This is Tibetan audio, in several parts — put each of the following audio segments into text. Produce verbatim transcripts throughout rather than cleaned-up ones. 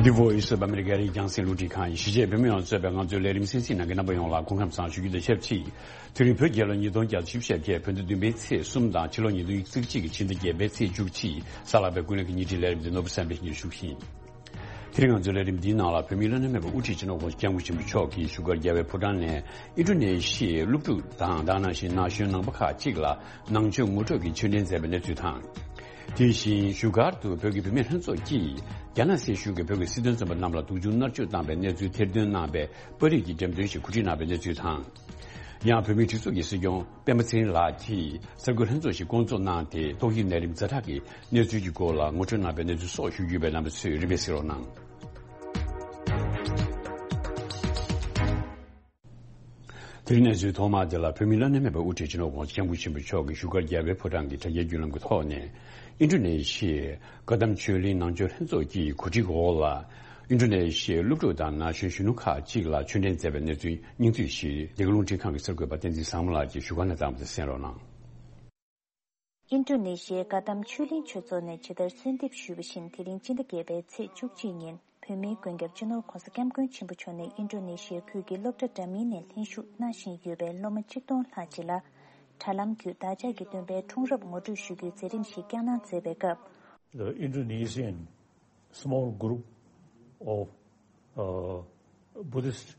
The Voice of America རིགས་རྒྱང་སྲིང་རླུང་འཕྲིན་ཁང་ཡིན། གཞིས་བྱེས་བོད་མི་ཡོངས་གཙོས་པའི་ང་ཚོའི་ལས་རིམ་གསན་གཟིགས་གནང་མཁན་རྣམ་པ་ཡོངས་ལ་སྐུ་ཁམས་བཟང་ཞུ་རྒྱུ་དང་ཆབས་ཅིག་དེ་རིང་བོད་རྒྱལ་ལོ་ཉིས་སྟོང་བརྒྱ་དང་བཞི་བཅུ་ཞེ་བརྒྱད། བོད་ཟླ་བདུན་པའི་ཚེས་གསུམ་དང་ཕྱི་ལོ་ཉིས་སྟོང་ཉེར་གཅིག་གི་ཕྱི་ཟླ་བརྒྱད་པའི་ཚེས་བཅུ་གཅིག་གཟའ་ལྷག་པའི་ཀུན་གླེང་གི་ཉིན་བཞིའི་ལས་རིམ་འདི་ནོར་བུ་བསམ་འཕེལ་གྱིས་ཞུ་གི་ཡིན། དེ་རིང་ང་ཚོའི་ལས་རིམ་འདིའི་ནང་ལ་བོད་མིའི་བླ་ན་མེད་པའི་དབུ་ཁྲིད་སྤྱི་ནོར་༸གོང་ས་༸སྐྱབས་མགོན་ཆེན་པོ་མཆོག་གིས་བཞུགས་སྒར་རྒྱལ་བའི་ཕོ་བྲང་ནས་ཨིན་ཌོ་ནེ་ཤི་ཡའི་སློབ་ཕྲུག་དང་དེ་ནང་བཞིན་ན་གཞོན་ནང་པ་ཁག་ཅིག་ལ་ནང་ཆོས་ངོ་སྤྲོད་ཀྱི་ཆོས་འབྲེལ་མཛད་པའི་གནས་ཚུལ་དང་། དེ་བཞིན་བཞུགས་སྒར་དུ་བོད་ཀྱི་བུད་མེད་ལྷན་ཚོགས་ཀྱིས་རྒྱ་ནག་སྲིད་གཞུང་གིས་བོད་ཀྱི་སྲིད་དོན་བཙོན་པ་རྣམས་ལ་སྡུག་སྦྱོང་མནར་གཅོད་བཏང་བའི་གནས་ཚུལ་ཐེར་འདོན་གནང་བའི་པར་རིས་ཀྱི་འགྲེམས་སྟོན་ཞིག་གོ་སྒྲིག་གནང་བའི་གནས་ཚུལ་དང་། ཡང་བོད་མིའི་སྒྲིག་འཛུགས་ཀྱི་སྲིད་སྐྱོང་སྤེན་པ་ཚེ་རིང་ལགས་ཀྱིས་གསར་འགོད་ལྷན་ཚོགས་ཤིག་བསྐོང་ཚོགས་གནང་སྟེ་ཏོག་དབྱིབས་ནད་རིམས་ཛ་དྲག་གི་གནས་ཚུལ་གྱི་སྐོར་ལ་ངོ་སྤྲོད་གནང་བའི་གནས་ཚུལ་སོགས་ཞུ་རྒྱུ་ཡོད་པས་རྣམ་པ་ཚོས་རིམ་པས་གཟིགས་རོགས་གནང་། དེ་རིང་གནས་ཚུལ་ཐོག་མ་དེ་ལ་བོད་མིའི་བླ་ན་མེད་པའི་དབུ་ཁྲིད་སྤྱི་ནོར་༸གོང་ས་༸སྐྱབས་མགོན་ཆེན་པོ་མཆོག་གིས་བཞུགས་སྒར་རྒྱལ་བའི་ཕོ་བྲང་གི་དྲ་རྒྱའི་བརྒྱུད་ལམ་གྱི་ཐོག་ནས་ཨིན་ཌོ་ནེ་ཤི་ཡའི་ཀ་དམ་ཆོས་གླིང་ནང་ཆོས་ལྷན་ཚོགས་ཀྱི་གོ་སྒྲིག་འོག་ལ་ཨིན་ཌོ་ནེ་ཤི་ཡའི་སློབ་ཕྲུག་དང་ན་གཞོན་གཞོན་ནུ་ཁག་ཅིག་ལ་ཆོས་འབྲེལ་མཛད་པའི་གནས་ཚུལ་སྙིང་བསྡུས་ཤིག་འདི་ག་རླུང་འཕྲིན་ཁང་གི་གསར་འགོད་པ་བསྟན་འཛིན་བཟང་མོ་ལགས་ཀྱིས་བཞུགས་སྒར་ནས་བཏང་བ་དེ་གསན་རོགས་གནང་། ཨིན་ཌོ་ནེ་ཤི་ཡའི་ཀ་དམ་ཆོས་གླིང་ཆོས་ཚོགས་ནས་ཇི་ལྟར་གསོལ་འདེབས་ཞུས་པ་བཞིན། དེ་རིང་སྤྱི་ཟླ་བརྒྱད་པའི་ཚེས་བཅུ་གཅིག་ཉིན་བོད་མིའི་མགོན་སྐྱབས་སྤྱི་ནོར་༸གོང་ས་༸སྐྱབས་མགོན་ཆེན་པོ་མཆོག་ནས་ཨིན་ཌོ་ནེ་ཤི་ཡའི་ཁུལ་གྱི་སློབ་གྲྭ་འདྲ་མིན་ནས་ལྷན་ཞུགས་གནང་བཞིན་ཡོད་པའི་སློབ་མ་གཅིག་སྟོང་ལྷག་ཅིག་ལ་དྲ་ལམ་བརྒྱུད་བདག་ཅག་གི་སྟོན་པའི་འཁྲུངས་རབས་ངོ་སྤྲོད་ཞུ་རྒྱུའི་མཛད་རིམ་ཞིག་བསྐྱངས་གནང་མཛད་པའི་སྐབས། The Indonesian small group of, uh, Buddhist,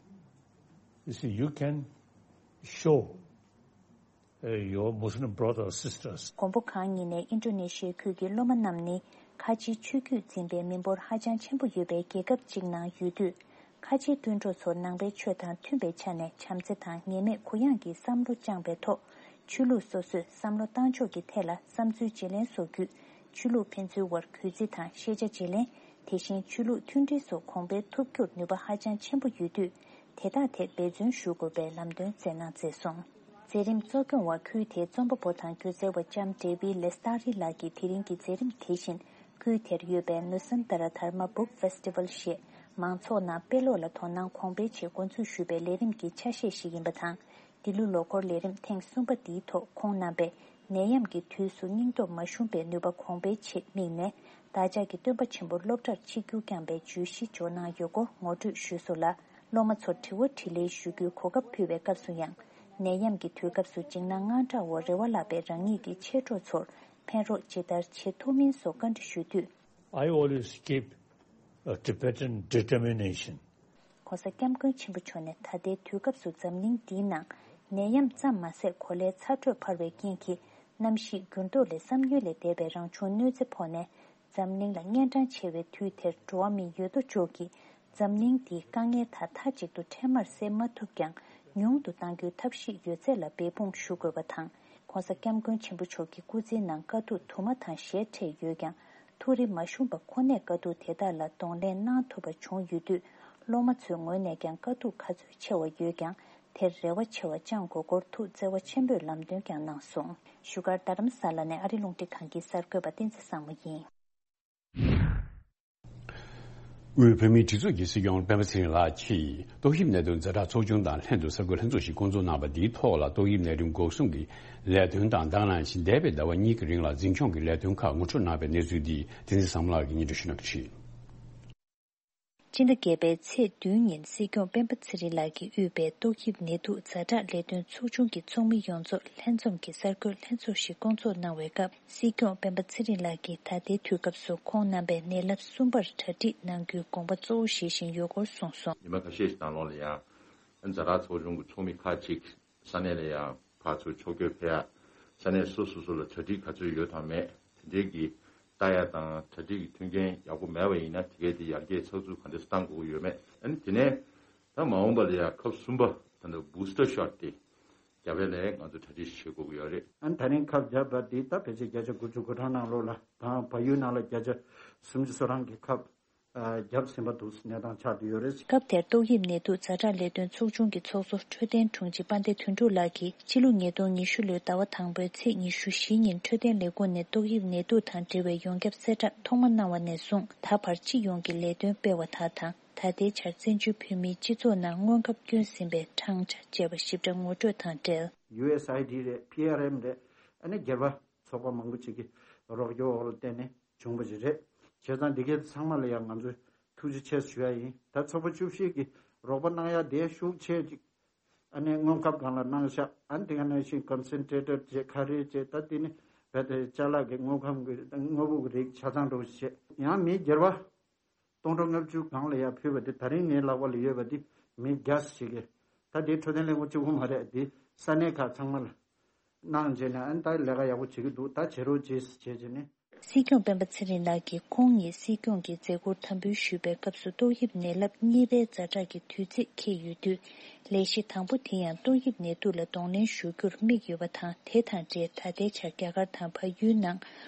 you see, you can show, uh, your Muslim brothers and sisters. མགོན་པོ་གང་ཉིད་ནས་ཨིན་ཌོ་ནེ་ཤི་ཡའི་ཁུལ་གྱི་སློབ་མ་རྣམས་ནི་ཁ་ཆེའི་ཆོས་བརྒྱུད་འཛིན་པའི་མི་འབོར་ཧ་ཅང་ཆེན་པོ་ཡོད་པའི་རྒྱལ་ཁབ་ཅིག་ནང་ཡོད་དུས། ཁ་ཆེའི་སྤུན་གྲོགས་ཚོར་ནང་པའི་ཆོས་དང་མཐུན་པའི་ཆ་ནས་བྱམས་བརྩེ་དང་ངེས་མེད་གུ་ཡངས་ཀྱི་བསམ་བློ་བཅངས་པའི་ཐོག་ཆོས་ལུགས་སོ་སོས་བསམ་བློ་བཏང་ཕྱོགས་ཀྱི་ཐད་ལ་བསམ་ཚུལ་བརྗེ་ལེན་སོགས་བརྒྱུད། ཆོས་ལུགས་ཕན་ཚུན་དབར་གུས་བརྩི་དང་ཤེས་བྱ་བརྗེ་ལེན། དེ་བཞིན་ཆོས་ལུགས་མཐུན་སྒྲིལ་སོགས་གོང་འཕེལ་ཐུབ་རྒྱུར་ནུས་པ་ཧ་ཅང་ཆེན་པོ་ཡོད་དུས། དེ་དག་ཐད་འབད་བརྩོན་ཞུ་དགོས་པའི་ལམ་སྟོན་སྩལ་གནང་མཛད་སོང་། མཛད་རིམ་གཙོ་སྐྱོང་བ་ཁུལ་དེའི་རྩོམ་པ་པོ་དང་སྒྱུ་རྩལ་བ་ལྕམ་ཌེ་བི་ལེ་སྟ་རི་ལགས་ཀྱིས་དེ་རིང་གི་མཛད་རིམ་དེ་བཞིན་ཁུལ་དེར་ཡོད་པའི་ནུ་སན་ཏ་ར་དྷར་མ་བུག་ཕེ་སི་ཊི་ཝལ་ཞེས་མང་ཚོགས་ནང་དཔེ་ཀློག་ལ་དོ་སྣང་གོང་འཕེལ་ཆེད་འགོ་འཛུགས་ཞུས་པའི་ལས་རིམ་གྱི་ཆ་ཤས་ཤིག་ཡིན་པ་དང་། འདི་ལོའི་ལོ་འཁོར་ལས་རིམ་ཐེངས་གསུམ་པ་འདིའི་ཐོག་ཁོང་རྣམ་པས་ནད་ཡམས་ཀྱི་དུས་སུ་སྙིང་སྟོབས་མ་ཞུམ་པའི་ནུས་པ་གོང་འཕེལ་ཆེད་དམིགས་ནས། བདག་ཅག་གི་སྟོན་པ་ཆེན་པོ་སློབ་གྲྭར་ཆིབས་བསྒྱུར་བསྐྱངས་པའི་བརྗོད་གཞི་འཇོག་གནང་ཡོད་སྐོར་ངོ་སྤྲོད་ཞུས་སོང་ལ། སློབ་མ་ཚོར་དྲི་བ་དྲིས་ལན་ཞུ་རྒྱུའི་གོ་སྐབས་ཕུལ་བའི་སྐབས་སུ་ཡང་། ནད་ཡམས་ཀྱི་དུས་སྐབས་སུ་འཇིགས་སྣང་དངངས་སྐྲག་འོག་རེ་བ་བརླག་པའི་རང་ཉིད་ཀྱི་མཆེད་གྲོགས་ཚོར་ཕན་རོགས་ཇི་ལྟར་བྱེད་ཐུབ་མིན་སོགས་བཀའ་འདྲི་ཞུས་དུས། I always keep a Tibetan determination. ༸གོང་ས་༸སྐྱབས་མགོན་ཆེན་པོ་མཆོག་ནས་ད་ལྟའི་དུས་སྐབས་སུ་འཛམ་གླིང་འདིའི་ནང་ནད་ཡམས་ཙམ་མ་ཟད་གོ་ལའི་ཚ་དྲོད་འཕར་བའི་རྐྱེན་གྱིས་གནམ་གཤིས་འགྱུར་ལྡོག་ལས་བསམ་ཡུལ་ལས་འདས་པའི་རང་བྱུང་གནོད་འཚེ་ཕོག་ནས། འཛམ་གླིང་ལ་གཉན་འཕྲང་ཆེ་བའི་དུས་དེར་འགྲོ་བ་མིའི་ཡོད་དོ་ཅོག་གིས་འཛམ་གླིང་འདིའི་དཀའ་ངལ་དག་མཐའ་གཅིག་ཏུ་འཕྲལ་མར་སེལ་མ་ཐུབ་ཀྱང་ཉུང་དུ་གཏང་རྒྱུའི་ཐབས་ཤེས་ཡོད་ཚད་ལ་འབད་འབུངས་ཞུ་དགོས་པ་དང་། ༸གོང་ས་༸སྐྱབས་མགོན་ཆེན་པོ་མཆོག་གི་སྐུ་ཚེའི་ནང་དཀའ་སྡུག་དུ་མ་དང་ཞལ་འཕྲད་ཡོད་ཀྱང་། ཐུགས་རེ་མ་ཞུམ་པ་ཁོ་ནས་དཀའ་སྡུག་དེ་དག་ལ་གདོང་ལེན་གནང་ཐུབ་པ་བྱུང་ཡོད་དུས། སློབ་མ་ཚོའི་ངོས་ནས་ཀྱང་དཀའ་སྡུག་ག་ཚོད་ཆེ་བ་ཡོད་ཀྱང་དེར་རེ་བ་ཆེ་བ་བཅངས་དགོས་སྐོར་ཐུགས་བརྩེ་བ་ཆེན་པོས་ལམ་སྟོན་ཀྱང་གནང་སོང་། བཞུགས་སྒར་རྡ་རམ་ས་ལ་ནས་ཨ་རི་རླུང་འཕྲིན་ཁང་གི་གསར་འགོད་པ་བསྟན་འཛིན་བཟང་མོ་ཡིན། དབུས་བོད་མིའི་སྒྲིག་འཛུགས་ཀྱི་སྲིད་སྐྱོང་སྤེན་པ་ཚེ་རིང་ལགས་ཀྱིས་ཏོག་དབྱིབས་ནད་དུག་ཛ་དྲག་ཚོགས་ཆུང་དང་ལྷན་དུ་གསར་འགོད་ལྷན་ཚོགས་ཤིག་བསྐོང་ཚོགས་གནང་བ་འདིའི་ཐོག་ལ་ཏོག་དབྱིབས་ནད་རིམས་འགོག་སྲུང་གི་ལས་དོན་དང་དེ་ནང་བཞིན་འདས་པའི་ཟླ་བ་གཉིས་ཀྱི་རིང་ལ་འཛིན་སྐྱོང་གི་ལས་དོན་ཁག་ངོ་སྤྲོད་གནང་བའི་གནས་ཚུལ་འདི་བསྟན་འཛིན་བཟང་མོ་ལགས་ཀྱིས་སྙན་སྒྲོན་ཞུ་གནང་གི་རེད། སྤྱི་ཟླ་བརྒྱད་པའི་ཚེས་བདུན་ཉིན་སྲིད་སྐྱོང་སྤེན་པ་ཚེ་རིང་ལགས་ཀྱིས་དབུས་པའི་ཏོག་དབྱིབས་ནད་དུག་ཛ་དྲག་ལས་དོན་ཚོགས་ཆུང་གི་ཚོགས་མི་ཡོངས་རྫོགས་ལྷན་འཛོམས་ཀྱི་གསར་འགོད་ལྷན་ཚོགས་ཤིག་བསྐོང་ཚོགས་གནང་བའི་སྐབས། སྲིད་སྐྱོང་སྤེན་པ་ཚེ་རིང་ལགས་ཀྱིས་ད་ལྟའི་དུས་སྐབས་སུ་ཁོང་རྣམ་པས་ནད་རླབས་གསུམ་པར་གྲ་སྒྲིག་གནང་རྒྱུའི་དགོངས་པ་གཙོ་བོ་བཞེས་བཞིན་ཡོད་སྐོར་གསུངས་སོང་། ཉི་མ་ཁ་ཤས་ཤིག་ནང་ལོགས་ལ་ཡང་ཛ་དྲག་ཚོགས་ཆུང་གི་ཚོགས་མི་ཁག་ཅིག་ས་གནས་ལ་ཡང་ཕར་ཚུར་ཕྱོགས་བསྐྱོད་ཕེབས་ཡ། ས་གནས་སོ་སོ་སོ་ལ་གྲ་སྒྲིག་ག་ཚོད་ཡོད་དང་མེད་དེ་འདྲའི་གི་ལྟ་ཡ་དང་། གྲ་སྒྲིག་གི་མཐུན་རྐྱེན་ཡག་པོ་མེད་པ་ཡིན་ན་དེ་གའི་དེ་ཡར་རྒྱས་ཚགས་ཚུད་ག་འདྲ་སེ་བཏང་དགོས་ཀྱི་ཡོད་མེད། ཨ་ནི་དེ་ནས་ད་མ་འོངས་པ་ལ་ཡང་ཁབ་གསུམ་པ་ད་ལྟ་བུ་སི་ཊར་ཤོཊ་དེ་རྒྱག་པའི་ལས་ང་ཚོ་གྲ་སྒྲིག་བྱེད་དགོས་ཀྱི་ཡོད་རེད། ཨ་ནི་ད་རིང་ཁབ་བརྒྱབ་པ་འདི་ད་ཕལ་ཆེར་བརྒྱ་ཆ་དགུ་བཅུ་གོ་གྲངས་ནང་ལོགས་ལ་དང་བལ་ཡུལ་ནང་ལ་བརྒྱ་ཆ་སུམ་ཅུ་སོ་གྲངས་ཀྱི་ཁབ་ཨ་བརྒྱབ་ཟིན་པ་འདུག་གནས་སྟངས་ཆགས་བསྡད་ཡོད་རེད། སྐབས་དེར་ཏོག་དབྱིབས་ནད་དུག་ཛ་དྲག་ལས་དོན་ཚོགས་ཆུང་གི་ཚོགས་གཙོ་འཕྲོད་བསྟེན་དྲུང་ཆེ་དཔལ་ལྡན་དོན་གྲུབ་ལགས་ཀྱིས་ཕྱི་ལོ་ཉིས་སྟོང་ཉི་ཤུ་ལོའི་ཟླ་བ་དང་པོའི་ཚེས་ཉི་ཤུ་བཞི་ཉིན་འཕྲོད་བསྟེན་ལས་ཁུངས་ནས་ཏོག་དབྱིབས་ནད་དུག་དང་འབྲེལ་བའི་ཡོངས་ཁྱབ་གསལ་བསྒྲགས་ཐོག་མ་གནང་བ་ནས་བཟུང་ད་བར་སྤྱི་ཡོངས་ཀྱི་ལས་དོན་སྤེལ་བ་དག་དང་། ད་ལྟའི་ཆར་བཙན་བྱོལ་བོད་མིའི་སྤྱི་ཚོགས་ནང་སྔོན་ཁབ་བསྐྱོན་ཟིན་པའི་གྲངས་ཆ་བཅས་པ་ཞིབ་ཕྲ་ངོ་སྤྲོད་དང་འབྲེལ། ཡུ་ཨེས་ཨའི་ཌི་རེད། པི་ཨར་ཨེམ་རེད། ཨ་ནི་སྒེར་པ་ཚོགས་པ་མང་པོ་ཅིག་གི་རོགས་སྐྱོར་འོག་ལ་བརྟེན་ནས་བྱུང་བ་ཞིག་རེད། བྱས་ཙང་འདི་གའི་ཚང་མ་ལ་ཡང་ང་ཚོས་ ཐུགས་རྗེ་ཆེ་ཞུ་ཡ་ཡིན། ད་ཚོགས་པ་བཅུ་བཞི་གི་རོགས་པ་གནང་ཡ་དེ་ཤུགས་ཆེ་ཅིག་ཨ་ནི་དངོས་ཁབ་སྒང་ལ་གནང་ཤག་ཨ་ནི་དེ་ག་ནང་བཞིན་ཀོན་སེན་ཊྲེ་ཊར་བཅས་ཁ་རས་བཅས་ད་དེ་ནི་རྦད་དེ་ཅ་ལག་གི་དངོས་ཁམས་ཀྱི་དངོས་པོ་གི་རིགས་ཆ་ཚང་འགྲོ་བྱས། ཡང་མི་སྒེར་བ་སྟོང་ཕྲག་ལྔ་བཅུ་སྒང་ལ་ཡར་ཕུལ་བ་དེ་ད་རིང་ངའི་ལག་པ་ལ་ཡོད་པ་དེ་མི་བརྒྱ་ཞིག་གིས་ད་དེ་འཕྲོད་བསྟེན་ལས་ཁུངས་གཅིག་པུ་མ་རེད། དེ་ས་གནས་ཁག་ཚང་མ་ལ་གནང་བྱས་ནས་ཨ་ནི་ད་ལས་ཀ་ཡག་པོ་བྱེད་ཀྱི་འདུག་ད་བྱེད་རོགས་བྱེད་ཟེར་བྱས་བྱས་ནས། སྲིད་སྐྱོང་སྤེན་པ་ཚེ་རིང་ལགས་ཀྱིས་ཁོང་ཉིད་སྲིད་སྐྱོང་གི་མཛད་ཁུར་དམ་འབུལ་ཞུས་པའི་སྐབས་སུ་ཏོག་དབྱིབས་ནད་རླབས་གཉིས་པའི་ཛ་དྲག་གི་དུས་ཚིགས་འཁེལ་ཡོད་དུས། ལས་གཞི་དང་པོ་དེ་ཡང་ཏོག་དབྱིབས་ནད་དུག་ལ་གདོང་ལེན་ཞུ་རྒྱུར་དམིགས་ཡོད་པ་དང་། དེ་དང་འབྲེལ་ད་ལྟའི་ཆར་རྒྱ་གར་དང་བལ་ཡུལ་ནང་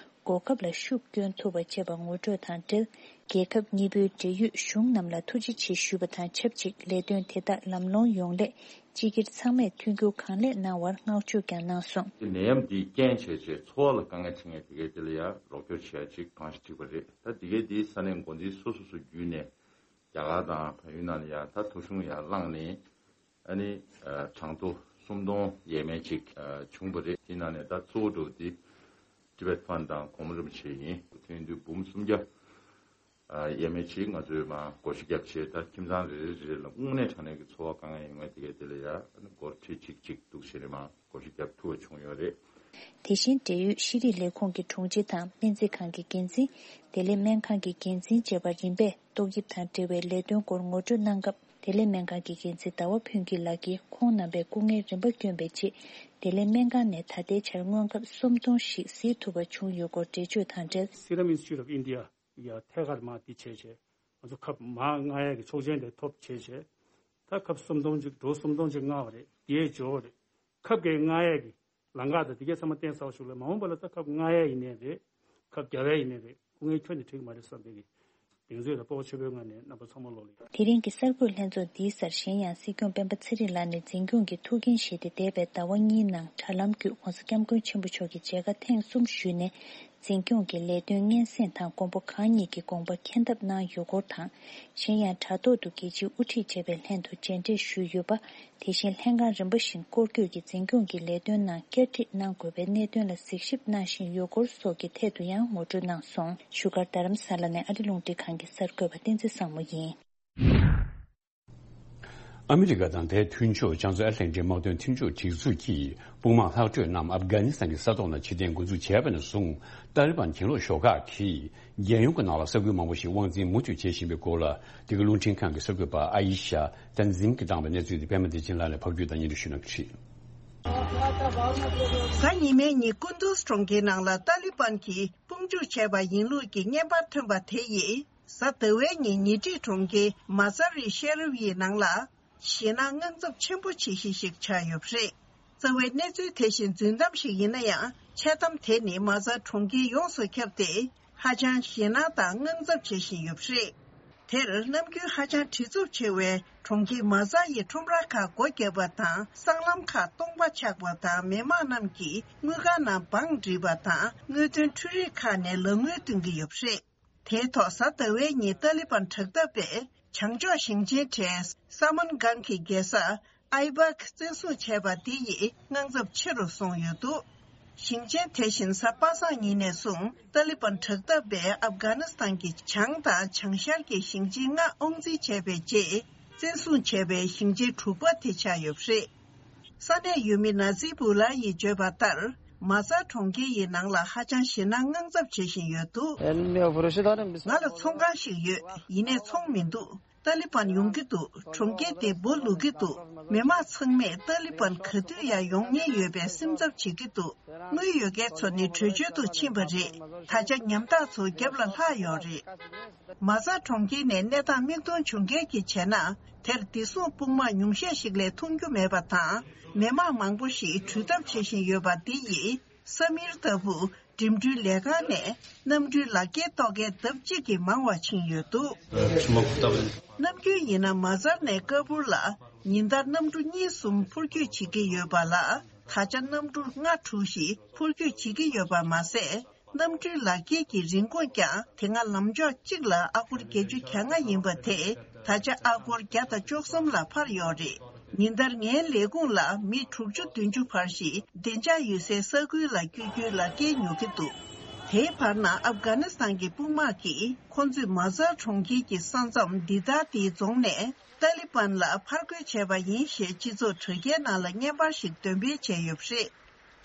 གོ་སྐབས་ལ་ཤུགས་བསྐྱོན་ཐུབ་པ་བྱས་པ་ངོ་སྤྲོད་དང་འབྲེལ། རྒྱལ་ཁབ་གཉིས་པོའི་འབྲེལ་ཡོད་གཞུང་རྣམས་ལ་ཐུགས་རྗེ་ཆེ་ཞུས་པ་དང་ཆབས་ཅིག་ལས་དོན་དེ་དག་ལམ་ལྷོང་ཡོང་སླད། སྤྱི་སྒེར་ཚང་མས་མཐུན་འགྱུར་གང་ལེགས་གནང་བར་བསྔགས་བརྗོད་ཀྱང་གནང་སོང་། ནད་ཡམས་འདིས་རྐྱེན་བྱས་བྱས་འཚོ་བ་ལ་དཀའ་ངལ་འཕྲད་མཁན་དེ་གའི་དེ་ལ་ཡང་རོགས་སྐྱོར་བྱེད་ཡ་ཅིག་གང་ཞིག་ཐུག་པ་རེད། ད་དེ་གའི་དེའི་ས་གནས་འགོ་འཛིན་སོ་སོ་སོ་བརྒྱུད་ནས་རྒྱ་གར་དང་བལ་ཡུལ་ནང་ལ་ཡང་ད་ཐོ་གཞུང་ཡར་བླངས་ནས་ཨ་ནི་གྲངས་ཐོ་སུམ་སྟོང་ཡས་མས་ཅིག་བྱུང་པ་རེད། དེ་ནང་ནས་ད་གཙོ་བོ་འགྲོ་དེ་ཊི་བེཊ་ཕན་དང་གོང་མ་རིན་པོ་ཆེ་ཡིན། དེ་ཡིན་དུས་འབུམ་སུམ་བརྒྱ། ཡས་མས་ཅིག་ང་ཚོས་མར་བགོ་བཤའ་བརྒྱབ་བྱས། ད་ཁྱིམ་ཚང་རེ་རེ་རེ་རེ་ལ་དངོས་གནས་དྲང་གནས་ཀྱི་འཚོ་བ་དཀའ་ངལ་ཡོད་མཁན་དེ་གའི་དེ་ལ་ཡང་སྒོར་ཁྲི་གཅིག་གཅིག་འདུག་བྱས་ནས་མར་བགོ་བཤའ་བརྒྱབ་ཐུབ་པ་བྱུང་ཡོད་རེད། དེ་བཞིན་འབྲེལ་ཡོད་ཤེས་རིག་ལས་ཁུངས་ཀྱི་དྲུང་ཆེ་དང་སྨན་རྩིས་ཁང་གི་འགན་འཛིན། བདེ་ལེགས་སྨན་ཁང་གི་འགན་འཛིན་བཅས་པ་རིམ་པས་ཏོག་དབྱིབས་དང་འབྲེལ་བའི་ལས་དོན་སྐོར་ངོ་སྤྲོད་གནང་སྐབས། བདེ་ལེགས་སྨན་ཁང་གི་འགན་འཛིན་ཟླ་བ་ཕུན་སྐྱིད་ལགས་ཀྱིས་ཁོང་རྣམ་པས་སྐུ་ངལ་རིམ་པ་བསྐྱོན་པའི་རྗེས། བདེ་ལེགས་སྨན་ཁང་ནས་ད་ལྟའི་ཆར་དངོས་ཁབ་སུམ་སྟོང་ཞིག་གཟིགས་ཐུབ་པ་བྱུང་ཡོད་སྐོར་འགྲེལ་བརྗོད་དང་འབྲེལ། Serum Institute of India ཡ་ཐད་ཀར་མ་འདི་བྱས་བྱས། ང་ཚོ་ཁབ་མ་མངགས་ཡས་ཀྱི་ཆོག་མཆན་དེ་ཐོབ་བྱས་བྱས། ད་ཁབ་སུམ་སྟོང་ཅིག་འགྲོ་སུམ་སྟོང་ཅིག་མངགས་པ་རེད། དེའི་འབྱོར་བ་རེད། ཁབ་ཀྱི་མངགས་ཡས་ཀྱི་ལམ་ཁ་དང་དེ་གའི་ཚང་མ་བརྟན་གསར་ཞུགས་ལ་མ་འོངས་པ་ལ་ད་ཁབ་མངགས་ཡས་ཡིན་ནའི་རེད། ཁབ་རྒྱག་ཡས་ཡིན་ནའི་རེད། སྐུ་ངལ་ཁྱོན་ནས་འཕྲད་ཀྱི་མ་རེད་བསམ་པའི་གི་གདེང་ཚོད་ལ་སྤོབས་པ་ཆེན་པོའི་ངང་ནས་རྣམ་པ་ཚང་མ་ལོག་ལ་ཡོད། དེ་རིང་གི་གསར་འགོད་ལྷན་ཚོགས་འདིའི་སར་གཞན་ཡང་སྲིད་སྐྱོང་སྤེན་པ་ཚེ་རིང་ལགས་ནས་འཛིན་སྐྱོང་གི་ཐུགས་འགན་བཞེས་ཏེ་འདས་པའི་ཟླ་བ་གཉིས་ནང་དྲ་ལམ་བརྒྱུད་༸གོང་ས་༸སྐྱབས་མགོན་ཆེན་པོ་མཆོག་གི་མཇལ་ཁ་ཐེངས་གསུམ་ཞུས་ནས། འཛིན་སྐྱོང་གི་ལས་དོན་སྙན་སེང་དང་མགོན་པོ་གང་ཉིད་ཀྱི་དགོངས་པ་མཁྱེན་ཐབས་གནང་ཡོད་སྐོར་དང་། གཞན་ཡང་དྲ་ཐོག་ཏུ་རྒྱལ་སྤྱིའི་དབུ་ཁྲིད་བཅས་པའི་ལྷན་དུ་མཇལ་འཕྲད་ཞུས་ཡོད་པ། དེ་བཞིན་ལྷན་ཁང་རིམ་པ་བཞིན་སྐོར་སྐྱོད་ཀྱིས་འཛིན་སྐྱོང་གི་ལས་དོན་ནང་བསྐྱར་སྒྲིག་གནང་དགོས་པའི་གནད་དོན་ལ་གཟིགས་ཞིབ་གནང་བཞིན་ཡོད་སྐོར་སོགས་ཀྱི་ཐད་དུ་ཡང་ངོ་སྤྲོད་གནང་སོང་། བཞུགས་སྒར་རྡ་རམ་ས་ལ་ནས་ཨ་རི་རླུང་འཕྲིན་ཁང་གི་གསར་འགོད་པ་བསྟན་འཛིན་བཟང་མོ་ཡིན། ཨ་མི་རི་ཀ་དང་དེའི་མཐུན་ཕྱོགས་རྒྱ་མཚོ་ཨེ་ཊ་ལན་ཊིག་དམག་དོན་མཐུན་ཕྱོགས་སྒྲིག་འཛུགས་ཀྱིས་དཔུང་དམག་ལྷག་འཕྲོས་རྣམས་ཨབ་གྷ་ནི་སི་ཐན་གྱི་ས་ཐོག་ནང་ཕྱིར་འཐེན་འགོ་འཛུགས་བྱས་པ་ནས་བཟུང་། ཏཱ་ལི་བན་གྱེན་ལོག་ཤོག་ཁག་གིས་རྒྱལ་ཡོངས་ཀྱི་ནང་ལ་ས་ཁུལ་མང་པོ་ཞིག་དབང་འཛིན་མུ་མཐུད་བྱེད་བཞིན་པའི་སྐོར་ལ། འདི་ག་རླུང་འཕྲིན་ཁང་གི་གསར་འགོད་པ་ཨ་ཡི་ཤ་ཏན་ཛིམ་གྱིས་བཏང་བའི་གནས་ཚུལ་དེ་པད་མ་བདེ་ཆེན་ལགས་ནས་ཕབ་སྒྱུར་དང་སྙན་སྒྲོན་ཞུ་གནང་གི་རེད། གཟའ་ཉི་མའི་ཉིན་ཀུན་ཏུས་གྲོང་ཁྱེར་ནང་ལ་ཏཱ་ལི་བན་གྱིས་དཔུང་འཇུག་བྱས་པ་ཡིན་ལུགས་ཀྱི་བརྙན་པར་ཐོན་པ་དེ་ཡིས། གཟའ་ཟླ་བའི་ཉིན་ཉེ་འཁྲིས་གྲོང་ཁྱེར་མ་ཛ་རི་ཤེ་རི་ཡི་ནང་ལ་ཞེད་སྣང་དངངས་འཚབ་ཆེན་པོ་བྱེད་གཞི་ཞིག་ཆགས་ཡོད་པ་རེད། རྩ་བའི་གནས་ཚུལ་དེ་བཞིན་རྫུན་གཏམ་ཞིག་ཡིན་ན་ཡང་། འཆལ་གཏམ་དེ་ནི་མ་ཛ་གྲོང་ཁྱེར་ཡོངས་སུ་ཁྱབ་སྟེ། ཧ་ཅང་ཞེད་སྣང་དང་དངངས་འཚབ་བྱེད་བཞིན་ཡོད་པ་རེད། དེར་ནམ་རྒྱུན་ཧ་ཅང་བྲེལ་འཚུབ་ཆེ་བའི་གྲོང་ཁྱེར་མ་ཛ་ཡི་ཁྲོམ་ར་ཁག་སྒོ་བརྒྱབ་པ་དང་། སྲང་ལམ་ཁག་སྟོང་པ་ཆགས་པ་དང་། མི་མང་རྣམས་ཀྱིས་དངུལ་ཁང་ནང་བང་བསྒྲིགས་པ་དང་། དངུལ་འདོན་འཕྲུལ་རིག་ཁག་ནས་ལག་དངུལ་འདོན་གྱི་ཡོད་པ་རེད། དེའི་ཐོག་གཟའ་ཟླ་བའི་ཉིན་ཏཱ་ལི་བན་དྲག་འཐབ་པས་བྱང་ཕྱོགས་ཞིང་ཆེན་གྲས་ས་མན་གྷན་གྱི་རྒྱལ་ས་ཨའི་བག་བཙན་བཟུང་བྱས་པ་འདི་ཡིས་དངངས་འཚབ་ཆེ་རུ་སོང་ཡོད་འདུག་ཞིང་ཆེན་དེ་བཞིན་གཟའ་པ་སངས་ཉིན་ནས་བཟུང་ཏཱ་ལི་བན་དྲག་འཐབ་པས་ཨབ་གྷ་ནི་སི་ཐན་གྱི་བྱང་དང་བྱང་ཤར་གྱི་ཞིང་ཆེན་ལྔ་དབང་འཛིན་བྱས་པའི་རྗེས། བཙན་བཟུང་བྱས་པའི་ཞིང་ཆེན་དྲུག་པ་དེ་ཆགས་ཡོད་པ་རེད། ས་གནས་ཡུལ་མི་ན་ཛི་བུ་ལ་ཡིས་བརྗོད་པ་ལྟར། མ་ཛ་གྲོང་ཁྱེར་ཡི་ནང་ལ་ཧ་ཅང་ཞེད་སྣང་དངངས་འཚབ་བྱེད་བཞིན་ཡོད་འདུག་ང་ལ་ཚོང་ཁང་ཞིག་ཡོད། ཡིན་ནའི་ཚོང་མི་འདུག་ཏཱ་ལི་བན་ཡོང་གི་འདུག་གྲོང་ཁྱེར་འདི་སྦོ་ལུག་གི་འདུག་མི་མང་ཚང་མས་ཏཱ་ལི་བན་ག་དུས་ཡར་ཡོང་ཉེན་ཡོད་པའི་སེམས་འཚབ་བྱེད་ཀྱི་འདུག་དངུལ་ཡོད་མཁན་ཚོ་ནི་བྲོས་བྱོལ་དུ་ཕྱིན་པ་རེད། ད་ཆ་ཉམ་ཐག་ཚོ་རྒྱབ་ལ་ལྷག་ཡོད་རེད། མ་ཛ་གྲོང་ཁྱེར་ནས་གནས་སྟངས་མིག་མཐོང་བྱུང་མཁན་གྱིས་བྱས་ན། དེར་བདེ་སྲུང་དཔུང་དམག་ཉུང་ཤས་ཤིག་ལས་མཐོང་རྒྱུ་མེད་པ་དང་། མི་མང་མང་པོ་ཞིག་འགྲུལ་ཐབས་བྱེད་བཞིན་ཡོད་པ་འདི་ཡིས། ས་མིར་ལྟ་བུ་འགྲིམ་འགྲུལ་ལས་ཁང་ནས་གནམ་གྲུའི་ལག་འཁྱེར་གཏོང་མཁན་ལྡབ་གཅིག་གིས་མང་བ་ཕྱིན་ཡོད་འདུག་ནམ་རྒྱུན་ཡིན་ན་མ་ཛར་ནས་ཀ་པུར་ལ་ཉིན་ལྟར་གནམ་གྲུ་གཉིས་གསུམ་འཕུར་སྐྱོད་བྱེད་ཀྱི་ཡོད་པ་ལ། ད་ཆ་གནམ་གྲུ་ལྔ་དྲུག་ཞིག་འཕུར་སྐྱོད་བྱེད་ཀྱི་ཡོད་པ་མ་ཟད། གནམ་གྲུའི་ལག་འཁྱེར་གྱི་རིན་གོང་ཀྱང་དེ་སྔ་ལམ་ཕྱོགས་གཅིག་ལ་ཨ་སྒོར་བརྒྱད་ཅུ་གྱ་ལྔ་ཡིན་པ་དེ་ད་ཆ་ཨ་སྒོར་བརྒྱ་དང་བཅུ་གསུམ་ལ་འཕར་ཡོད་རེད། ཉིན་ལྟར་ངའི་ལས་ཁུངས་ལ་མི་དྲུག་ཅུ་བདུན་ཅུ་བར་ཞིག་བདེ་འཇགས་ཡོད་སའི་ས་ཁུལ་ལ་བསྐྱོད་རྒྱུའི་ལག་འཁྱེར་ཉོ་གི་འདུག་དེའི་བར་ན་ཨབ་གྷ་ནི་སི་ཐན་གྱི་དཔུང་དམག་གིས་ཁོ་ཚོས་མ་ཛར་གྲོང་ཁྱེར་གྱི་ས་མཚམས་འདི་ལྟར་དེའི་རྫོང་ནས་ཏཱ་ལི་བན་ལ་ཕར་རྒོལ་བྱས་པ་ཡིན་ཞེས་སྤྱི་ཚོགས་དྲ་རྒྱའི་ནང་ལ་བརྙན་པར་ཞིག་འདོན་སྤེལ་བྱས་ཡོད་པ་རེད།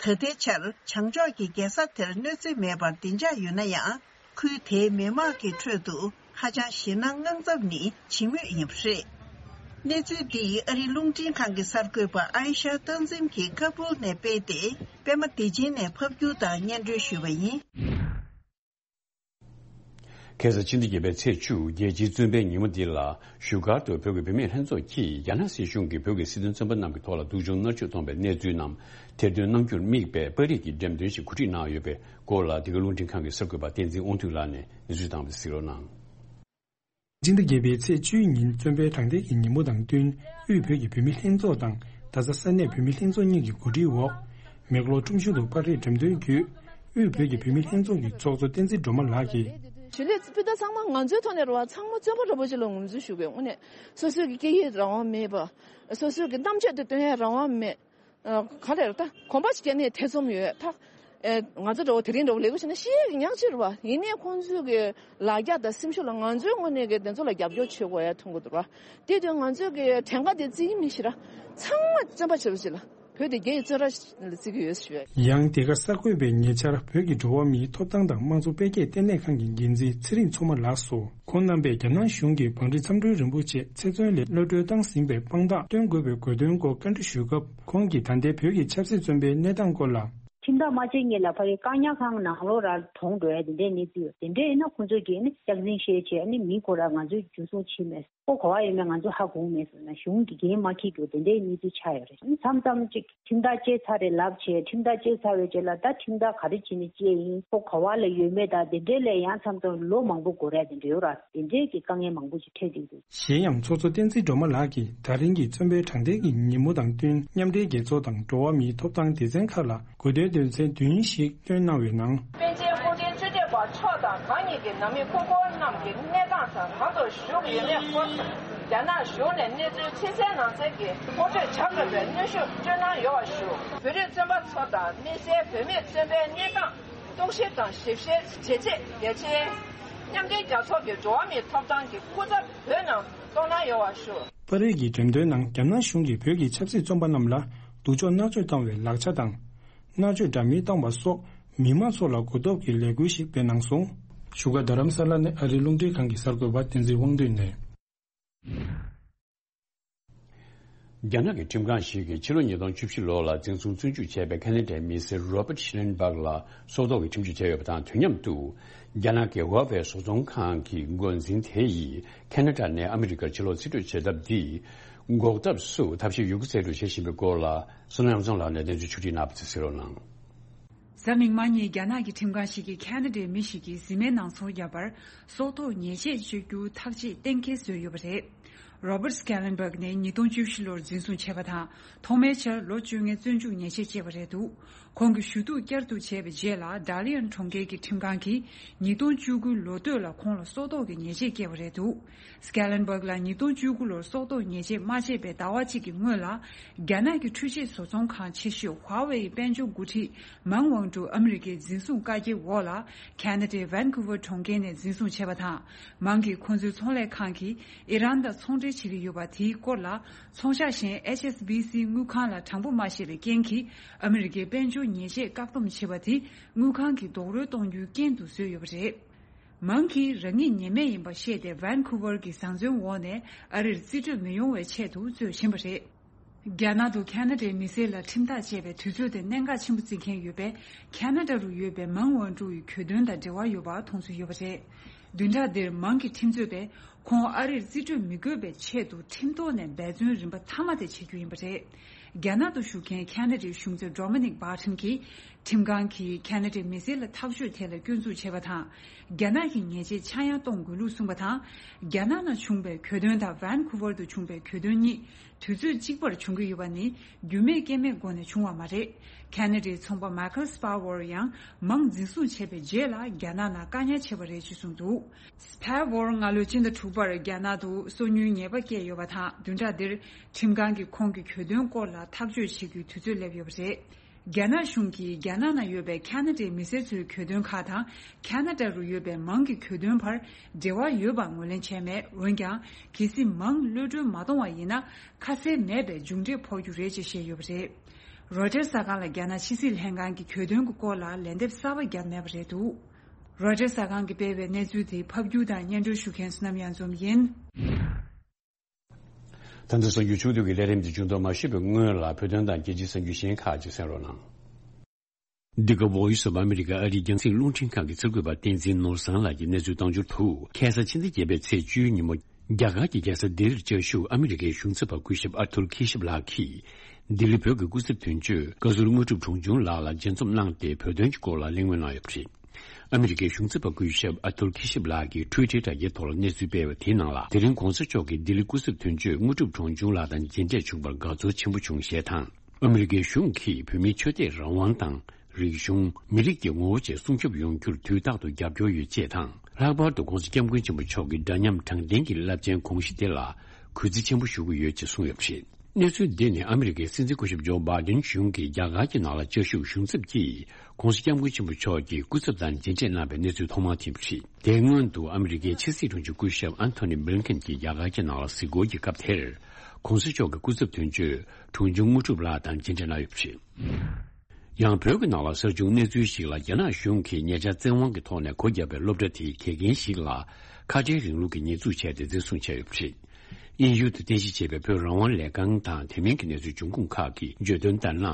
ད་ལྟའི་ཆར་བྱང་ཕྱོགས་ཀྱི་རྒྱལ་ས་དེར་གནོད་འཚེ་མེད་པར་བདེ་འཇགས་ཡོད་ན་ཡང་། ཁུལ་དེའི་མི་དམངས་ཀྱི་ཁྲོད་དུ་ཧ་ཅང་ཞེད་སྣང་དངངས་འཚབ་ནི་ཇི་མོད་ཡིན་པ་རེད། གནས་ཚུལ་འདི་ཨ་རིའི་རླུང་འཕྲིན་ཁང་གི་གསར་འགོད་པ་ཨའི་ཤ་སྟག་འཛིན་གྱིས་ཀ་སྦུལ་ནས་སྤེལ་ཏེ། པད་མ་བདེ་ཆེན་ནས་ཕབ་སྒྱུར་དང་སྙན་སྒྲོན་ཞུས་པ་ཡིན། ཁ་སང་ཕྱི་ཟླ་བརྒྱད་པའི་ཚེས་བཅུ། རྒྱལ་སྤྱིའི་བཙོན་པའི་ཉིན་མོ་འདི་ལ་བཞུགས་སྒར་དུ་བོད་ཀྱི་བུད་མེད་ལྷན་ཚོགས་ཀྱིས་རྒྱ་ནག་སྲིད་གཞུང་གིས་བོད་ཀྱི་སྲིད་དོན་བཙོན་པ་རྣམས་ཀྱི་ཐོག་ལ་སྡུག་སྦྱོང་མནར་གཅོད་གཏོང་བའི་གནས་ཚུལ་རྣམས་ཐེར་འདོན་གནང་རྒྱུར་དམིགས་པའི་པར་རིས་ཀྱི་འགྲེམས་སྟོན་ཞིག་གོ་སྒྲིག་གནང་ཡོད་པའི་སྐོར་ལ། འདི་ག་རླུང་འཕྲིན་ཁང་གི་གསར་འགོད་པ་བསྟན་འཛིན་དབང་འདུས་ལགས་ནས་གནས་ཚུལ་བཏང་བ་གཟིགས་རོགས་གནང་། ཕྱི་ཟླ་བརྒྱད་པའི་ཚེས་བཅུའི་ཉིན་བཙོན་པའི་དྲང་བདེན་གྱི་ཉིན་མོ་དང་བསྟུན། དབུས་བོད་ཀྱི་བུད་མེད་ལྷན་ཚོགས་དང་རྡ་ས་ས་གནས་བུད་མེད་ལྷན་ཚོགས་གཉིས་ཀྱི་གོ་སྒྲིག་འོག་མེག་ལོར་ཁྲོམ་གཞུང་དུ་པར་རིས་འགྲེམས་སྟོན་བརྒྱུད། དབུས་བོད་ཀྱི་བུད་མེད་ལྷན་ཚོགས་ཀྱི་ཚོགས་གཙོ་བསྟན་འཛིན་སྒྲོལ་མ་ལགས་ཀྱིས། གཞིས་ལུས་སྤུན་ཟླ་ཚང་མ་ང་ཚོའི་ཐོག་ནས་རེད་བ། ཚང་མ་བཙོན་པ་འདྲ་པོ་ཅིག་ལ་ངོས་འཛིན་ཞུ་དགོས། དངོས་གནས་སོ་སོའི་གི་སྐད་ཡིག་རང་དབང་མེད་པ། སོ་སོའི་གི་གཏམ་བརྗོད་དེ་སྟོན་ཡ་རང་དབང་མེད། ཨ། ག་རེ་རེད་ད། གོམ་པ་ཞིག་བརྒྱབ་ནས་ཐེ་ཚོམ་ཡོད་ད། ཨེ། ང་ཚོ་འདྲ་པོ་དེ་རིང་འདྲ་པོ་ལས་ཀ་བྱས་ན་ཤི་ཡས་ཀྱི་ཉག་གཅིག་རེད་བ། ཡིན་ནའི་ཁོང་ཚོའི་གི་ལ་རྒྱ་དང་སེམས་ཤུགས་ལ་ང་ཚོའི་ངོས་ནས་གི་དེ་ཚོ་ལ་རྒྱབ་སྐྱོར་བྱེད་དགོས་ཡ་མཐོང་གི་འདུག་ར། དེ་དུས་ང་ཚོའི་གི་གྲངས་ཀ་དེ་བརྩི་གི་མི་ཤེས་ར། ཚང་མ་བཙོན་པ་བྱེད་པ་ཅིག་ལ། བོད་དེ་རྒྱ་ཡི་བཙོན་ར་ལ་བརྩི་གི་ཡོད་ཞུ་ཡ། ཡང་དེ་ག་གསར་འགོད་པས་ཉེ་ཆར་བོད་ཀྱི་འགྲོ་བ་མིའི་ཐོབ་ཐང་དང་དམངས་གཙོ་འཕེལ་རྒྱས་ལྟེ་གནས་ཁང་གི་འགན་འཛིན་ཚེ་རིང་མཚོ་མ་ལགས་སུ། ཁོང་རྣམ་པས་རྒྱ་ནག་གཞུང་གིས་བང་སྒྲིག་མཚམས་སྒྲོལ་རིན་པོ་ཆེ་ཚེ་བཙོན་ལས་གློད་གྲོལ་བཏང་ཟིན་པའི་དཔང་རྟགས་སྟོན་དགོས་པའི་དགོས་འདུན་སྐོར་བཀའ་འདྲི་ཞུས་སྐབས། ཁོང་གིས་ད་ལྟའི་བོད་ཀྱི་ཆབ་སྲིད་བཙོན་པའི་གནས་སྟངས་སྐོར་ལ། ཁྲིམས་ཐག་མ་བཅད་སྔོན་ལ་ཕ་གིའི་བཀག་ཉར་ཁང་ནང་ལོགས་ར་གྲོངས་འགྲོ་ཡ་དེ་འདྲའི་གནས་ཚུལ་ཡོད། དེ་འདྲ་ཡིན་ན་ཁོང་ཚོས་ཀྱིས་ནི་སྐྱག་རྫུན་བཤད་བྱས་ནི་མི་ཁོ་ར་ང་ཚོས་འཇུ་བཟུང་བྱས་མེད། ཁོ་ག་བ་ཡོད་མེད་ང་ཚོ་ཧ་གོ་མེད་ཟེར་ན་གཞུང་གིས་འགན་མ་འཁྱེར་རྒྱུ་དེ་འདྲའི་གནས་ཚུལ་ཆགས་ཡོད་རེད། མཚམས་མཚམས་ཅིག་ཁྲིམས་ཐག་བཅད་ཚར་རེད་ལབ་བྱས། ཁྲིམས་ཐག་བཅད་ཚར་བའི་རྗེས་ལ་ད་ཁྲིམས་ཐག་ག་རེ་བྱས་ནས་བཅད་ཡིན། ཁོ་ག་བ་ལ་ཡོད་མེད་དང་དེ་འདྲའི་ལས་ཡང་མཚམས་མཚམས་ལོ་མང་པོ་འགོར་ཡ་དེ་འདྲ་ཡོད་ར། དེ་འདྲའི་གི་དཀའ་ངལ་མང་པོ་ཞིག་འཕྲད་བསྡད་འདུག། གཞན་ཡང་ཚོགས་གཙོ་བསྟན་འཛིན་སྒྲོལ་མ་ལགས་ཀྱིས་ད་རིང་གི་བཙོན་པའི་དྲང་བདེན་གྱི་ཉིན་མོ་དང་བསྟུན་མཉམ་འབྲེལ་རྒྱལ་ཚོགས་དང་འགྲོ་བ་མིའི་ཐོབ་ཐང་སྡེ་ཚན་ཁག་ལ་གོ་བསྡུར་དོན་ཚན་བདུན་ཞིག་བཏོན་གནང་བའི་ནང་། པཎ་ཆེན་སྐུ་ཕྲེང་བཅུ་གཅིག་པ་མཆོག་དང་། གང་ཉིད་ཀྱི་ནང་མི་སྐུ་འཁོར་རྣམས་ཀྱི་གནས་སྟངས་དང་། གང་དུ་བཞུགས་ཡོད་མེད་སྐོར། རྒྱ་ནག་གཞུང་ནས་གནས་ཚུལ་ཕྱི་གསལ་ནང་གསལ་གྱི་ངོ་སྤྲོད་བྱ་དགོས་པའི་གནོན་ཤུགས་སྤྲོད་གནང་ཡོད་པ་ཞུ། བོད་རིགས་བཙོན་པ་ཚོ་དང་དམིགས་བསལ་བོད་མིའི་བཙོན་པའི་གནས་སྟངས་རྟོག་ཞིབ་དང་ཞིབ་བཤེར་བྱེད་ཆེད་རྒྱལ་སྤྱིའི་མཉམ་འབྲེལ་རྒྱལ་ཚོགས་ཀྱི་འགྲོ་བ་མིའི་ཐོབ་ཐང་གི་སྐུ་ཚབ་བོད་ནང་གཏོང་གནང་ཡོད་པ་ཞུ། པར་རིས་ཀྱི་འགྲེམས་སྟོན་ནང་རྒྱ་ནག་གཞུང་གིས་བོད་ཀྱི་ཆབ་སྲིད་བཙོན་པ་རྣམས་ལ་སྡུག་སྦྱོང་མནར་གཅོད་བཏང་བའི་ལག་ཆ་དང་། མནར་གཅོད་འདྲ་མིན་བཏང་བ་སོགས་མི་མང་ཚོ་ལ་གོ་རྟོགས་ཀྱི་ལས་འགུལ་ཞིག་སྤེལ་གནང་སོང་། བཞུགས་སྒར་རྡ་རམ་ས་ལ་ནས་ཨ་རིའི་རླུང་འཕྲིན་ཁང་གི་གསར་འགོད་པ་བསྟན་འཛིན་དབང་འདུས་ནས། རྒྱ་ནག་གི་ཁྲིམས་ཁང་ཞིག་གིས་ཕྱི་ལོ་ཉིས་སྟོང་བཅུ་བཞི་ལོ་ལ་འཛིན་བཟུང་བཙོན་འཇུག་བྱས་པའི་ཁ་ན་ཌའི་མི་སེར་Robert Schellenberg ལ་སྲོག་ཐོག་གི་ཁྲིམས་གཅོད་བྱས་ཡོད་པ་དང་། དུས་མཉམ་དུ་རྒྱ་ནག་གི་Huawei་བཟོ་ཚོང་ཁང་གི་འགོ་འཛིན་དེ་ཡིས་ཁ་ན་ཌ་ནས་ཨ་མི་རི་ཀར་ཕྱིར་ལོག་རྩིས་སྤྲོད་བྱེད་ཐབས་འདི་འགོག་ཐབས་སུ་ཐབས་ཤེས་ཡོད་རྒུ་རྩལ་སྤྲུགས་བྱེད་བཞིན་པའི་སྐོར་ལ་བསོད་ནམས་རྒྱ་མཚོ་ལགས་ནས་གནས་ཚུལ་ཕྱོགས་སྒྲིག་གནང་བ་དེ་གཟིགས་རོགས་གནང་། གཟའ་མིག་དམར་ཉིན་རྒྱ་ནག་གི་ཁྲིམས་ཁང་ཞིག་གིས་ཁ་ན་ཌའི་མི་ཞིག་གིས་གཟིམ་མལ་ནང་ཚོང་བརྒྱབ་པར་སྲོག་ཐོག་ཉེས་ཆད་གཅོད་རྒྱུ་ཐག་གཅོད་གཏན་འཁེལ་བཟོས་ཡོད་པ་རེད། Robert Schellenberg་ནི་ཉིས་སྟོང་བཅུ་བཞི་ལོར་འཛིན་བཟུང་བྱས་པ་དང་། ཐོག་མའི་ཆར་ལོ་བཅོ་ལྔའི་བཙོན་འཇུག་ཉེས་ཆད་བཅད་པ་རེད་འདུག། ཁོང་གི་ཞུ་གཏུག་བསྐྱར་དུ་བྱས་པའི་རྗེས་ལ། Dalian་གྲོང་ཁྱེར་གྱི་ཁྲིམས་ཁང་གིས་ཉིས་སྟོང་བཅུ་དགུ་ལོ་སྟོད་ལ་ཁོང་ལ་སྲོག་ཐོག་གི་ཉེས་ཆད་བཀལ་བ་རེད་འདུག། Schellenberg་ལ་ཉིས་སྟོང་བཅུ་དགུ་ལོར་སྲོག་ཐོག་ཉེས་ཆད་མ་བཅད་པའི་ཟླ་བ་གཅིག་གི་སྔོན་ལ། རྒྱ་ནག་གི་འཕྲུལ་ཆས་བཟོ་ཚོང་ཁང་ཆེ་ཤོས་Huawei་ཡི་དཔལ་འབྱོར་འགོ་ཁྲིད་Meng Wanzhou་ཨ་མི་རི་ཀའི་འཛིན་བཟུང་བཀའ་རྒྱའི་འོག་ལ། ཁ་ན་ཌའི་Vancouver་གྲོང་ཁྱེར་ནས་འཛིན་བཟུང་བྱས་པ་དང་། Meng་གིས་ཁོ་ཚོའི་ཚོང་ལས་ཁང་གིས་ཨི་རན་དང་ཚོང་འབྲེལ་བྱེད་ཀྱི་ཡོད་པ་དེའི་སྐོར་ལ། ཚོང་ཤག་གཞན་H S B C་དངུལ་ཁང་ལ་དྲང་པོ་མ་བཤད་པའི་རྐྱེན་གྱིས། ཨ་མི་རི་ཀའི་དཔལ་འབྱོར་ཉེས་ཆད་བཀག་སྡོམ་བྱས་པ་དེ་དངུལ་ཁང་གིས་རྡོག་རོལ་གཏོང་རྒྱུའི་རྐྱེན་དུ་བཟོས་ཡོད་པ་རེད། Meng་གིས་རང་ཉིད་ཉེས་མེད་ཡིན་པ་ཤེས་ཏེ། Vancouver་གྱི་བཟའ་འཛུམ་འོག་ནས་ཨ་རིར་རྩིས་སྤྲོད་མི་ཡོང་བའི་ཆེད་དུ་རྩོད་བཞིན་པ་རེད། རྒྱ་ནག་ཏུ་ཁ་ན་ཌའི་མི་སེར་ལ་ཁྲིམས་ཐག་བཅད་པའི་དུས་ཚོད་དེ་གནད་འགག་ཆེན་པོ་བརྩི་མཁན་ཡོད་པའི་ཁ་ན་ཌ་རུ་ཡོད་པའི་Meng Wanzhou་ཡི་གྱོད་དོན་དང་འབྲེལ་བ་ཡོད་པ་མཐོང་ཚུལ་ཡོད་པ་རེད། བདུན་ཕྲག་འདིར་Meng་གི་ཁྲིམས་རྩོད་པས་ཁོང་ཨ་རིར་རྩིས་སྤྲོད་མི་དགོས་པའི་ཆེད་དུ་ཁྲིམས་ཐོག་ནས་འབད་བརྩོན་རིམ་པ་མཐའ་མ་དེ་བྱེད་རྒྱུ་ཡིན་པ་རེད། རྒྱ་ནག་ཏུ་བཞུགས་མཁན་ཁ་ན་ཌའི་གཞུང་ཚབ་Dominic Barton་གྱིས། ཁྲིམས་ཁང་གིས་ཁ་ན་ཌའི་མི་སེར་ལ་ཐག་གཅོད་ཐད་ལ་སྐྱོན་འཛུགས་བྱས་པ་དང་། རྒྱ་ནག་གི་ཉེས་ཆད་ཆག་ཡང་གཏོང་དགོས་ལུགས་གསུངས་པ་དང་། རྒྱ་ནག་ནང་བྱུང་བའི་གྱོད་དོན་དང་Vancouver་དུ་བྱུང་བའི་གྱོད་དོན་གཉིས་དུས་ཚོད་གཅིག་པར་བྱུང་གི་ཡོད་པ་ནི་རྒྱུས་མེད་རྐྱེན་མེད་སྒོ་ནས་བྱུང་བ་མ་རེད། ཁ་ན་ཌའི་ཚོང་པ་Michael Spavor་ཡང་མང་འཛིན་བཟུང་བྱས་པའི་རྗེས་ལ་རྒྱ་ནག་ནང་བཀག་ཉར་བྱས་པ་རེད་ཅེས་གསུངས་འདུག། Spavor་སྔ་ལོའི་སྤྱི་ཟླ་དྲུག་པར་རྒྱ་ནག་ཏུ་སོ་ཉུལ་ཉེས་པ་བཀལ་ཡོད་པ་དང་། བདུན་ཕྲག་འདིར་ཁྲིམས་ཁང་གིས་ཁོང་གི་གྱོད་དོན་སྐོར་ལ་ཐག་གཅོད་བྱེད་རྒྱུའི་དུས་ཚོད་སླེབས་ཡོད་པ་རེད། རྒྱ་ནག་གཞུང་གིས་རྒྱ་ནག་ནང་ཡོད་པའི་ཁ་ན་ཌའི་མི་སེར་ཚོའི་གྱོད་དོན་ཁག་དང་། ཁ་ན་ཌ་རུ་ཡོད་པའི་མང་གི་གྱོད་དོན་བར་འབྲེལ་བ་ཡོད་པ་ངོས་ལེན་བྱས་མེད། འོན་ཀྱང་། གལ་སྲིད་མང་གློད་གྲོལ་མ་གཏོང་བ་ཡིན་ན། ཁ་གསལ་མེད་པའི་མཇུག་འབྲས་ཕོག་རྒྱུ་རེད་ཅེས་བཤད་ཡོད་པ་རེད། རོའི་ཊར་གསར་ཁང་ལ་རྒྱ་ནག་ཕྱི་སྲིད་ལྷན་ཁང་གི་གྱོད་དོན་གྱི་སྐོར་ལ་ལན་འདེབས་གསར་པ་བརྒྱབ་མེད་པ་རེད་འདུག་རོའི་ཊར་གསར་ཁང་གིས་སྤེལ་བའི་གནས་ཚུལ་དེ་ཕབ་སྒྱུར་དང་སྙན་སྒྲོན་ཞུ་མཁན་བསོད་ནམས་གཡང་འཛོམས་ཡིན། ད་ལྟ་གསར་འགྱུར་ཕྱོགས་བསྡུས་ཀྱི་ལས་རིམ་འདི་མཇུག་བསྡོམས་མ་ཞུས་པའི་སྔོན་ལ། བོད་དོན་དང་རྒྱལ་སྤྱིའི་གསར་འགྱུར་གཞན་ཁག་ཅིག་གསན་རོགས་གནང་། འདི་ག་Voice of America ཨ་རིའི་རྒྱང་སྲིང་རླུང་འཕྲིན་ཁང་གི་གསར་འགོད་པ་བསྟན་འཛིན་ནོར་བཟང་ལགས་ཀྱིས་གནས་ཚུལ་བཏང་འབྱོར་དུ། ཁ་སང་ཕྱི་ཟླ་བརྒྱད་པའི་ཚེས་བཅུའི་ཉིན་མོ། རྒྱ་གར་གྱི་རྒྱལ་ས་ལྡི་ལིར་བཅའ་བཞུགས་ཨ་མི་རི་ཀའི་གཞུང་ཚབ་པ་སྐུ་ཞབས་ཨར་ཐུར་ཁི་ཤབ་ལགས་ཀྱིས། ལྡི་ལི་བོད་ཀྱི་སྐུ་ཚབ་དོན་གཅོད་བཀའ་ཟུར་དངོས་གྲུབ་གྲོང་ཆུང་ལགས་ལ་མཇལ་འཛོམས་གནང་སྟེ། བོད་དོན་གྱི་སྐོར་ལ་གླེང་མོལ་གནང་ཡོད་པ་རེད། ཨ་མི་རི་ཀའི་གཞུང་ཚབ་པ་སྐུ་ཞབས་ཨ་ཐུར་ཁི་ཤབ་ལགས་ཀྱིས་ཊུའི་ཊར་དྲ་རྒྱའི་ཐོག་ལ་གནས་ཚུལ་སྤེལ་བ་དེའི་ནང་ལ། དེ་རིང་གོང་ས་མཆོག་གིས་ལྡི་ལི་སྐུ་ཚབ་དོན་གཅོད་དངོས་གྲུབ་གྲོང་ཆུང་ལགས་དང་མཇལ་འཕྲད་བྱུང་བར་དགའ་ཚོར་ཆེན་པོ་བྱུང་ཞེས་དང་། ཨ་མི་རི་ཀའི་གཞུང་གིས་བོད་མིའི་ཆོས་དད་རང་དབང་དང་། རིག་གཞུང་། མི་རིགས་ཀྱི་ངོ་བོ་བཅས་སྲུང་སྐྱོབ་ཡོང་རྒྱུར་དུས་རྟག་ཏུ་རྒྱབ་སྐྱོར་ཡོད་ཅེས་དང་། ལྷག་པར་དུ་༸གོང་ས་༸སྐྱབས་མགོན་ཆེན་པོ་མཆོག་གི་འདྲ་མཉམ་དྲང་བདེན་གྱི་རླབས་ཆེན་དགོངས་གཞི་དེ་ལ་གུས་བརྩི་ཆེན་པོ་ཞུ་གི་ཡོད་ཅེས་གསུངས་ཡོད་པ་རེད། གནས་ཚུལ་འདི་ནི་ཨ་མི་རི་ཀའི་སྲིད་འཛིན་སྐུ་ཞབས་ཇོ་བྷའི་ཌེན་གཞུང་གིས་རྒྱ་གར་གྱི་ནང་ལ་བཅའ་བཞུགས་གཞུང་ཚབ་ཀྱིས་༸གོང་ས་༸སྐྱབས་མགོན་ཆེན་པོ་མཆོག་གི་སྐུ་ཚབ་དང་མཇལ་འཕྲད་གནང་བའི་གནས་ཚུལ་ཐོག་མར་ཐོན་པ་རེད། དེའི་སྔོན་དུ་ཨ་མི་རི་ཀའི་ཕྱི་སྲིད་དྲུང་ཆེ་སྐུ་ཞབས་ཨན་ཐོ་ནི་བྷི་ལིན་ཀེན་གྱིས་རྒྱ་གར་གྱི་ནང་ལ་གཟིགས་སྐོར་གྱི་སྐབས་དེར། ༸གོང་ས་མཆོག་གི་སྐུ་ཚབ་དོན་གཅོད་གྲོང་ཆུང་དངོས་གྲུབ་ལགས་དང་མཇལ་འཕྲད་གནང་ཡོད་པ་རེད། ཡང་བོད་ཀྱི་ནང་ལ་གསར་བྱུང་གནས་ཚུལ་ཞིག་ལ། རྒྱ་ནག་གཞུང་གིས་ཉེ་ཆར་བཙན་དབང་གི་ཐོག་ནས་སྒོ་བརྒྱབ་པའི་སློབ་གྲྭ་དེའི་དགེ་རྒན་ཞིག་ལ་ཁ་བྲལ་རིང་ལུགས་ཀྱི་ཉེས་འཛུགས་བྱས་ཏེ་འཛིན་བཟུང་བྱས་ཡོད་པ་རེད། དབྱིན་ཡུལ་དུ་རྟེན་གཞི་བྱས་པའི་བོད་རང་དབང་ལས་ཁང་དང་དེ་མིན་གྱི་གནས་ཚུལ་འབྱུང་ཁུངས་ཁག་གིས་བརྗོད་དོན་ལྟར་ན།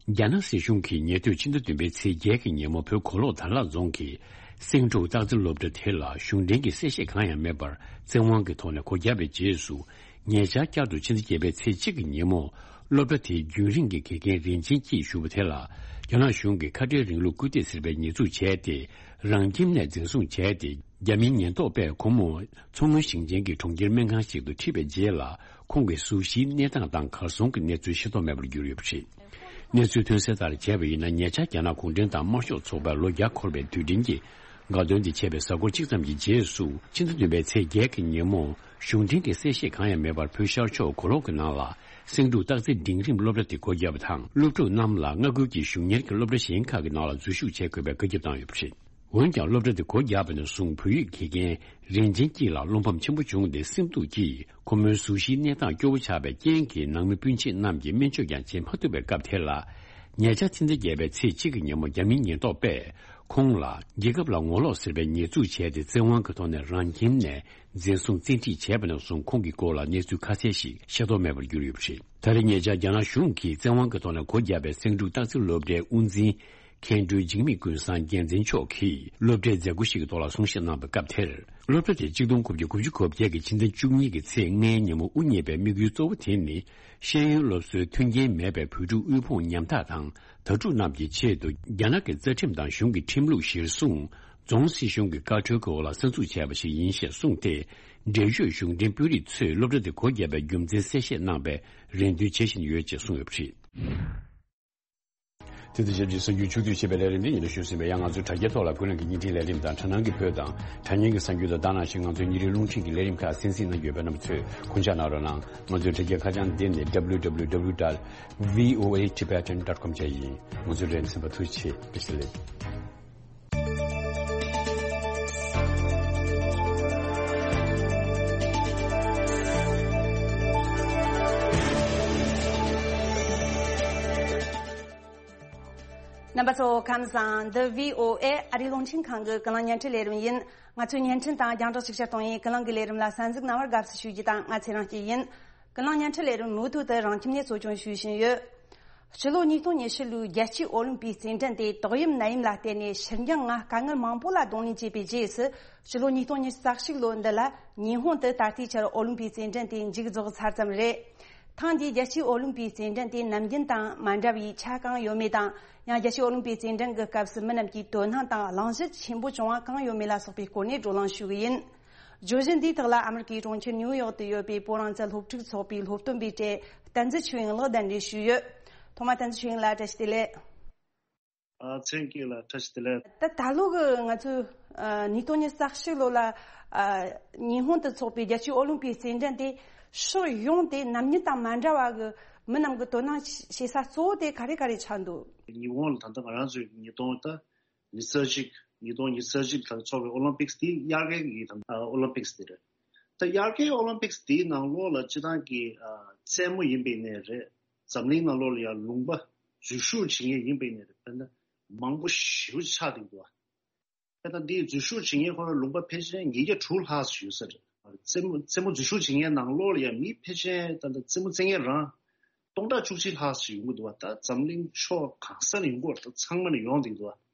རྒྱ་ནག་སྲིད་གཞུང་གིས་ཉེ་དུས་ཕྱི་ཟླ་བདུན་པའི་ཚེས་བརྒྱད་ཀྱི་ཉིན་མོ། བོད་གོ་ལོག་དར་ལག་རྫོང་གི་སེང་འབྲུག་སྟག་རྩེ་སློབ་གྲྭ་དེ་ལ་གཞུང་འབྲེལ་གྱི་གསལ་བཤད་གང་ཡང་མེད་པར་བཙན་དབང་གི་ཐོག་ནས་སྒོ་བརྒྱབ་པའི་རྗེས་སུ། ཉེ་ཆར་བསྐྱར་དུ་ཕྱི་ཟླ་བརྒྱད་པའི་ཚེས་གཅིག་གི་ཉིན་མོ། སློབ་གྲྭ་དེའི་རྒྱུན་རིང་གི་དགེ་རྒན་རིན་ཆེན་སྐྱིད་ཞུ་བ་དེ་ལ། རྒྱ་ནག་གཞུང་གིས་ཁ་བྲལ་རིང་ལུགས་སྐུལ་འདེད་ཟེར་བའི་ཉེས་འཛུགས་བྱས་ཏེ། རང་ཁྱིམ་ནས་འཛིན་བཟུང་བྱས་ཏེ། རྒྱ་མིའི་ཉེན་རྟོག་པས་ཁོང་མོ་མཚོ་སྔོན་ཞིང་ཆེན་གྱི་གྲོང་ཁྱེར་སྨན་ཁང་ཞིག་ཏུ་ཁྲིད་པའི་རྗེས་ལ། ཁོང་གི་གཟུགས་གཞིའི་གནས་སྟངས་དང་གར་སོང་གི་གནས་ཚུལ་ཤེས་རྟོགས་མེད་པར་གྱུར་ཡོད་པ་རེད། གནས་ཚུལ་ཐོན་གསལ་ལྟར་བྱས་པ་ཡིན་ན། ཉེ་ཆར་རྒྱ་ནག་གུང་ཁྲན་ཏང་དམར་ཤོག་ཚོགས་པའི་ལོ་བརྒྱ་འཁོར་བའི་དུས་དྲན་གྱི་དགའ་སྟོན་དེ་བྱས་པའི་གཟའ་འཁོར་གཅིག་ཙམ་གྱི་རྗེས་སུ། ཕྱི་ཟླ་བདུན་པའི་ཚེས་བརྒྱད་ཀྱི་ཉིན་མོ། གཞུང་འབྲེལ་གྱི་གསལ་བཤད་གང་ཡང་མེད་པར། བོད་ཤར་ཕྱོགས་གོ་ལོག་གི་ནང་ལ་སེང་འབྲུག་སྟག་རྩེ་འབྲིང་རིམ་སློབ་གྲྭ་དེ་སྒོ་བརྒྱབ་པ་དང་། སློབ་ཕྲུག་རྣམས་ལ་མངའ་ཁུལ་གྱི་གཞུང་གཉེར་གྱི་སློབ་གྲྭ་གཞན་ཁག་གི་ནང་ལ་འཛུལ་ཞུགས་བྱེད་དགོས་པའི་བཀའ་ཁྱབ་བཏང་ཡོད་པ་རེད། འོན་ཀྱང་། སློབ་གྲྭ་དེ་སྒོ་བརྒྱབ་པ་ནས་བཟུང་། བོད་ཡིག་དགེ་རྒན་རིན་ཆེན་སྐྱིད་ལ་བློ་ཕམ་ཆེན་པོ་བྱུང་སྟེ། སེམས་སྡུག་གིས་ཁོ་མོའི་གཟུགས་གཞིའི་གནས་སྟངས་སྐྱོ་བོ་ཆགས་པའི་རྐྱེན་གྱིས། ནང་མི་སྤུན་མཆེད་རྣམས་ཀྱིས་སྨན་བཅོས་ཀྱང་བྱེད་མ་ཐུབ་པའི་སྐབས་དེ་ལ། ཉེ་ཆར་ཕྱི་ཟླ་བརྒྱད་པའི་ཚེས་གཅིག་གི་ཉིན་མོ། རྒྱ་མིའི་ཉེན་རྟོག་པས་ཁོང་ལ་རྒྱལ་ཁབ་ལ་ངོ་ལོག་ཟེར་བའི་ཉེས་འཛུགས་བྱས་ཏེ། བཙན་དབང་གི་ཐོག་ནས་རང་ཁྱིམ་ནས་འཛིན་བཟུང་བཙན་ཁྲིད་བྱས་པ་ནས་བཟུང་། ཁོང་གི་སྐོར་ལ་གནས་ཚུལ་ཁ་གསལ་ཞིག་ཤེས་རྟོགས་མེད་པར་གྱུར་ཡོད་པ་རེད། ད་རེས་ཉེ་ཆར་རྒྱ་ནག་གཞུང་གིས་བཙན་དབང་གི་ཐོག་ནས་སྒོ་བརྒྱབ་པའི་སེང་འབྲུག་སྟག་རྩེ་སློབ་གྲྭའི་དབུ་འཛིན། མཁན་སྤྲུལ་འཇིགས་མེད་ཀུན་བཟང་རྒྱལ་མཚན་མཆོག་གིས་སློབ་གྲྭའི་མཛད་སྒོ་ཞིག་གི་ཐོག་ལ་གསུང་བཤད་གནང་བའི་སྐབས་དེར། སློབ་གྲྭ་དེ་གཅིག་སྟོང་དགུ་བརྒྱ་དགུ་བཅུ་གོ་བརྒྱད་ཀྱི་ཕྱི་ཟླ་བཅུ་གཉིས་ཀྱི་ཚེས་ལྔའི་ཉིན་མོ་དབུ་བརྙེས་པའི་དམིགས་ཡུལ་གཙོ་བོ་དེ་ནི། ཤེས་ཡོན་སློབ་གསོའི་མཐུན་རྐྱེན་མེད་པའི་བོད་ཕྲུག་དབུལ་ཕོངས་ཉམ་ཐག་དང་དྭ་ཕྲུག་རྣམས་ཀྱི་ཆེད་དུ། རྒྱ་ནག་གི་རྩ་ཁྲིམས་དང་གཞུང་གི་ཁྲིམས་ལུགས་གཞིར་བཟུང་། རྫོང་སྲིད་གཞུང་གི་བཀའ་འཁྲོལ་གྱི་འོག་ལ་གསར་འཛུགས་བྱས་པ་ཞིག་ཡིན་ཞེས་གསུངས་ཏེ། འབྲེལ་ཡོད་གཞུང་འབྲེལ་དཔོན་རིགས་ཚོས་སློབ་གྲྭ་དེ་སྒོ་བརྒྱབ་པའི་རྒྱུ་མཚན་གསལ་བཤད་གནང་བའི་རེ་འདུན་བྱེད་བཞིན་ཡོད་ཅེས་གསུངས་ཡོད་པ་རེད། དེ་དང་ཆབས་ཅིག་གསར་འགྱུར་ཕྱོགས་བསྡུས་བྱས་པའི་ལས་རིམ་འདི་ཡིན་ལ་ཞུས་ཟིན་པས། ཡང་ང་ཚོའི་དྲ་རྒྱའི་ཐོག་ལ་ཀུན་གླེང་གི་བརྙན་འཕྲིན་ལས་རིམ་དང་། དྲ་སྣང་གི་བོད་དང་དྲ་བརྙན་གྱི་གསར་འགྱུར་དང་། ད་ནང་བཞིན་ང་ཚོའི་ཉིན་རེའི་རླུང་འཕྲིན་གྱི་ལས་རིམ་ཁག་གསན་གཟིགས་གནང་རྒྱུ་ཡོད་པས། རྣམ་པ་ཚོས་གུས་ཕྱག་གནང་རོགས་གནང་། ང་ཚོའི་དྲ་རྒྱའི་ཁ་བྱང་འདི་ནི་W W W dot V O A Tibetan dot com བཅས་ཡིན། ང་ཚོའི་རིག་འཛིན་པ་ཐུགས་རྗེ་ཆེ། བཀྲ་ཤིས་བདེ་ལེགས། རྣམ་པ་ཚོ་ཁམས་བཟང་། འདི་V O A ཨ་རིའི་རླུང་འཕྲིན་ཁང་གི་ཀུན་གླེང་བརྙན་འཕྲིན་ལས་རིམ་ཡིན། ང་ཚོའི་བརྙན་འཕྲིན་དང་རྒྱང་བསྒྲགས་ཅིག་ཅར་གཏོང་ཡུལ་ཀུན་གླེང་གི་ལས་རིམ་ལ་གསན་གཟིགས་གནང་བར་དགའ་བསུ་ཞུ་རྒྱུ་དང་། ང་ཚེ་རིང་སྐྱིད་ཡིན། ཀུན་གླེང་བརྙན་འཕྲིན་ལས་རིམ་མུ་མཐུད་དུ་རང་ཁྱིམ་ནས་གཙོ་སྐྱོང་ཞུ་བཞིན་ཡོད། སྤྱི་ལོ་ཉིས་སྟོང་ཉི་ཤུ་ལོའི་རྒྱལ་སྤྱིའི་ཨོ་ལིམ་པིག་རྩེད་འགྲན་དེ་ཏོག་དབྱིབས་ནད་ཡམས་ལ་བརྟེན་ནས་ཕྱིར་འགྱངས་ལྔ་དཀའ་ངལ་མང་པོ་ལ་གདོང་ལེན་བྱས་པའི་རྗེས་སུ། སྤྱི་ལོ་ཉིས་སྟོང་ཉི་ཤུ་རྩ་གཅིག་ལོ་འདི་ལ་ཉི་ཧོང་དུ་ད་ལྟའི་ཆར་ཨོ་ལིམ་པིག་རྩེད་འགྲན་དེ་མཇུག་རྫོགས་ཚར་ཙམ་རེད། ཐེངས་འདིའི་རྒྱལ་སྤྱིའི་ཨོ་ལིམ་པིག་རྩེད་འགྲན་དེ་ནམ་རྒྱུན་དང་མ་འདྲ་བའི་ཆ་གང་ཡོད་མེད་དང་། ཡང་རྒྱལ་སྤྱིའི་ཨོ་ལིམ་པིག་རྩེད་འགྲན་གྱི་སྐབས་སུ་མི་རྣམས་ཀྱིས་དོ་སྣང་དང་གླེང་གཞི་ཆེན་པོ་བྱུང་བ་གང་ཡོད་མེད་ལ་སོགས་པའི་སྐོར་ནས་བགྲོ་གླེང་ཞུ་གི་ཡིན། བརྗོད་གཞི་འདིའི་ཐོག་ལ་ཨ་མི་རི་ཀའི་གྲོང་ཁྱེར་ནིའུ་ཡོག་ཏུ་ཡོད་པའི་བོད་རང་བཙན་སློབ་ཕྲུག་ཚོགས་པའི་སློབ་སྟོན་པའི་གྲས་བསྟན་འཛིན་ཆོས་དབྱིངས་ལགས་གདན་འདྲེན་ཞུས་ཡོད། ཐོག་མར་བསྟན་འཛིན་ཆོས་དབྱིངས་ལགས་བཀྲ་ཤིས་བདེ་ལེགས། ཨ། མཚན་སྐྱིད་ལ་བཀྲ་ཤིས་བདེ་ལེགས། ད་ད་ལོ་གི་ང་ཚོའི་ཨ་ཉིས་སྟོང་ཉི་ཤུ་རྩ་གཅིག་ལོ་ལ་ཨ་ཉི་ཧོང་དུ་འཚོགས་པའི་རྒྱལ་སྤྱིའི་ཨོ་ལིམ་པིག་རྩེད་འགྲན་དེ་ཕྱོགས་ཡོངས་ཏེ་ནམ་རྒྱུན་དང་མ་འདྲ་བ་གི་མི་རྣམས་ཀྱི་དོ་སྣང་བྱེད་ས་གཙོ་བོ་དེ་ག་རེ་ག་རེ་ཆགས་འདུག་ཉི་ཧོང་ལ་ད་ལྟ་ང་རང་ཚོའི་ཉིས་སྟོང་ད་ཉི་ཤུ་རྩ་གཅིག་ཉིས་སྟོང་ཉི་ཤུ་རྩ་གཅིག་ལ་འཚོགས་པའི་ཨོ་ལིམ་པིག་སི་དེ་དབྱར་ཁའི་གི་ད་ཨོ་ལིམ་པིག་སི་དེ་རེད། ད་དབྱར་ཁའི་ཨོ་ལིམ་པིག་སི་དེའི་ནང་ལོགས་ལ་སྤྱི་བཏང་གི་རྩེད་མོ་ཡིན་པའི་ནས་རེད། འཛམ་གླིང་ནང་ལོགས་ལ་ཡང་ལུང་པ་འཛུལ་ཞུགས་བྱེད་མཁན་ཡིན་པའི་ནས་རེད། དཔེར་ན་མང་པོ་ཞེ་པོ་ཅིག་ཆགས་བསྡད་འདུག་དཔེར་ན་འདིའི་འཛུལ་ཞུགས་བྱེད་མཁན་ཁོ་རང་ལུང་པ་ཕལ་ཆེར་ཉིས་བརྒྱ་དྲུག་ལྷག་ཙམ་ཡོད་ས་རེད། རྩེད་མོ་རྩེད་མོ་འཛུལ་ཞུགས་བྱེད་མཁན་ནང་ལོགས་ལ་ཡང་མི་ཕལ་ཆེར་ད་ལྟ་རྩེད་མོ་རྩེད་མཁན་རང་སྟོང་ཕྲག་བཅུ་གཅིག་ལྷག་ཙམ་ཡོང་གི་འདུག་བ། ད་འཛམ་གླིང་ཕྱོགས་གང་ས་ནས་ཡོང་གི་ཡོད་རེད། ད་ཚང་མ་ནས་ཡོང་བསྡད་འདུག་བ།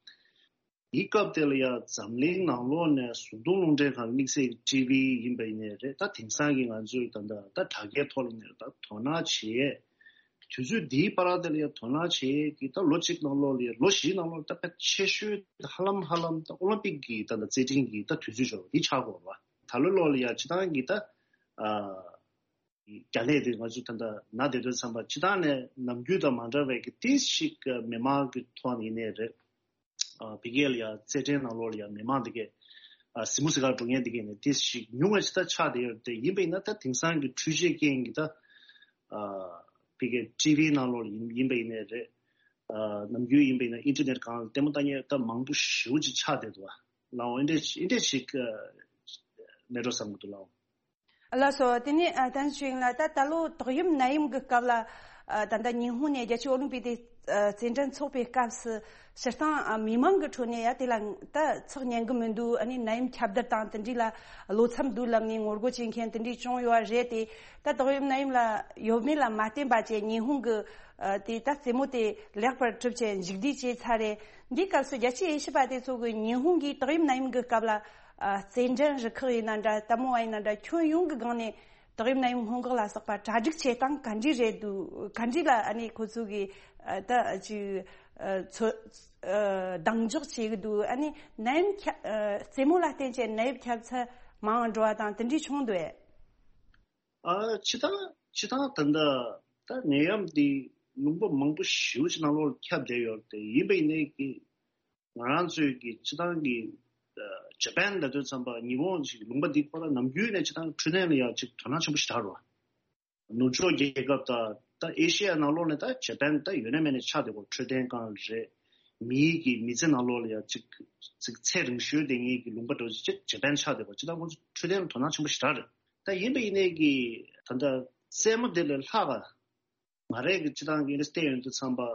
དེའི་སྐབས་དེ་ལ་ཡང་འཛམ་གླིང་ནང་ལོགས་ནས་གཟུགས་མཐོང་རླུང་འཕྲིན་ཁང་དམིགས་བསལ་ཊི་ཝི་ཡིན་པ་ཡིན་ནའི་རེད། ད་དེང་སང་གི་ང་ཚོའི་ད་ལྟ་ད་དྲ་རྒྱའི་ཐོག་ལ་ནས་ད་དོ་སྣང་བྱེད་ཡས། དུས་ཚོད་འདིའི་བར་དེ་ལ་ཡང་དོ་སྣང་བྱེད་ཡས་ཀྱི་ད་ལོ་གཅིག་ནང་ལོགས་ལ་ཡང་ལོ་བཞིའི་ནང་ལོགས་ལ་ད་དཔེ་ཆེ་ཤོས་ཧ་ལམ་ཧ་ལམ་ད་ཨོ་ལིམ་པིག་གི་ད་ལྟ་རྩེད་འགྲན་གྱི་ད་དུས་ཚོད་འབྱོར་བ་འདི་ཆགས་དགོས་པ། ད་ལོ་ལོགས་ལ་ཡང་སྤྱི་བཏང་གི་ད་ཨ། རྒྱ་ལས་དེ་ང་ཚོ་ད་ལྟ་ན་བསྡད་དུས་ཙམ་པ་སྤྱི་བཏང་ནས་ནམ་རྒྱུན་དང་མ་འདྲ་བའི་གི་ཏིས་ཞིག་མི་མང་གི་ཐོག་ནས་ཡིན་ནའི་རེད། ཨ་ཕ་གི་ལ་ཡང་རྩེད་འགྲན་ནང་ལོགས་ལ་ཡང་མི་མང་དེ་གས་ཨ་གཟིགས་མོ་གཟིགས་གར་འགྲོ་མཁན་དེ་གས་ནས་ཏིས་ཞིག་ཉུང་བ་ཞིག་ད་ཆགས་བསྡད་ཡོད་དེ། ཡིན་པ་ཡིན་ན་ད་དེང་སང་གི་འཕྲུལ་ཆས་རྐྱེན་གྱིས་ད་ཨ་ཕ་གི་ཊི་ཝི་ནང་ལོགས་ལ་ཡིན་ཡིན་པ་ཡིན་ནའི་རེད། ཨ་ནམ་རྒྱུན་ཡིན་པ་ཡིན་ན་ཨིན་ཊར་ནེཊ་སྒང་ལ་ལྟད་མོ་ལྟ་མཁན་ད་མང་པོ་ཞེ་པོ་ཅིག་ཆགས་བསྡད་འདུག་བ། ལའོ་ཨེ་འདྲས་ཨེ་འདྲས་ཞིག་མེད་འགྲོ་བསམ་གྱི་འདུག་ལའོ། ལགས་སོ། དེ་ནས་ཨ་བསྟན་ཆོས་དབྱིངས་ལགས། ད་ད་ལོ་དོགས་ཡོམ་ནད་ཡམས་ཀྱི་སྐབས་ལ་ཨ་ད་ལྟ་ཉི་ཧོང་ནས་རྒྱལ་སྤྱིའི་ཨོ་ལིམ་པིག་དེ་ཨ་རྩེད་འགྲན་འཚོགས་པའི་སྐབས་སུ་སྤྱིར་བཏང་ཨ་མི་མང་གི་ཁྲོད་ནས་ཡ་དེ་ལ་ད་ཚགས་ཉན་གི་མི་འདུག་ཨ་ནི་ནད་ཡམས་ཁྱབ་གདལ་དང་དེ་འདྲས་ལ་བློ་འཚབ་འདུག་ལབ་ནས་ངོ་རྒོལ་བྱེད་མཁན་དེ་འདྲས་བྱུང་ཡོད་པ་རེད་དེ། ད་དོགས་ཡོམ་ནད་ཡམས་ལ་ཡོད་མེད་ལ་མ་བརྟེན་པ་བྱས་ཉི་ཧོང་གི་ཨ་དེ་ད་རྩེད་མོ་དེ་ལེགས་པར་གྲུབ་བྱས་མཇུག་བསྡུ་བྱས་ཚར་རེད། འདིའི་སྐབས་སུ་རྒྱལ་སྤྱིའི་དབྱེ་ཞིབ་པ་དེ་ཚོ་གིས་ཉི་ཧོང་གིས་དོགས་ཡོམ་ནད་ཡམས་ཀྱི་སྐབས་ལ་ཨ་རྩེད་འགྲན་རུ་ཁག་ཡིན་ན་འདྲ། ལྟད་མོ་བ་ཡིན་ན་འདྲ། ཁྱོན་ཡོངས་ཀྱི་སྒང་ནས་དོགས་ཡོམ་ནད་ཡམས་སྔོན་འགོག་ལ་སོགས་པ་གྲ་སྒྲིག་བྱེད་སྟངས་ག་འདྲས་རེད་འདུག་ག་འདྲས་ལ་ཨ་ནི་ཁོ་ཚོ་གིས་ཨ་ད་ཅིག་ཨ་ཚོ་ཨ་གདེང་འཇོག་བྱེད་ཀྱི་འདུག་ཨ་ནི་ནད་ཡམས་ཁྱབ་ཨ་རྩེད་མོ་ལ་བརྟེན་བྱས་ནད་ཡམས་ཁྱབ་ཚད་མང་འགྲོ་བ་དང་དེ་འདྲས་བྱུང་འདུག་ཨེ། ཨ་སྤྱི་བཏང་སྤྱི་བཏང་ད་ལྟ་ད་ནད་ཡམས་འདི་ལུང་པ་མང་པོ་ཞེ་པོ་ཅིག་ནང་ལོགས་ཁྱབ་བསྡད་ཡོད་རེད་དེ། ཡིན་པ་ཡིན་ནའི་གི་ང་རང་ཚོའི་གི་སྤྱི་བཏང་གི་ཨ་ཇ་པན་ལབ་དུས་ཙམ་པ་ཉི་ཧོང་ཅིག་ལུང་པ་འདི་ཁོ་རང་ནམ་རྒྱུན་ནས་སྤྱི་བཏང་འཕྲོད་བསྟེན་ལ་ཡང་ཅིག་དོ་སྣང་ཆེན་པོ་ཞིག་དར་བ། ནུབ་ཕྱོགས་རྒྱལ་ཁབ་དང་ད་ཨེ་ཤི་ཡ་ནང་ལོགས་ནས་ད་ཇ་པན་ད་ཡོད་ན་མེད་ན་ཆགས་བསྡད་ཡོད། འཕྲོད་བསྟེན་སྒང་རེད། མིའི་གི་མི་ཚེ་ནང་ལོགས་ལ་ཡང་ཅིག་ཅིག་ཚེ་རིང་ཤོས་བསྡད་མཁན་གི་ལུང་པ་འདྲ་བོ་ཅིག་ཇ་པན་ཆགས་བསྡད་ཡོད། སྤྱི་བཏང་ཁོང་ཚོ་འཕྲོད་བསྟེན་ལ་དོ་སྣང་ཆེན་པོ་ཞིག་དར་རེད། ད་ཡིན་པ་ཡིན་ནའི་གི་ད་ལྟ་རྩེད་མོ་དེ་ལས་ལྷག་ག་ང་རང་གི་སྤྱི་བཏང་གི་ཨེ་འདྲ་བལྟས་ཡོང་དུས་ཙམ་པ།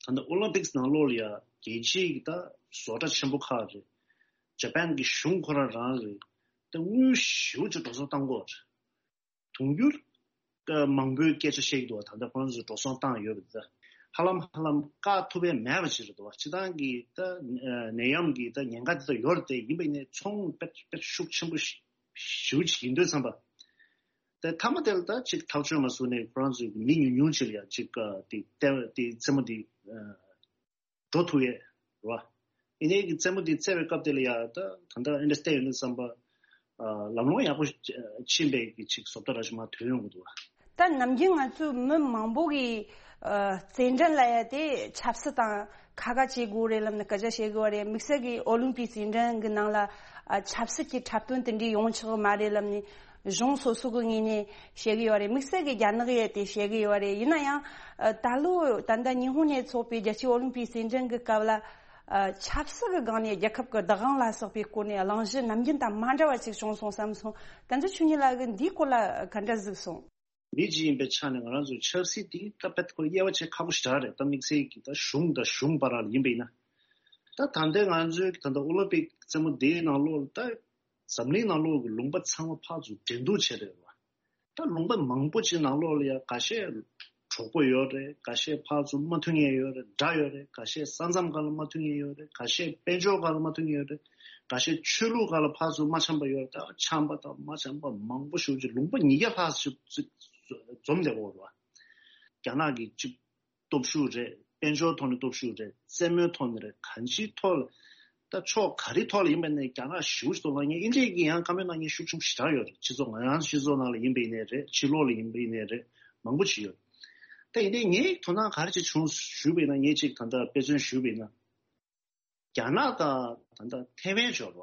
ད་ལྟ་ཨོ་ལིམ་པིག་སི་ནང་ལོགས་ལ་ཡ་རྒྱལ་སྤྱིའི་གི་ད་བཟོ་གྲྭ་ཆེན་པོ་ཁག་རེད། ཇ་པན་གི་གཞུང་ཁོ་རང་རང་རེད། ད་དངུལ་ཞེ་པོ་ཅིག་འགྲོ་སོང་བཏང་གི་ཡོད་རེད། དུང་ཕྱུར་མང་པོའི་སྐད་ཆ་བཤད་ཀྱི་འདུག་བ། ད་ལྟ་ཁོ་རང་ཚོས་འགྲོ་སོང་བཏང་ཡོད་པ་དེ་ཧ་ལམ་ཧ་ལམ་བཀག་ཐུབ་པ་མེད་པ་ཅིག་རེད་འདུག་བ། སྤྱི་བཏང་གི་ད་ནད་ཡམས་ཀྱི་ད་ཉེན་ཁ་དེ་ད་ཡོད་རེད་དེ། ཡིན་པ་ཡིན་ནའི་ཚོང་དཔེ་དཔེ་ཤུགས་ཆེན་པོ་ཞེ་པོ་ཅིག་ཡིན་དུས་ཙམ་པ། དེ་མཐའ་མ་དེ་ལ་ད་ཅིག་ཐག་གཅོད་མ་བཟོ་ནས་ཁོ་རང་ཚོའི་མི་ཉུང་ཉུང་ཅིག་ལ་ཡ་ཅིག་དེ་ལྟ་དེ་རྩེད་མོ་དེ་འགྲོ་ཐུབ་ཡས་རེད་བ། ཡིན་ནའི་གི་རྩེད་མོ་དེ་རྩེ་བའི་སྐབས་དེ་ལ་ཡ་ད་ད་ལྟ་ཨེ་འདྲ་བལྟས་ཡོང་དུས་ཙམ་པ་ལམ་ལྷོང་ཡག་པོ་ཕྱིན་པའི་གི་ཅིག་བཟོ་ལྟ་ར་ཞིག་མར་ཐོན་ཡོང་གི་འདུག་བ། ད་ནམ་རྒྱུན་ང་ཚོའི་མི་མང་པོ་གིས་ཨ་རྩེད་འགྲན་ལ་ཡ་དེ་ཆབ་སྲིད་དང་ཁ་ཁ་བྱེད་དགོས་རེད་ལབ་ནས་སྐད་ཆ་བཤད་གི་ཡོད་རེད། དམིགས་བསལ་གྱི་ཨོ་ལིམ་པིག་རྩེད་འགྲན་གི་ནང་ལ་ཨ་ཆབ་སྲིད་ཀྱི་འཁྲབ་སྟོན་དེ་འདྲའི་ཡོང་ཆོག་གི་མ་རེད་ལབ་ནས་གཞུང་སོ་སོ་གི་ངོས་ནས་བཤད་གི་ཡོད་རེད། དམིགས་བསལ་གྱི་རྒྱ་ནག་ཡས་དེ་བཤད་གི་ཡོད་རེད། ཡིན་ན་ཡང་ཨ་ད་ལོ་ད་ལྟ་ཉི་ཧོང་ནས་འཚོགས་པའི་རྒྱལ་སྤྱིའི་ཨོ་ལིམ་པིག་རྩེད་འགྲན་གི་སྐབས་ལ་ཨ་ཆབ་སྲིད་གི་སྒང་ནས་རྒྱལ་ཁབ་ཀྱི་བདག་དབང་ལ་སོགས་པའི་སྐོར་ནས་གླེང་གཞི་ནམ་རྒྱུན་དང་མ་འདྲ་བ་ཅིག་བྱུང་སོང་བསམ་སོང་། བསྟན་འཛིན་ཆོས་ཉིད་ལགས་ཀྱིས་འདིའི་སྐོར་ལ་ག་འདྲ་གཟིགས་སོང་། མི་གཅིག་ཡིན་པའི་ཆ་ནས་ང་རང་ཚོའི་ཆབ་སྲིད་དེ་ད་དཔེ་ཁོ་དབྱེ་བ་ཕྱེ་ཁག་པོ་ཞེ་དྲག་རེད། ད་དམིགས་བསལ་གྱི་ད་གཞུང་དང་གཞུང་བར་ལ་ཡིན་པ་ཡིན་ན། ད་ད་ལྟའི་ང་ཚོའི་ད་ལྟ་ཨོ་ལིམ་པིག་རྩེད་མོ་འདིའི་ནང་ལོགས་ལ་ད་འཛམ་གླིང་ནང་ལོགས་ཀྱི་ལུང་པ་ཚང་མ་ཕར་ཚུར་འགྲན་བསྡུར་བྱས་རེད་བ། ད་ལུང་པ་མང་པོ་ཅིག་ནང་ལོགས་ལ་ཡ་ཁ་ཤས་གྲོགས་པོ་ཡོད་རེད། ཁ་ཤས་ཕར་ཚུར་མ་མཐུན་མཁན་ཡོད་རེད། དགྲ་ཡོད་རེད། ཁ་ཤས་ས་མཚམས་སྒང་ལ་མ་མཐུན་མཁན་ཡོད་རེད། ཁ་ཤས་དཔལ་འབྱོར་སྒང་ལ་མ་མཐུན་མཁན་ཡོད་རེད། ཁ་ཤས་ཆོས་ལུགས་སྒང་ལ་ཕར་ཚུར་མ་འཆམ་པ་ཡོད་རེད། ད་འཆམ་པ་དང་མ་འཆམ་པ་མང་པོ་ཞེ་པོ་ཅིག་ལུང་པ་ཉིས་བརྒྱ་ལྷག་ཙམ་ཅིག་འཛོམས་བསྡད་ཡོད་རེད་བ། རྒྱ་ནག་གི་ཅིག་སྟོབས་ཤུགས་རེད། དཔལ་འབྱོར་ཐོག་ནས་སྟོབས་ཤུགས་རེད། རྩེད་མོའི་ཐོག་ནས་རེད། གང་ཅིའི་ཐོག་ལ་ད་ཕྱོགས་ག་རེའི་ཐོག་ལ་ཡིན་པ་ནས་རྒྱ་ནག་ཞེ་པོ་ཅིག་ཐོག་ལ་ངས་ཨིན་ཇིའི་གི་ཡང་བཀའ་མོལ་གནང་མཁན་ཤུགས་ཆེན་པོ་ཞེ་དྲག་ཡོད་རེད། སྤྱི་ཚོགས་ང་རང་སྤྱི་ཚོགས་ནང་ལ་ཡིན་པ་ཡིན་ནའི་རེད། ཕྱི་ལོགས་ལ་ཡིན་པ་ཡིན་ནའི་རེད། མང་པོ་ཅིག་ཡོད། ད་ཡིན་ནའི་ངས་དོ་སྣང་ག་རེ་ཅིག་བྱུང་ཞུས་པ་ཡིན་ན། ངས་ཅིག་ད་ལྟ་དཔེ་མཚོན་ཞུས་པ་ཡིན་ན། རྒྱ་ནག་དང་ད་ལྟ་ཐེ་ཝན་འབྱོར་བ།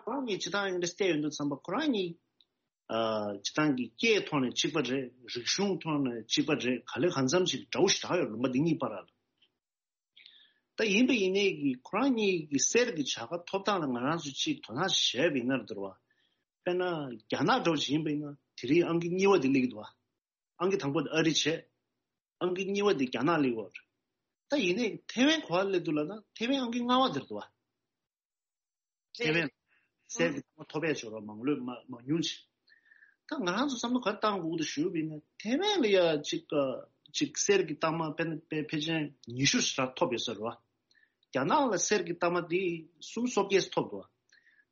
ཁོ་རང་གཉིས་སྤྱི་བཏང་ཨེ་འདྲ་བལྟས་ཡོང་དུས་ཙམ་པ་ཁོ་རང་གཉིས་ཨ་སྤྱི་བཏང་གི་སྐད་ཐོག་ནས་གཅིག་པ་རེད། རིག་གཞུང་ཐོག་ནས་གཅིག་པ་རེད། ག་ལེ་གང་འཚམ་ཞིག་འདྲ་བོ་ཞིག་ཆགས་ཡོད། ལུང་པ་འདི་གཉིས་བར་ལ། ད་ཡིན་པ་ཡིན་ནའི་གི་ཁོ་རང་གཉིས་ཀྱི་གསེར་གྱི་བྱ་དགའ་ཐོབ་སྟངས་ལ་ང་རང་ཚོས་ཅིག་དོ་སྣང་བྱས་པ་ཡིན་ན་རེད་བ། དཔེར་ན་རྒྱ་ནག་འདྲ་བོ་ཞིག་ཡིན་པ་ཡིན་ན་དེ་རིང་ཨང་ཀི་གཉིས་པ་དེ་སླེབས་ཀྱི་འདུག་བ། ཨང་ཀི་དང་པོ་དེ་ཨ་རི་བྱས། ཨང་ཀི་གཉིས་པ་དེ་རྒྱ་ནག་སླེབས་ཡོད་རེད། ད་ཡིན་ནའི་ཐེ་ཝན་ག་པར་སླེབས་འདུག་ལབ་ན་ཐེ་ཝན་ཨང་ཀི་ལྔ་པ་དེར་འདུག་བ། ཐེ་ཝན་གསེར་གྱི་རྟགས་མ་ཐོབ་པའི་ཕྱོགས་ར་མང་ལོས་མ་མང་ཉུང་ཅིག་ད་ང་རང་ཚོ་བསམ་བློ་ག་རེ་བཏང་དགོས་ཀྱི་འདུག་ཞུ་བ་ཡིན་ན་ཐེ་ཝན་ལ་ཡ་ཅིག་ཅིག་གསེར་གྱི་རྟགས་མ་ཕལ་ཕལ་ཕལ་ཆེར་ཉི་ཤུ་ཞིག་ར་ཐོབ་ཡོད་ས་རེད་བ། རྒྱ་ནག་ལ་གསེར་གྱི་རྟགས་མ་དེ་སུམ་སོ་བརྒྱད་ཐོབ་འདུག་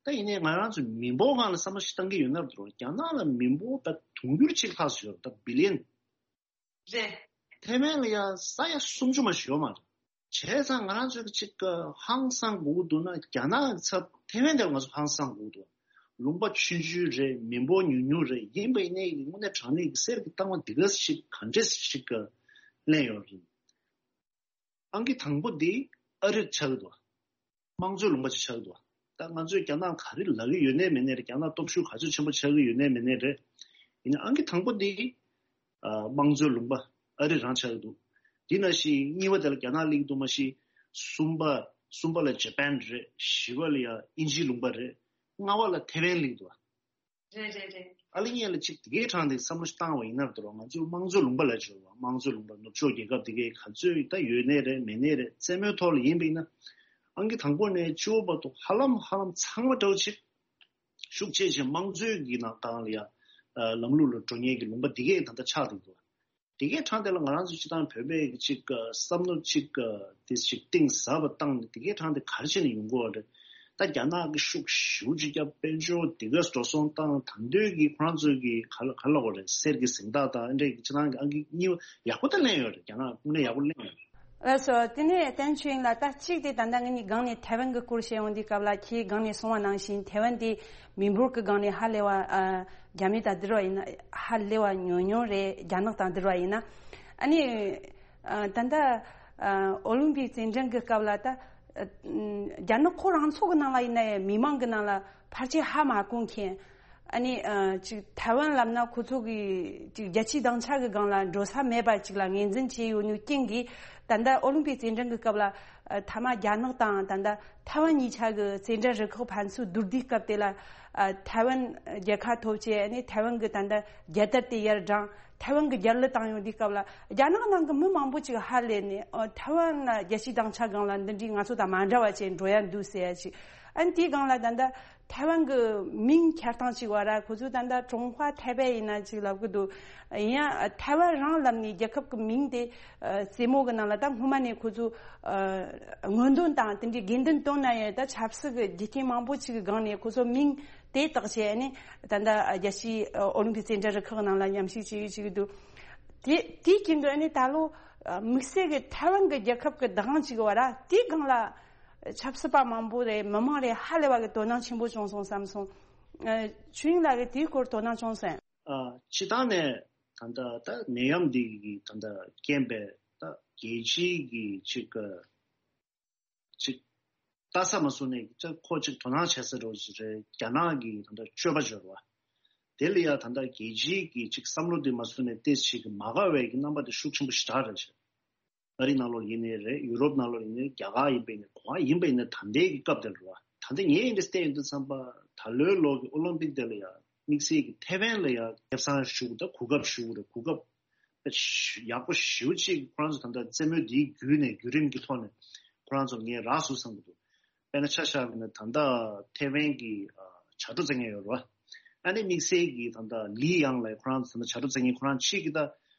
ད་ཡིན་ནའི་ང་རང་ཚོ་མི་འབོར་སྒང་ལ་བསམ་བློ་ཞིག་བཏང་གི་ཡོད་ན་འདུག་རྒྱ་ནག་ལ་མི་འབོར་ད་དུང་ཕྱུར་གཅིག་ལྷག་ཙམ་ཡོད་རེད། ད་བི་ལི་ཡན། རེད། ཐེ་ཝན་ལ་ཡ་ས་ཡ་སུམ་ཅུ་མ་ཞིག་ཡོད་མ་རེད། བྱས་ཙང་ང་རང་ཚོས་ཅིག་ཧང་སང་དགོས་ཀྱི་འདུག་ན་རྒྱ་ནག་གི་ཚབ་ཐེ་ཝན་དེར་ང་ཚོ་ཧང་སང་དགོས་ཀྱི་འདུག་ལུང་པ་ཆུང་ཆུང་རེད། མི་འབོར་ཉུང་ཉུང་རེད། ཡིན་པ་ཡིན་ནའི་དངོས་གནས་དྲང་གནས་ཀྱི་གསེར་གྱི་རྟགས་མ་འདི་ག་ཞིག་ག་འདྲས་ཞིག་ལེན་ཡོད་རེད། ཨང་ཀི་དང་པོ་འདི་ཨ་རིར་ཆགས་ཀྱི་འདུག་དམངས་གཙོའི་ལུང་པ་ཅིག་ཆགས་ཀྱི་འདུག་ད་ང་ཚོས་རྒྱ་ནག་ག་རེ་ལབ་ཀྱི་ཡོད་ནའི་མེད་ནའི་རེད། རྒྱ་ནག་སྟོབས་ཤུགས་ག་ཚོད་ཆེན་པོ་ཆགས་ཀྱི་ཡོད་ནའི་མེད་ནའི་རེད། ཡིན་ནའི་ཨང་ཀི་དང་པོ་འདི་ཨ་དམངས་གཙོའི་ལུང་པ་ཨ་རི་རང་ཆགས་ཀྱི་འདུག་དེ་ནང་བཞིན་གཉིས་པ་དེ་ལ་རྒྱ་ནག་སླེབས་ཀྱི་འདུག་མ་གཞི། གསུམ་པ་གསུམ་པ་ལ་ཇ་པན་རེད། བཞི་པ་ལ་ཡ་དབྱིན་ཇིའི་ལུང་པ་རེད། ལྔ་པ་ལ་ཐེ་ཝན་སླེབས་འདུག་རེད་རེད་རེད། ཨ་ལི་ཉེ་ལ་ཅིག་དེ་གའི་གྲངས་དེ་བསམ་བློ་ཞིག་བཏང་བ་ཡིན་ན་འདུག་ང་ཚོའི་དམངས་གཙོའི་ལུང་པ་ལ་བྱོས་པ། དམངས་གཙོའི་ལུང་པ་ནུབ་ཕྱོགས་རྒྱལ་ཁབ་དེ་གའི་ག་ཚོད་ད་ཡོད་ནའི་རེད་མེད་ནའི་རེད། རྩེད་མོའི་ཐོག་ལ་ཡིན་པ་ཡིན་ན་ཨང་ཀི་དང་པོ་ནས་བཅུ་པ་བར་དུ་ཧ་ལམ་ཧ་ལམ་ཚང་མ་འདྲ་བོ་ཅིག་ཤུགས་ཆེ་ཆེ་དམངས་གཙོའི་གི་ནང་སྒང་ལ་ཡ་ལམ་ལུགས་ལ་འགྲོ་མཁན་གྱི་ལུང་པ་དེ་གའི་ད་ལྟ་ཆགས་འདུག་དེ་གའི་གྲངས་དེ་ལ་ང་རང་ཚོ་སྤྱི་བཏང་བོད་པའི་ཅིག་བསམ་བློ་ཅིག་དེ་ཞིག་གཏིང་ཟབ་པ་བཏང་ནས་དེ་གའི་གྲངས་དེ་ག་རེ་བྱས་ནས་ཡོང་གི་ཡོད་རེད། ད་རྒྱ་ནག་གི་ཤུགས་ཞེ་པོ་ཅིག་བརྒྱབ། དཔལ་འབྱོར་དེ་ག་འགྲོ་སོང་བཏང་། ད་འདོད་ཀྱི་ཁོ་རང་ཚོའི་གི་ག་ལ་ག་ལ་གོ་རེད། གསེར་གྱི་གཟེངས་རྟགས་དང་འདྲའི་སྤྱི་བཏང་གི་ཨང་ཀི་གཉིས་པ་ཡག་པོ་ད་ལེན་ཡོད་རེད། རྒྱ་ནག་དངོས་གནས་ཡག་པོ་ལེན་ཡོད་རེད། ལགས་སོ། དེ་ནས་བསྟན་ཆོས་དབྱིངས་ལགས། ད་གཅིག་དེ་ད་ལྟ་ངེད་གཉིས་སྒང་ནས་ཐའེ་ཝན་གྱི་སྐོར་བཤད་ཡོང་དུས་སྐབས་ལ་ཁྱེད་སྒང་ནས་གསུངས་པ་ནང་བཞིན་ཐའེ་ཝན་དེ་མི་འབོར་གྱི་སྒང་ནས་ཧ་ལས་པ་ཨ་རྒྱ་མི་དང་བསྡུར་བ་ཡིན་ན་ཧ་ལས་པ་ཉུང་ཉུང་རེད། རྒྱ་ནག་དང་བསྡུར་བ་ཡིན་ན། ཨ་ནི་ཨ་ད་ལྟ་ཨ་ཨོ་ལིམ་པིག་རྩེད་འགྲན་གྱི་སྐབས་ལ་ད་ཨ་རྒྱ་ནག་ཁོ་རང་ཚོ་གི་ནང་ལ་ཡིན་ན་ཡང་མི་མང་གི་ནང་ལ་ཕལ་ཆེར་ཧ་མ་གོ་མཁན། ཨ་ནི་ཨ་ཅིག་ཐའེ་ཝན་ལབ་ན་ཁོ་ཚོ་གི་ཅིག་རྒྱལ་སྤྱིའི་སྡིངས་ཆ་གི་སྒང་ལ་འགྲོ་ས་མེད་པ་ཅིག་ལ་ངོས་འཛིན་བྱས་ཡོད་ནོ་རྐྱེན་གྱིས། ད་ལྟ་ཨོ་ལིམ་པིག་རྩེད་འགྲན་གྱི་སྐབས་ལ་ཨ་མཐའ་མ་རྒྱ་ནག་དང་ད་ལྟ་ཐའེ་ཝན་གཉིས་ཆ་གི་རྩེད་འགྲན་རུ་ཁག་ཕན་ཚུན་བསྡུར་དུས་སྐབས་དེ་ལ་ཨ་ཐའེ་ཝན་རྒྱལ་ཁ་ཐོབ་བྱས། ཨ་ནི་ཐའེ་ཝན་གྱི་ད་ལྟ་རྒྱལ་དར་དེ་ཡར་བསྒྲེངས། ཐའེ་ཝན་གྱི་རྒྱལ་གླུ་བཏང་ཡོང་དུས་སྐབས་ལ་རྒྱ་ནག་ནང་གི་མི་མང་པོ་ཅིག་ཧ་ལས་ནས་ཨ་ཐའེ་ཝན་རྒྱལ་སྤྱིའི་སྡིངས་ཆ་སྒང་ལ་འདི་འདྲའི་ང་ཚོ་དང་མ་འདྲ་བ་ཅིག་འགྲོ་ཡ་འདུག་ཟེར་ཡ་ཅིག་ཨ་ནི་དེའི་སྒང་ལ་ད་ལྟ་ཐའེ་ཝན་གྱི་མིང་ཁྱེར་སྟངས་ཅིག་བ་ར། ཁོ་ཚོས་ད་ལྟ་ཀྲུང་ཧྭ་ཐའེ་པེ་ཡིན་ན་ཅིག་ལབ་གི་འདུག་ཡིན་ཡང་ཐའེ་ཝན་རང་ལབ་ནས་རྒྱལ་ཁབ་ཀྱི་མིང་དེ་ཨ་རྩེད་མོ་གི་ནང་ལ་ད་སྔོན་མ་ནས་ཁོ་ཚོས་ཨ་སྔོན་འདོན་དང་དེ་འདྲའི་དགོས་འདུན་བཏོན་ན་ཡང་ད་ཆབ་སྲིད་ཀྱི་རྒྱུ་རྐྱེན་མང་པོ་ཅིག་གི་སྒང་ནས་ཁོ་ཚོ་མིང་དེ་བཏགས་བྱས་ནས་ད་ལྟ་རྒྱལ་སྤྱིའི་ཨོ་ལིམ་པིག་རྩེད་འགྲན་རུ་ཁག་ནང་ལ་མཉམ་ཞུགས་བྱེད་ཡུལ་ཅིག་འདུག་དེ་དེའི་རྐྱེན་གྱིས་ཨ་ནི་ད་ལོ་དམིགས་བསལ་གྱི་ཐའེ་ཝན་གྱི་རྒྱལ་ཁབ་ཀྱི་བདག་དབང་བྱེད་དགོས་པ་ར། དེའི་སྒང་ལ་ཆབ་སྲིད་པ་མང་པོ་རེད། མི་མང་རེད། ཧ་ལས་པ་གི་དོ་སྣང་ཆེན་པོ་བྱུང་སོང་བསམ་སོང་། ཨ་ཆོས་དབྱིངས་ལགས་ཀྱིས་དེའི་སྐོར་དོ་སྣང་བྱུང་སོང་། ཨ་སྤྱི་བཏང་ནས་ད་ལྟ་ད་ནད་ཡམས་འདི་གི་ད་ལྟ་རྐྱེན་པས་ད་རྒྱལ་སྤྱིའི་གི་ཅིག་ཅིག་ལྟ་ས་མ་སོང་ནས་ཅིག་ཁོ་ཅིག་དོ་སྣང་བྱེད་ས་འདྲ་བོ་ཅིག་རེད། རྒྱ་ནག་གི་ད་ལྟ་སྤྱོད་པ་འབྱོར་བ་དེ་ལ་ཡ་ད་ལྟ་རྒྱལ་སྤྱིའི་གི་ཅིག་བསམ་བློ་དེ་མ་སོང་ནས་ཏོག་ཙམ་གི་མ་དགའ་བའི་གི་རྣམ་པ་དེ་ཤུགས་ཆེན་པོ་ཞེ་དྲག་རེད་བྱས། ཨ་རི་ནང་ལོགས་ཡིན་ནའི་རེད། ཡུ་རོབ་ནང་ལོགས་ཡིན་ནའི་རེད། རྒྱ་གར་ཡིན་པ་ཡིན་ནའི་ག་པར་ཡིན་པ་ཡིན་ནའི་ད་ལྟའི་གི་སྐབས་དེ་ལ་རེད་བ། ད་ལྟ་ངས་འདི་བལྟས་ཡོང་དུས་ཙམ་པ་ད་ལོའི་ལོ་གི་ཨོ་ལིམ་པིག་དེ་ལ་ཡ་དམིགས་བསལ་གྱི་ཐའེ་ཝན་ལ་ཡ་ཁེ་བཟང་ཞུ་དགོས། ད་གོ་སྐབས་ཞུ་དགོས་རེད། གོ་སྐབས་ཡག་པོ་ཞེ་པོ་ཅིག་ཁོ་རང་ཚོ་ད་ལྟ་རྩེད་མོ་འདིའི་བརྒྱུད་ནས་བརྒྱུད་རིམ་གྱི་ཐོག་ནས་ཁོ་རང་ཚོ་ངས་རག་སོང་བསམ་གྱི་འདུག་དཔེར་ན་ཆ་བཞག་པ་ཡིན་ན་ད་ལྟ་ཐའེ་ཝན་གྱི་ཨ་བྱ་དྲོ་རྩེད་མཁན་ཡོད་རེད་བ། ཨ་ནི་དམིགས་བསལ་གྱི་ད་ལྟ་ལི་ཡང་ལགས་ཁོ་རང་ཚོ་ད་ལྟ་བྱ་དྲོ་རྩེད་མཁན་ཁོ་རང་ཕྱིས་ཀྱི་ད་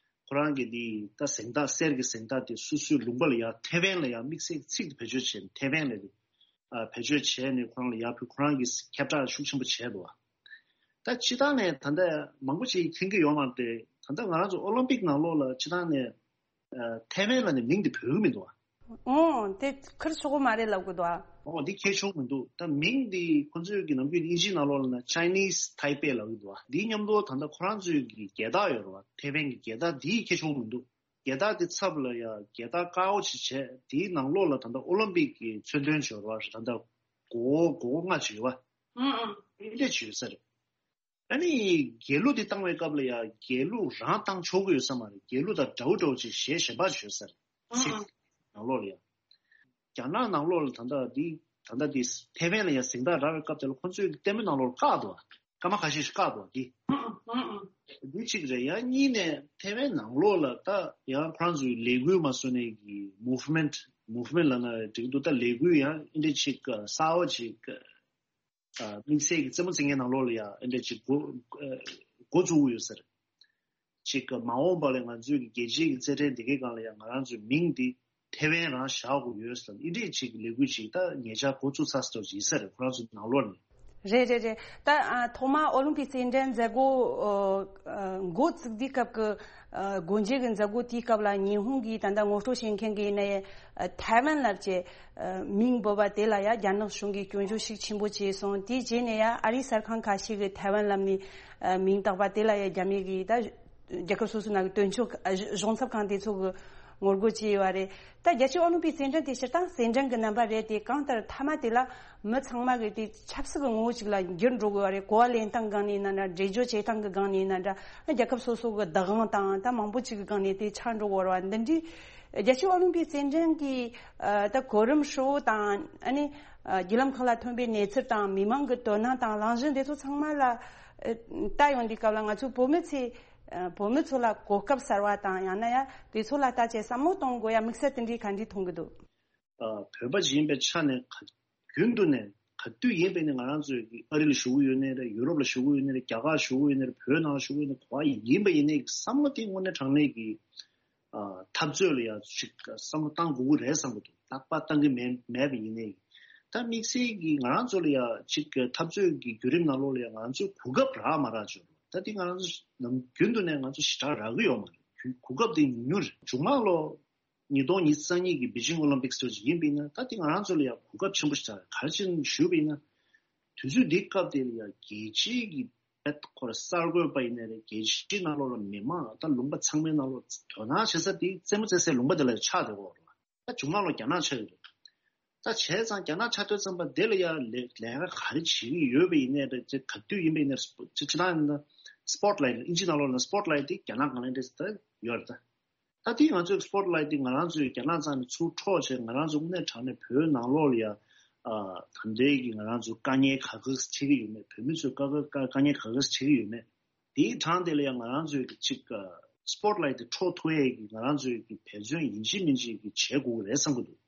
ཁོ་རང་གི་དེ་ད་གཟེངས་རྟགས་གསེར་གྱི་གཟེངས་རྟགས་དེ་སོ་སོའི་ལུང་པ་ལ་ཡ་ཐའེ་ཝན་ལ་ཡ་དམིགས་བསལ་གྱི་ཚིག་དེ་བེད་སྤྱོད་བྱས་ནས་ཐའེ་ཝན་ལ་རེད། ཨ་བེད་སྤྱོད་བྱས་ནས་ཁོ་རང་ལ་ཡར་ཕུལ། ཁོ་རང་གིས་ཁྱབ་བསྒྲགས་ཤུགས་ཆེན་པོ་བྱས་འདུག་བ། ད་སྤྱི་བཏང་ནས་ད་ལྟ་མང་པོ་ཞིག་མཁྱེན་གྱི་ཡོད་མ་རེད་དེ། ད་ལྟ་ང་རང་ཚོ་ཨོ་ལིམ་པིག་ནང་ལོགས་ལ་སྤྱི་བཏང་ནས་ཨ་ཐའེ་ཝན་ལབ་ནས་མིང་དེ་འབོད་ཀྱི་མི་འདུག་བ། ཨོ་དེ་ཁེར་ཆོག་གི་མ་རེད་ལབ་གི་འདུག་བ། ཨོ་འདི་ཁེར་ཆོག་མི་འདུག་ད་མིང་འདི་ཁོ་ཚོས་ཀྱི་ནམ་རྒྱུན་དབྱིན་ཇིའི་ནང་ལོགས་ལ་ན་Chinese Taipei ལབ་ཀྱི་འདུག་བ། འདིའི་མཉམ་དུ་ད་ལྟ་ཁོ་རང་ཚོའི་གི་རྒྱལ་དར་ཡོད་རེད་བ། ཐའེ་ཝན་གྱི་རྒྱལ་དར་འདི་ཁེར་ཆོག་མི་འདུག་རྒྱལ་དར་དེ་ཚབ་ལ་ཡ་རྒྱལ་དར་དཀར་པོ་ཅིག་བྱས། དེའི་ནང་ལོགས་ལ་ད་ལྟ་ཨོ་ལིམ་པིག་གི་མཚོན་དོན་བྱས་པ་རེད། ད་ལྟ་མགོ་བོ་མགོ་བོ་ལྔ་ཅིག་ཡོད་པ། ཨང་ཨང་། དེ་འདྲ་ཅིག་ཡོད་ས་རེད། ཨ་ནི་རྒྱལ་གླུ་དེ་བཏང་བའི་སྐབས་ལ་ཡ་རྒྱལ་གླུ་རང་བཏང་ཆོག་གི་ཡོད་ས་མ་རེད། རྒྱལ་གླུ་དང་འདྲ་བོ་འདྲ་བོ་ཅིག་གཞས་གཞན་པ་ཅིག་ཡོད་ས་རེད། ཨང་ཚིག་ཨང་། ནང་ལོགས་ལ་ཡ། རྒྱ་ནག་ནང་ལོགས་ལ་ད་ལྟ་འདི་ད་ལྟ་འདི་ཐེ་ཝན་ལ་ཡང་གཟེངས་རྟགས་རག་པའི་སྐབས་དེ་ལ་ཁོ་ཚོས་ལྟད་མོ་ནང་ལོགས་ལ་བཀག་འདུག་སྐར་མ་ཁ་ཤས་ཤིག་བཀག་འདུག་འདི། འདི་གཅིག་རེད། ཡང་གཉིས་ནས་ཐེ་ཝན་ནང་ལོགས་ལ་ད་ཡང་ཁོ་རང་ཚོའི་ལས་འགུལ་མ་བཟོ་ནས་ཀྱི་movement movement ལབ་ན་འགྲིག་འདུག་ད་ལས་འགུལ་ཡང་ཨེ་འདྲ་ཅིག་གསར་བ་ཅིག་དམིགས་བསལ་གྱི་རྩེད་མོ་རྩེ་མཁན་ནང་ལོགས་ལ་ཡང་ཨེ་འདྲ་ཅིག་འགོ་འགོ་བཙུགས་ཡོད་ཟེར། ཅིག་གི་མ་འོངས་པ་ལ་ང་ཚོའི་གི་རྒྱལ་སྤྱིའི་གི་རྩེད་འགྲན་དེ་གའི་སྒང་ལ་ཡང་ང་རང་ཚོའི་མིང་འདི་ཐེ་ཝན་རང་བཞག་དགོས་ཡོད་ཟེར་ཨིན་འདྲས་ཅིག་ལས་འགུལ་ཅིག་ད་ཉེ་ཆར་འགོ་བཙུགས་ཚར་སོང་ཡིན་ས་རེད། ཁོ་རང་ཚོའི་ནང་ལོགས་ནས། རེད་རེད་རེད། ད་ཨ་ཐོག་མ་ཨོ་ལིམ་པིག་རྩེད་འགྲན་མཛད་སྒོ་ཨ་འགོ་བཙུགས་དུས་སྐབས་ཀྱི་ཨ་སྒོ་འབྱེད་ཀྱི་མཛད་སྒོ་དེའི་སྐབས་ལ་ཉི་ཧོང་གི་ད་ལྟ་ངོ་སྤྲོད་བྱེད་མཁན་གྱི་ནས་ཨ་ཐེ་ཝན་ལབ་ཅེས་ཨ་མིང་འབོད་པ་དེ་ལ་ཡ་རྒྱ་ནག་གཞུང་གིས་སྐྱོན་བརྗོད་ཤུགས་ཆེན་པོ་བྱས་སོང་། དེའི་རྗེས་ནས་ཡ་ཨ་རིའི་གསར་ཁང་ཁ་ཤས་ཀྱིས་ཐེ་ཝན་ལབ་ནས་ཨ་མིང་བཏགས་པ་དེ་ལ་ཡ་རྒྱ་མི་གིས་ད་རྒྱལ་ཁབ་སོ་སོའི་ནང་གི་དོན་གཅོད་ཨ་གཞུང་ཚབ་ཁང་དེ་ཚོ་གིས་ངོ་རྒོལ་བྱས་ཡོད་རེད། ད་རྒྱལ་སྤྱིའི་ཨོ་ལིམ་པིག་རྩེད་འགྲན་དེ་སྤྱིར་བཏང་རྩེད་འགྲན་གྱི་རྣམ་པ་རེད་དེ། གང་ལྟར་མཐའ་མ་དེ་ལ་མི་ཚང་མ་གིས་དེ་ཆབ་སྲིད་ཀྱི་ངོ་བོ་ཅིག་ལ་འགྱུར་འགྲོ་གི་ཡོད་རེད། གོ་བ་ལེན་སྟངས་སྒང་ནས་ཡིན་ན་འདྲ། འགྲེལ་བརྗོད་བྱེད་སྟངས་ཀྱི་སྒང་ནས་ཡིན་ན་འདྲ། རྒྱལ་ཁབ་སོ་སོ་གི་བདག་དབང་དང་ད་མང་པོ་ཅིག་གི་སྒང་ནས་དེ་ཆགས་འགྲོ་གི་ཡོད་རེད་བ། འདི་འདྲའི་རྒྱལ་སྤྱིའི་ཨོ་ལིམ་པིག་རྩེད་འགྲན་གྱི་ཨ་ད་གོ་རིམ་ཧྲིལ་བོ་དང་ཨ་ནི་ཨ་བརྒྱུད་ལམ་ཁག་ལ་ཐོན་པའི་གནས་ཚུལ་དང་མི་མང་གི་དོ་སྣང་དང་གླེང་གཞི་འདི་ཚོ་ཚང་མ་ལ་ཨ་ལྟ་ཡོང་དུས་སྐབས་ལ་ང་ཚོའི་བོད་མི་ཚོས་ཨ་བོད་མི་ཚོ་ལ་གོ་སྐབས་གསར་བ་དང་ཡང་ན་ཡང་དེ་ཚོ་ལ་ལྟ་བྱས་བསམ་བློ་གཏོང་དགོས་ཡ་དམིགས་བསལ་དེ་འདྲའི་ག་འདྲའི་མཐོང་གི་འདུག་ཨ་བོད་པ་ཞིག་ཡིན་པའི་ཆ་ནས་ག་རྒྱུན་དུ་ནས་ག་དུས་ཡིན་པའི་ནས་ང་རང་ཚོའི་གི་ཨ་རི་ལ་བཞུགས་ཀྱི་ཡོད་ནའི་རེད། ཡུ་རོབ་ལ་བཞུགས་ཀྱི་ཡོད་ནའི་རེད། རྒྱ་གར་བཞུགས་ཀྱི་ཡོད་ནའི་རེད། བོད་ནང་ལ་བཞུགས་ཀྱི་ཡོད་ནའི་རེད། ག་བ་ཡིན་པ་ཡིན་ནའི་བསམ་བློ་དེ་དངོས་གནས་དྲང་གནས་ཀྱི་ཨ་འཐབ་རྩོད་ལ་ཡ་ཅིག་བསམ་བློ་བཏང་དགོས་ཀྱི་རེད་བསམ་གྱི་འདུག་རྟག་པར་བཏང་གི་མེད་མེད་པ་ཡིན་ནའི། ད་དམིགས་བསལ་གྱི་ང་རང་ཚོ་ལ་ཡ་ཅིག་འཐབ་རྩོད་ཀྱི་བརྒྱུད་རིམ་ནང་ལོགས་ལ་ཡ་ང་ཚོས་གོ་སྐབས་རག་མ་རག་བྱུང་། ད་དེ་ང་རང་ཚོ་ནམ་རྒྱུན་དུ་ནས་ང་ཚོ་ཞེ་དྲག་རག་གི་ཡོད་མ་རེད། གོ་སྐབས་དེ་ཉུང་ཉུང་རེད། མཇུག་མ་ལོ་ཉིས་སྟོང་ཉི་ཤུ་རྩ་གཉིས་ཀྱི་པེ་ཅིང་ཨོ་ལིམ་པིག་སི་དེ་ཅིག་ཡིན་པ་ཡིན་ན། ད་དེ་ང་རང་ཚོ་ལ་ཡང་གོ་སྐབས་ཆེན་པོ་ཞིག་རེད། ག་རེ་བྱས་ནས་ཞུས་པ་ཡིན་ན། དུས་ཚོད་འདིའི་སྐབས་དེ་ལ་ཡང་རྒྱལ་སྤྱིའི་གི་ཁོ་ར་གསར་འགོད་པ་ཡིན་ནའི་རེད། རྒྱལ་སྤྱིའི་ནང་ལོགས་ལ་མི་མང་ད་ལུང་པ་ཚང་མའི་ནང་ལོགས་དོ་སྣང་བྱེད་ས་དེ་རྩེད་མོ་རྩེ་སའི་ལུང་པ་དེ་ལ་ཆགས་བསྡད་ཡོད་རེད། ད་མཇུག་མ་ལོ་རྒྱ་ནག་ཆགས་ཡོད་རེད། ད་བྱས་ཙང་རྒྱ་ནག་ཆགས་དུས་ཙམ་པ་དེ་ལ་ཡང་ལས་ལས་ཀ་ག་རེ་བྱེད་ཀྱི་ཡོད་པ་ཡིན་ནའི་རེད། ག་དུས་ཡིན་པ་ཡིན་ནའི་རེད། སྤོ་སྤྱི་སྤྱི་བཏང་ཡིན་ན་སི་པོ་ཊི་ལའིཊ་ཨིན་ཇི་ནང་ལོགས་ལ་སི་པོ་ཊི་ལའིཊ་དེ་རྒྱ་ནག་སྒང་ལ་འདྲ་ད་ཡོད་རེད། ད་ད་དེ་ང་ཚོའི་སི་པོ་ཊི་ལའིཊ་དེ་ང་རང་ཚོའི་རྒྱ་ནག་རྩ་ནས་ཚུར་འཕྲོག་བྱས། ང་རང་ཚོ་དངོས་གནས་དྲང་གནས་བོད་ནང་ལོགས་ལ་ཡང་ཨ་ད་ལྟའི་གི་ང་རང་ཚོའི་དཀའ་ངལ་ག་ག་འཕྲད་ཀྱི་ཡོད་མེད། བོད་མི་ཚོའི་དཀའ་དཀའ་དཀའ་ངལ་ག་ག་འཕྲད་ཀྱི་ཡོད་མེད། དེའི་གྲངས་དེ་ལ་ཡང་ང་རང་ཚོའི་གི་ཅིག་སི་པོ་ཊི་ལའིཊ་དེ་འཕྲོག་ཐུབ་ཡས་ཀྱི་ང་རང་ཚོའི་གི་འབད་བརྩོན་ཡིན་གཅིག་མིན་གཅིག་གི་བྱེད་དགོས་ཀྱི་རེད་བསམ་གྱི་འདུག་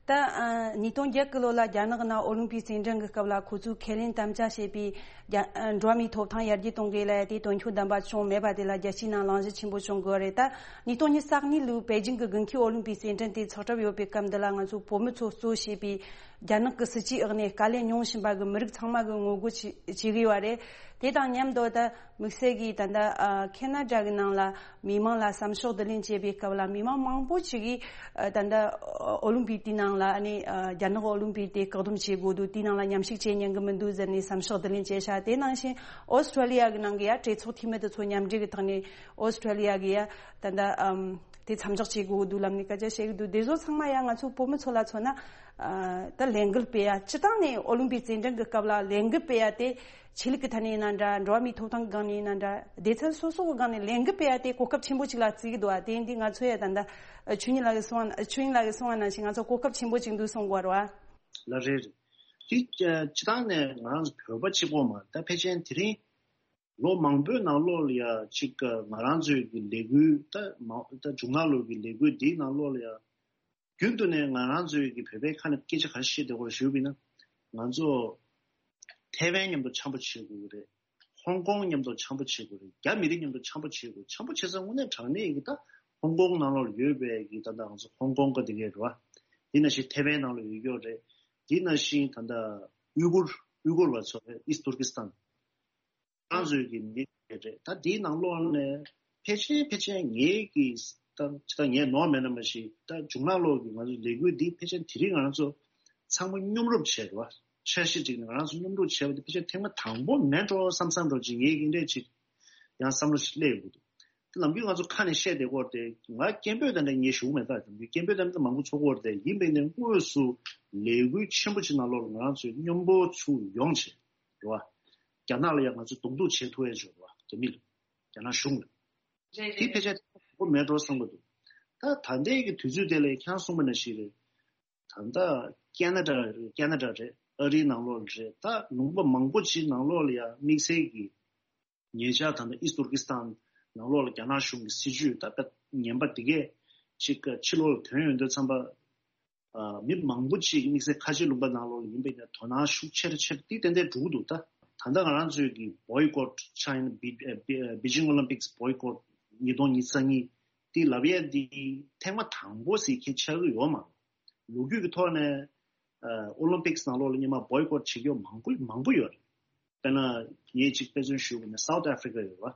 ད་ཨ་ཉིས་སྟོང་བརྒྱད་གི་ལོ་ལ་རྒྱ་ནག་ནང་ཨོ་ལིམ་པིག་རྩེད་འགྲན་གྱི་སྐབས་ལ་ཁོ་ཚོས་ཁས་ལེན་དམ་བཅའ་བྱས་པའི་རྒྱ་ཨ་འགྲོ་བ་མིའི་ཐོབ་ཐང་ཡར་རྒྱས་གཏོང་གི་ལས་དེ་དོན་འཁྱོལ་ལྡན་པ་བྱུང་མེད་པ་དེ་ལ་རྒྱལ་སྤྱིའི་ནང་གླེང་གཞི་ཆེན་པོ་བྱུང་དགོས་རེད། ད་ཉིས་སྟོང་ཉི་ཤུ་རྩ་གཉིས་ལོའི་པེ་ཅིང་གི་དགུན་ཁའི་ཨོ་ལིམ་པིག་རྩེད་འགྲན་དེ་ཚོགས་གྲབས་ཡོད་པའི་སྐབས་འདི་ལ་ང་ཚོ་བོད་མི་ཚོ་གཙོ་བྱས་པའི་རྒྱ་ནག་གི་སྲིད་ཇུས་འོག་ནས་དཀའ་ལས་མྱོང་བཞིན་པ་གི་མི་རིགས་ཚང་མ་གི་ངོ་རྒོལ་བྱེད་བྱེད་ཀྱི་ཡོད་རེད། དེ་དང་མཉམ་དུ་ད་དམིགས་བསལ་གྱིས་ད་ལྟ་ཨ་ཁེ་ན་ཌ་གི་ནང་ལ་མི་མང་ལ་བསམ་ཤོག་བསྡུ་ལེན་བྱེད་པའི་སྐབས་ལ་མི་མང་མང་པོ་ཞིག་གིས་ཨ་ད་ལྟ་ཨོ་ལིམ་པིག་དེའི་ནང་ལ་ཨ་ནི་ཨ་རྒྱ་ནག་ཨོ་ལིམ་པིག་དེ་བཀག་སྡོམ་བྱེད་དགོས་འདུག་དེའི་ནང་ལ་མཉམ་ཞུགས་བྱེད་ཉན་གི་མི་འདུག་ཟེར་ནས་བསམ་ཤོག་བསྡུ་ལེན་བྱས་ཤག་དེ་ནང་བཞིན་ཨོ་སི་ཁྲུ་ལི་ཡ་གི་ནང་གི་ཡ་གྲོས་ཚོགས་འཐུས་མི་དེ་ཚོ་མཉམ་འབྲེལ་གི་ཐོག་ནས་ཨོ་སི་ཁྲུ་ལི་ཡ་གི་ཡ་ད་ལྟ་ཨམ་དེ་མཚམས་འཇོག་བྱེད་དགོས་འདུག་ལབ་ནས་སྐད་ཆ་བཤད་གི་འདུག་དེ་ཚོ་ཚང་མ་ཡ་ང་ཚོ་བོད་མི་ཚོ་ལ་མཚོན་ན་ཨ་ད་ལས་འགུལ་སྤེལ་ཡ་སྤྱི་བཏང་ནས་ཨོ་ལིམ་པིག་རྩེད་འགྲན་གི་སྐབས་ལ་ལས་འགུལ་སྤེལ་ཡ་དེ་ཆོས་ལུགས་ཀྱི་ཐད་ནས་ཡིན་ན་འདྲ། འགྲོ་བ་མིའི་ཐོབ་ཐང་གི་སྒང་ནས་ཡིན་ན་འདྲ། སྡེ་ཚན་སོ་སོ་གི་སྒང་ནས་ལས་འགུལ་སྤེལ་ཡ་དེ་གོ་སྐབས་ཆེན་པོ་ཅིག་ལ་བརྩི་གི་འདུག་བ། དེ་འདི་ང་ཚོ་ཡ་ད་ལྟ་ཆོས་ཉིད་ལགས་ཀྱིས་གསུངས་ཆོས་ཉིད་ལགས་ཀྱིས་གསུངས་པ་ནང་བཞིན་ང་ཚོ་གོ་སྐབས་ཆེན་པོ་ཅིག་འདུག་གསུང་དགོས་རེད་བ། ལགས་རེད། དེ་སྤྱི་བཏང་ནས་ང་རང་ཚོ་བོད་པ་གཅིག་པོ་མ་ད་ཕལ་ཆེར་དེ་རིང་ལོ་མང་པོའི་ནང་ལོགས་ལ་ཡ་གཅིག་ང་རང་ཚོའི་གི་ལས་འགུལ་ད་མ་ད་མཇུག་མ་ལོ་གི་ལས་འགུལ་འདིའི་ནང་ལོགས་ལ་ཡ་རྒྱུན་དུ་ནས་ང་རང་ཚོའི་གི་བོད་པའི་ཁ་ནས་སྐད་ཆ་ག་རེ་བཤད་བསྡད་ཡོད་རེད་ཞུས་པ་ཡིན་ན། ང་ཚོ་ཐེ་ཝན་མཉམ་དུ་འཆམ་པོ་བྱེད་དགོས་ཀྱི་རེད། ཧོང་ཀོང་མཉམ་དུ་འཆམ་པོ་བྱེད་དགོས་རེད། རྒྱ་མི་རིགས་མཉམ་དུ་འཆམ་པོ་བྱེད་དགོས། འཆམ་པོ་བྱེད་ས་དངོས་གནས་དྲང་གནས་ཀྱི་ད་ཧོང་ཀོང་ནང་ལོགས་ཡོད་པའི་གི་ད་ལྟ་ང་ཚོ་ཧོང་ཀོང་གི་དེ་གས་རེད་བ། དེ་ནང་བཞིན་ཐེ་ཝན་ནང་ལ་ཡོད་ཀྱི་ཡོད་རེད། དེ་ནང་བཞིན་ད་ལྟ་ཨུ་གུར་ཨུ་གུར་བ་ཚོ་རེད། ཨིསྟ་ཏུར་ཀི་སི་ཐན། ང་ཚོའི་གི་མི་རེད། ད་དེའི་ནང་ལོགས་ནས་ཕལ་ཆེར་ཕལ་ཆེར་ངའི་གི་ད་ད་ངས་ནོར་མེད་ན་མ་ཤེས། ད་མཇུག་མ་ལོ་གི་ང་ཚོའི་ལས་འགུལ་འདི་ཕལ་ཆེར་དེ་རིང་ང་ཚོ་ཚང་མ་མཉམ་རུབ་བྱས་རེད་བ། འཆར་གཞི་ཅིག་ནས་ང་རང་ཚོ་མཉམ་རུབ་བྱས་པ་དེ་ཕལ་ཆེར་ཐེངས་མ་དང་པོ་མེད་འགྲོ་བསམ་བསམ་འགྲོ་ཅིག་ངའི་གི་འདྲས་ཅིག་ཡང་བསམ་བློ་ཞིག་སླེབས་ཡོང་གི་འདུག་དེ་ནམ་རྒྱུན་ང་ཚོ་ཁ་ནས་བཤད་བསྡད་ཀྱི་ཡོད་རེད་དེ། ང་སྐད་འབོད་དེ་འདྲ་ངས་ཞུ་གི་མེད། ད་ནམ་རྒྱུན་སྐད་འབོད་དེ་འདྲ་མང་པོ་ཚོགས་ཀྱི་ཡོད་རེད་དེ། ཡིན་པས་ནས་དངོས་སུ་ལས་འགུལ་ཆེན་པོ་ཅིག་ནང་ལོགས་ལ་ང་རང་ཚོས་མཉམ་པོ་ཚུར་ཡོང་བྱས་རེད་བ། རྒྱ་ནག་ལ་ཡང་ང་ཚོས་གདོང་ཐུག་བྱེད་ཐུབ་ཡས་ཅིག་ཡོད་རེད་བ། རྒྱ་མི་ལ། རྒྱ་ནག་གཞུང་ལ། རེད་དེ་རེད་ཕལ་ཆེར་དགོས་མེད་འགྲོ་བསམ་གྱི་འདུག་ད་ད་ལྟའི་གི་དུས་ཚོད་དེ་ལ་ཁྱེད་རང་གསུངས་པ་ནང་བཞིན་རེད། ད་ལྟ་ཁེ་ན་ཌ་རེད། ཁེ་ན་ཌ་རེད། ཨ་རིའི་ནང་ལོགས་རེད། ད་ལུང་པ་མང་པོ་ཅིག་ནང་ལོགས་ལ་ཡང་དམིགས་བསལ་གྱི་ཉེ་ཆར་ད་ལྟ་ཨིསྟ་ཏུར་ཀི་སི་ཐན་ནང་ལོགས་ལ་རྒྱ་ནག་གཞུང་གི་སྲིད་ཇུས་ད་དཔེ་ངན་པ་དེ་གས་ཅིག་ཕྱི་ལོགས་ལ་ཐོན་ཡོང་དུས་ཙམ་པ། ཨ། མི་མང་པོ་ཅིག་དམིགས་བསལ་ཁ་ཆེ་ལུང་པ་ནང་ལོགས་ལ་ཡིན་པས་ན་དོ་སྣང་ཤུགས་ཆེར་ཆེར་དེ་ཏན་ཏན་འགྲོ་གི་འདུག་ད། ད་ལྟ་ང་རང་ཚོའི་གི་Boycott China Be- Be- Beijing Olympics Boycott ཉིས་སྟོང་ཉི་ཤུ་རྩ་གཉིས་དེ་ལབ་ཡས་དེ་ཐེངས་མ་དང་པོ་ཟེར་མཁན་ཆགས་ཀྱི་ཡོད་མ་རེད། ལོ་རྒྱུས་ཀྱི་ཐོག་ནས་ཨ། Olympics ནང་ལོགས་ལ་སྔོན་མ་Boycott བྱེད་ཀྱི་ཡོད་མང་པོ་མང་པོ་ཡོད་རེད། དཔེར་ན་ངས་གཅིག་དཔེ་མཚོན་ཞུ་དགོས་ན་South Africa ཡོད་རེད་བ།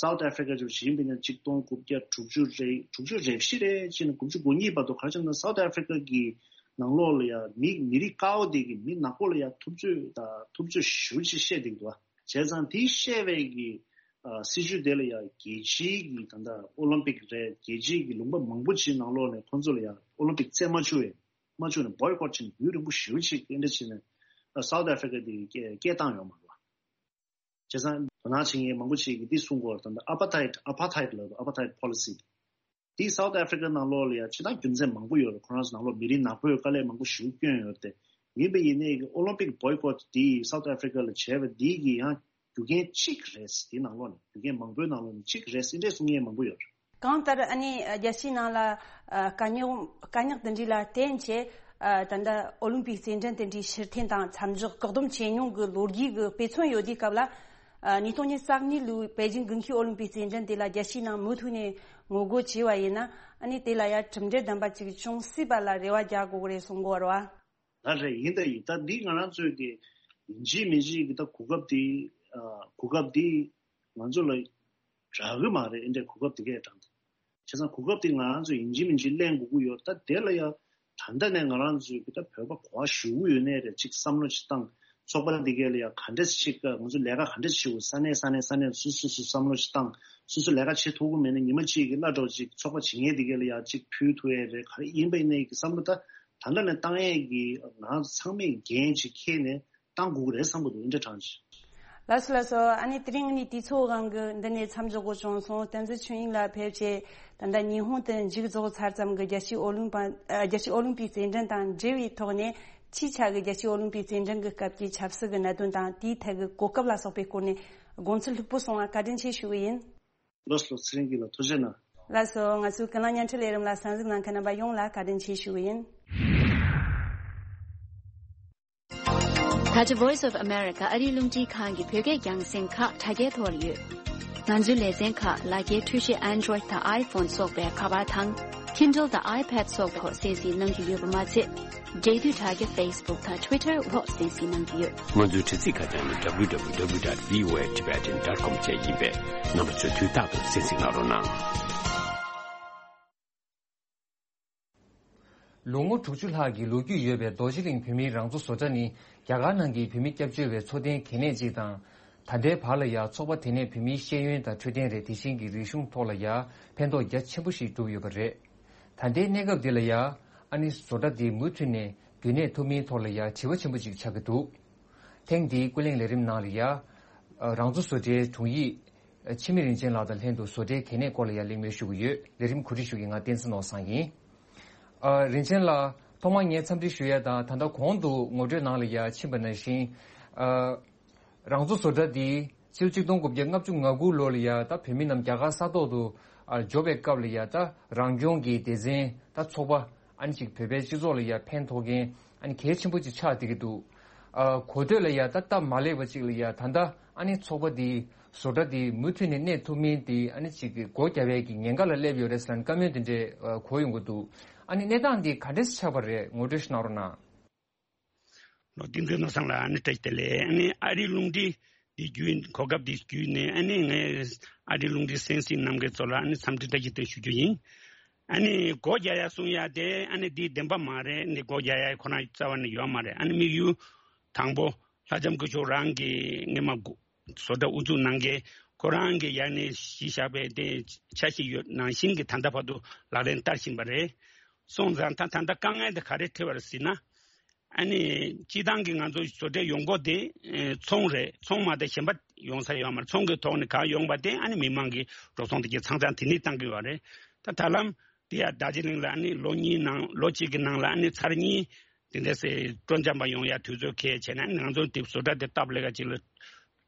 South Africa ཅིག་ཡིན་པས་ན་ཆིག་སྟོང་དགུ་བརྒྱ་དྲུག་ཅུ་རེ་དྲུག་ཅུ་རེ་བཞི་རེད་ཅེས་ནས་དགུ་བཅུ་གོ་གཉིས་བར་དུ་ག་རེ་བྱས་ན་South Africa གི་ནང་ལོགས་ལ་ཡང་མི་མི་རིགས་དཀར་པོ་དེ་གི་མི་ནག་པོ་ལ་ཡང་ཐུབ་ཚོད་དང་ཐུབ་ཚོད་ཞེ་པོ་ཅིག་བཤད་བསྡད་འདུག་བ། བྱས་ཙང་དེ་བཤད་པའི་གི་ཨ། སྲིད་ཇུས་དེ་ལ་ཡང་རྒྱལ་སྤྱིའི་གི་ད་ལྟ་ཨོ་ལིམ་པིག་རེད། རྒྱལ་སྤྱིའི་གི་ལུང་པ་མང་པོ་ཅིག་ནང་ལོགས་ནས་ཁོང་ཚོ་ལ་ཡང་ཨོ་ལིམ་པིག་རྩེད་མ་བཅུག་ཡས་མ་བཅུག་ནས་Boycott བྱས་ནས་ཡུན་རིང་པོ་ཞེ་པོ་ཅིག་དེ་འདྲ་བྱས་ནས་ཨ། South Africa དེ་སྐད་སྐད་བཏང་ཡོད་མ་རེད་བ། བྱས་ཙང་དོ་སྣང་བྱེད་མཁན་མང་པོ་ཞིག་གིས་འདི་གསུང་གི་ཡོད་རེད། ད་ལྟ་ཨ་པ་ཐའིད། ཨ་པ་ཐའིད་ལབ་འདུག་ཨ་པ་ཐའིད་པོ་ལི་སི། འདི་South Africa ནང་ལོགས་ལ་ཡང་ཇི་ལྟར་རྒྱུ་མཚན་མང་པོ་ཡོད་རེད། ཁོ་རང་ཚོ་ནང་ལོགས་མི་རིགས་ནག་པོས་དཀའ་ལས་མང་པོ་ཞིག་བསྐྱོན་ཡོད་རེད་དེ། ཡིན་པ་ཡིན་ནའི་གི་ཨོ་ལིམ་པིག་Boycott འདི་South Africa ལ་བྱས་པ་འདི་གི་ཡང་རྒྱུ་རྐྱེན་གཅིག་རེད། འདི་ནང་ལོགས་ནས་རྒྱུ་རྐྱེན་མང་པོའི་ནང་ལོགས་ནས་གཅིག་རེད་ཟེར་འདྲ་གསུང་མཁན་མང་པོ་ཡོད་རེད། གང་ལྟར་ཨ་ནི་རྒྱལ་སྤྱིའི་ནང་ལ་ཨ། དཀའ་རྙོག་དཀའ་རྙོག་འདི་འདྲ་ལ་བརྟེན་བྱས་ཨ། ད་ལྟ་ཨོ་ལིམ་པིག་རྩེད་འགྲན་དེ་འདྲའི་ཕྱིར་འཐེན་དང་མཚམས་འཇོག་བཀག་སྡོམ་བྱས་མྱོང་གི་ལོ་རྒྱུས་ཀྱི་དཔེ་མཚོན་ཡོད་དུས་སྐབས་ལ། ཨ། ཉིས་སྟོང་ཉི་ཤུ་རྩ་གཉིས་ལོའི་པེ་ཅིང་དགུན་ཁའི་ཨོ་ལིམ་པིག་རྩེད་འགྲན་དེ་ལ་རྒྱལ་སྤྱིའི་ནང་མུ་མཐུད་ནས་ངོ་རྒོལ་བྱས་པ་ཡིན་ན། ཨ་ནི་དེ་ལ་ཡང་གྲུབ་འབྲས་ལྡན་པ་ཅིག་བྱུང་སྲིད་པ་ལ་རེ་བ་རྒྱག་དགོས་ཀྱི་རེད་གསུང་གི་ཡོད་རེད་བ། ད་རེད། ཡིན་ད་ཡིན། ད་འདི་ང་རང་ཚོའི་གི་ཡིན་གཅིག་མིན་གཅིག་གི་ད་གོ་སྐབས་འདི་ཨ། གོ་སྐབས་འདི་ང་ཚོ་ལ་རག་གི་མ་རེད། འདྲ་གོ་སྐབས་འདི་གས་དྲངས་ཏེ། བྱས་ཙང་གོ་སྐབས་འདི་ང་རང་ཚོ་ཡིན་གཅིག་མིན་གཅིག་ལེན་དགོས་ཀྱི་ཡོད། ད་དེ་ལ་ཡང་ད་ལྟ་ནས་ང་རང་ཚོའི་གི་ད་བོད་པ་གོ་བ་ཞུ་གི་ཡོད་ནའི་རེད། ཅིག་བསམ་བློ་ཅིག་བཏང་། ཚོགས་པ་འདི་གས་ལ་ཡང་ག་འདྲས་ཅིག་ང་ཚོ་ལས་ཀ་ག་འདྲས་ཅིག་བྱེད་དགོས། ས་གནས་ས་གནས་ས་གནས་སུ་སུ་སུ་བསམ་བློ་ཅིག་བཏང་། སོ་སོ་ལས་ཀ་བྱེད་ཐུབ་ཀྱི་མེད་ན་ཉི་མ་གཅིག་གི་སླར་གྲོགས་ཅིག་ཚོགས་པ་བྱེད་མཁན་དེ་གས་ལ་ཡང་ཅིག་ཕུལ་ཐུབ་ཡས་རེད། ག་རེ་ཡིན་པ་ཡིན་ནའི་གི་བསམ་བློ་ད་ད་ལྟ་ནས་བཏང་ཡས་ཀྱི་ང་ཚང་མས་འགན་ཅིག་འཁྱེར་ནས་བཏང་དགོས་ཀྱི་རེད་བསམ་གྱི་འདུག་འདྲ་དྲང་ཅིག་ལགས་སོ་ལགས་སོ། ཨ་ནི་དེ་རིང་ནི་དུས་ཚོད་དབང་གིས་འདི་ནས་མཚམས་འཇོག་དགོས་བྱུང་སོང་། བསྟན་འཛིན་ཆོས་དབྱིངས་ལགས་ཕེབས་བྱས་ད་ལྟ་ཉི་ཧོང་དུ་མཇུག་རྫོགས་ཚར་ཙམ་གྱི་རྒྱལ་སྤྱིའི་ཨོ་ལིམ་པ། ཨ། རྒྱལ་སྤྱིའི་ཨོ་ལིམ་པིག་རྩེད་འགྲན་དང་འབྲེལ་བའི་ཐོག་ནས་ཕྱིའི་ཆ་གི་རྒྱལ་སྤྱིའི་ཨོ་ལིམ་པིག་རྩེད་འགྲན་གྱི་སྐབས་ཀྱི་ཆབ་སྲིད་ཀྱི་གནད་དོན་དང་དེའི་ཐད་ཀྱི་གོ་སྐབས་ལ་སོགས་པའི་སྐོར་ནས་དགོངས་ཚུལ་ལྷུག་པོ་གསུང་བ་བཀའ་དྲིན་ཆེ་ཞུ་གི་ཡིན། ལགས་སོ། ཚེ་རིང་སྐྱིད་ལགས་ཐུགས་རྗེ་གནང་། ལགས་སོ། ང་ཚོའི་ཀུན་གླེང་བརྙན་འཕྲིན་ལས་རིམ་ལ་གསན་གཟིགས་གནང་མཁན་རྣམ་པ་ཡོངས་ལ་བཀའ་དྲིན་ཆེ་ཞུ་གི་ཡིན། ད་ཆ་Voice of America ཨ་རིའི་རླུང་འཕྲིན་ཁང་གི་བོད་སྐད་རྒྱང་སྲིང་ཁག་དྲ་རྒྱའི་ཐོག་ལ་ཡོད། ང་ཚོའི་ལེ་ཚན་ཁག་ལག་འཁྱེར་འཕྲུལ་ཆས་Android དང་iPhone སོགས་པའི་ཁ་པར་དང་། Kindle དང་iPad སོགས་པའི་ཐོག་གསན་གཟིགས་གནང་རྒྱུ་ཡོད་པ་མ་ཚད། འབྲེལ་མཐུད་དྲ་རྒྱ་Facebook དང་Twitter འོག་གསན་གཟིགས་གནང་རྒྱུ་ཡོད། ང་ཚོའི་དྲ་ཚིགས་ཁ་བྱང་ནི་W W W dot V O A Tibetan dot com བཅས་ཡིན་པས། རྣམ་པ་ཚོས་དུས་རྟག་ཏུ་གསན་གཟིགས་གནང་རོགས་གནང་། ལོ་ངོ་དྲུག་ཅུ་ལྷག་གི་ལོ་རྒྱུས་ཡོད་པའི་རྡོ་རྗེ་གླིང་བོད་མིའི་རང་འཚོ་བཟོ་གྲྭ་ནི་རྒྱ་གར་ནང་གི་བོད་མི་སྐྱབས་བཅོལ་བའི་འཚོ་རྟེན་གལ་གནད་ཅིག་དང་། ད་ལྟའི་བར་ལ་ཡང་ཚོགས་པ་དེ་ནས་བོད་མིའི་ཤེས་ཡོན་དང་འཕྲོད་བསྟེན་རེད། དེ་བཞིན་གྱི་རིག་གཞུང་ཐོག་ལ་ཡང་ཕན་ཐོགས་རྒྱ་ཆེན་པོ་ཞིག་བསྒྲུབས་ཡོད་པ་རེད། ད་ལྟའི་གནས་སྐབས་འདི་ལ་ཡང་ཨ་ནི་བཟོ་གྲྭ་འདི་མུ་མཐུད་ནས་རྒྱུན་གནས་ཐུབ་མིན་ཐོག་ལ་ཡང་དྲི་བ་ཆེན་པོ་ཅིག་ཆགས་ཀྱི་འདུག་ཐེངས་འདིའི་ཀུན་གླེང་ལས་རིམ་ནང་ལ་ཡང་རང་འཚོ་བཟོ་གྲྭའི་དྲུང་ཡིག་འཆི་མེད་རིན་ཆེན་ལགས་དང་ལྷན་དུ་བཟོ་གྲྭའི་གལ་གནད་སྐོར་ལ་ཡང་གླེང་མོལ་ཞུ་གི་ཡོད། ལས་རིམ་གོ་སྒྲིག་ཞུ་མཁན་ང་བསྟན་འཛིན་ནོར་བཟང་ཡིན། ཨ། རིན་ཆེན་ལགས། ཐོག་མར་ངས་འཚམས་འདྲི་ཞུ་ཡ་དང་། ད་ལྟ་གོང་དུ་ངོ་སྤྲོད་ནང་ལ་ཡ་ཕྱིན་པ་ནང་བཞིན། ཨ། རང་འཚོ་བཟོ་གྲྭ་འདི་ཕྱི་ལོ་ཆིག་སྟོང་དགུ་བརྒྱ་ལྔ་བཅུ་ང་དགུ་ལོ་ལ་ཡ་ད་བོད་མི་རྣམས་རྒྱ་གར་ས་ཐོག་ཏུ་ཨ་འབྱོར་བའི་སྐབས་ལ་ཡ་ད་རང་སྐྱོང་གི་སྡེ་ཚན་ད་ཚོགས་པ་ཨ་ནི་ཅིག་བོད་པའི་སྤྱི་ཚོགས་ལ་ཡ་ཕན་ཐོགས་མཁན་ཨ་ནི་གལ་ཆེན་པོ་ཅིག་ཆགས་བསྡད་ཀྱི་འདུག་ཨ། གོ་ཐོས་ལ་ཡ་ད་སྟབས་མ་ལེགས་པ་ཅིག་ལ་ཡ་ད་ལྟ་ཨ་ནི་ཚོགས་པ་འདི་བཟོ་གྲྭ་འདི་མུ་མཐུད་ནས་གནས་ཐུབ་མིན་འདི་ཨ་ནི་ཅིག་གི་སྒོ་བརྒྱབ་ཡས་ཀྱི་ཉེན་ཁ་ལ་སླེབས་ཡོད་རེད་ཟེར་ནས་བཀའ་མོལ་འདི་འདྲས་གོ་ཡོང་གི་འདུག་ཨ་ནི་གནས་སྟངས་འདི་ག་འདྲས་ཆགས་པ་རེད། ངོ་སྤྲོད་ཞིག་གནང་རོགས་གནང་། ལོ། བསྟན་འཛིན་ནོར་བཟང་ལགས། ཨ་ནི་བཀྲ་ཤིས་བདེ་ལེགས། ཨ་ནི་ཨ་རིའི་རླུང་འཕྲིན་འདི་བརྒྱུད། གོ་སྐབས་འདི་བརྒྱུད་ནས་ཨ་ནི་ངས་ཨ་རིའི་རླུང་འཕྲིན་གསན་གཟིགས་གནང་མཁན་ཚོ་ལ་ཨ་ནི་འཚམས་འདྲི་བཀྲ་ཤིས་བདེ་ལེགས་ཞུ་རྒྱུ་ཡིན། ཨ་ནི་སྒོ་རྒྱག་ཡ་གསུང་ཡ་དེ་ཨ་ནི་འདི་བདེན་པ་མ་རེད། འདི་སྒོ་རྒྱག་ཡ་ཁོ་རང་རྩ་བ་ནས་ཡོད་མ་རེད། ཨ་ནི་དམིགས་ཡུལ་དང་པོ་ལྷ་ལྕམ་སྐུ་ཞབས་རང་གི་སྔོན་མ་བཟོ་གྲྭ་དབུ་འཛུགས་གནང་མཁན་ཁོ་རང་གི་ཡ་ནས་གཞི་བཞག་པའི་དེ་འཆར་གཞི་ཡོད་ནང་བཞིན་གྱི་ད་ལྟ་བར་དུ་ལག་ལེན་བསྟར་བཞིན་པ་རེད། སོང་ཙང་ད་ད་ལྟ་དཀའ་ངལ་དེ་ག་རེ་འཕྲད་པ་རེད་ཟེར་ན། ཨ་ནི་སྤྱིར་བཏང་གི་ང་ཚོ་བཟོ་གྲྭའི་ཡོང་སྒོ་དེ་ཨེ་ཚོང་རེད། ཚོང་མ་གཏོགས་གཞན་པ་ཡོང་ས་ཡོད་མ་རེད། ཚོང་གི་ཐོག་ནས་གང་ཡོང་པ་དེ་ཨ་ནི་མི་མང་གི་འགྲོ་སོང་དེ་གྱད་ཚང་ཚང་དེ་ནས་བཏང་གི་ཡོད་རེད། ད་ད་ལམ་ དེ་ཡང་རྡོ་རྗེ་གླིང་ལ་ཨ་ནི་ལོ་གཉིས་ནང་ལོ་གཅིག་གི་ནང་ལ་ཨ་ནི་ཚར་གཉིས་དེ་འདྲ་སེ་སྤྲོ་འཆམ་པ་ཡོང་ཡ་དུས་ཚོད་འཁེལ་བྱས་ནས། ཨ་ནི་ང་ཚོ་དེ་བཟོ་གྲྭ་དེ་སྟབས་ལེགས་ཀ་ཅིག་ལ་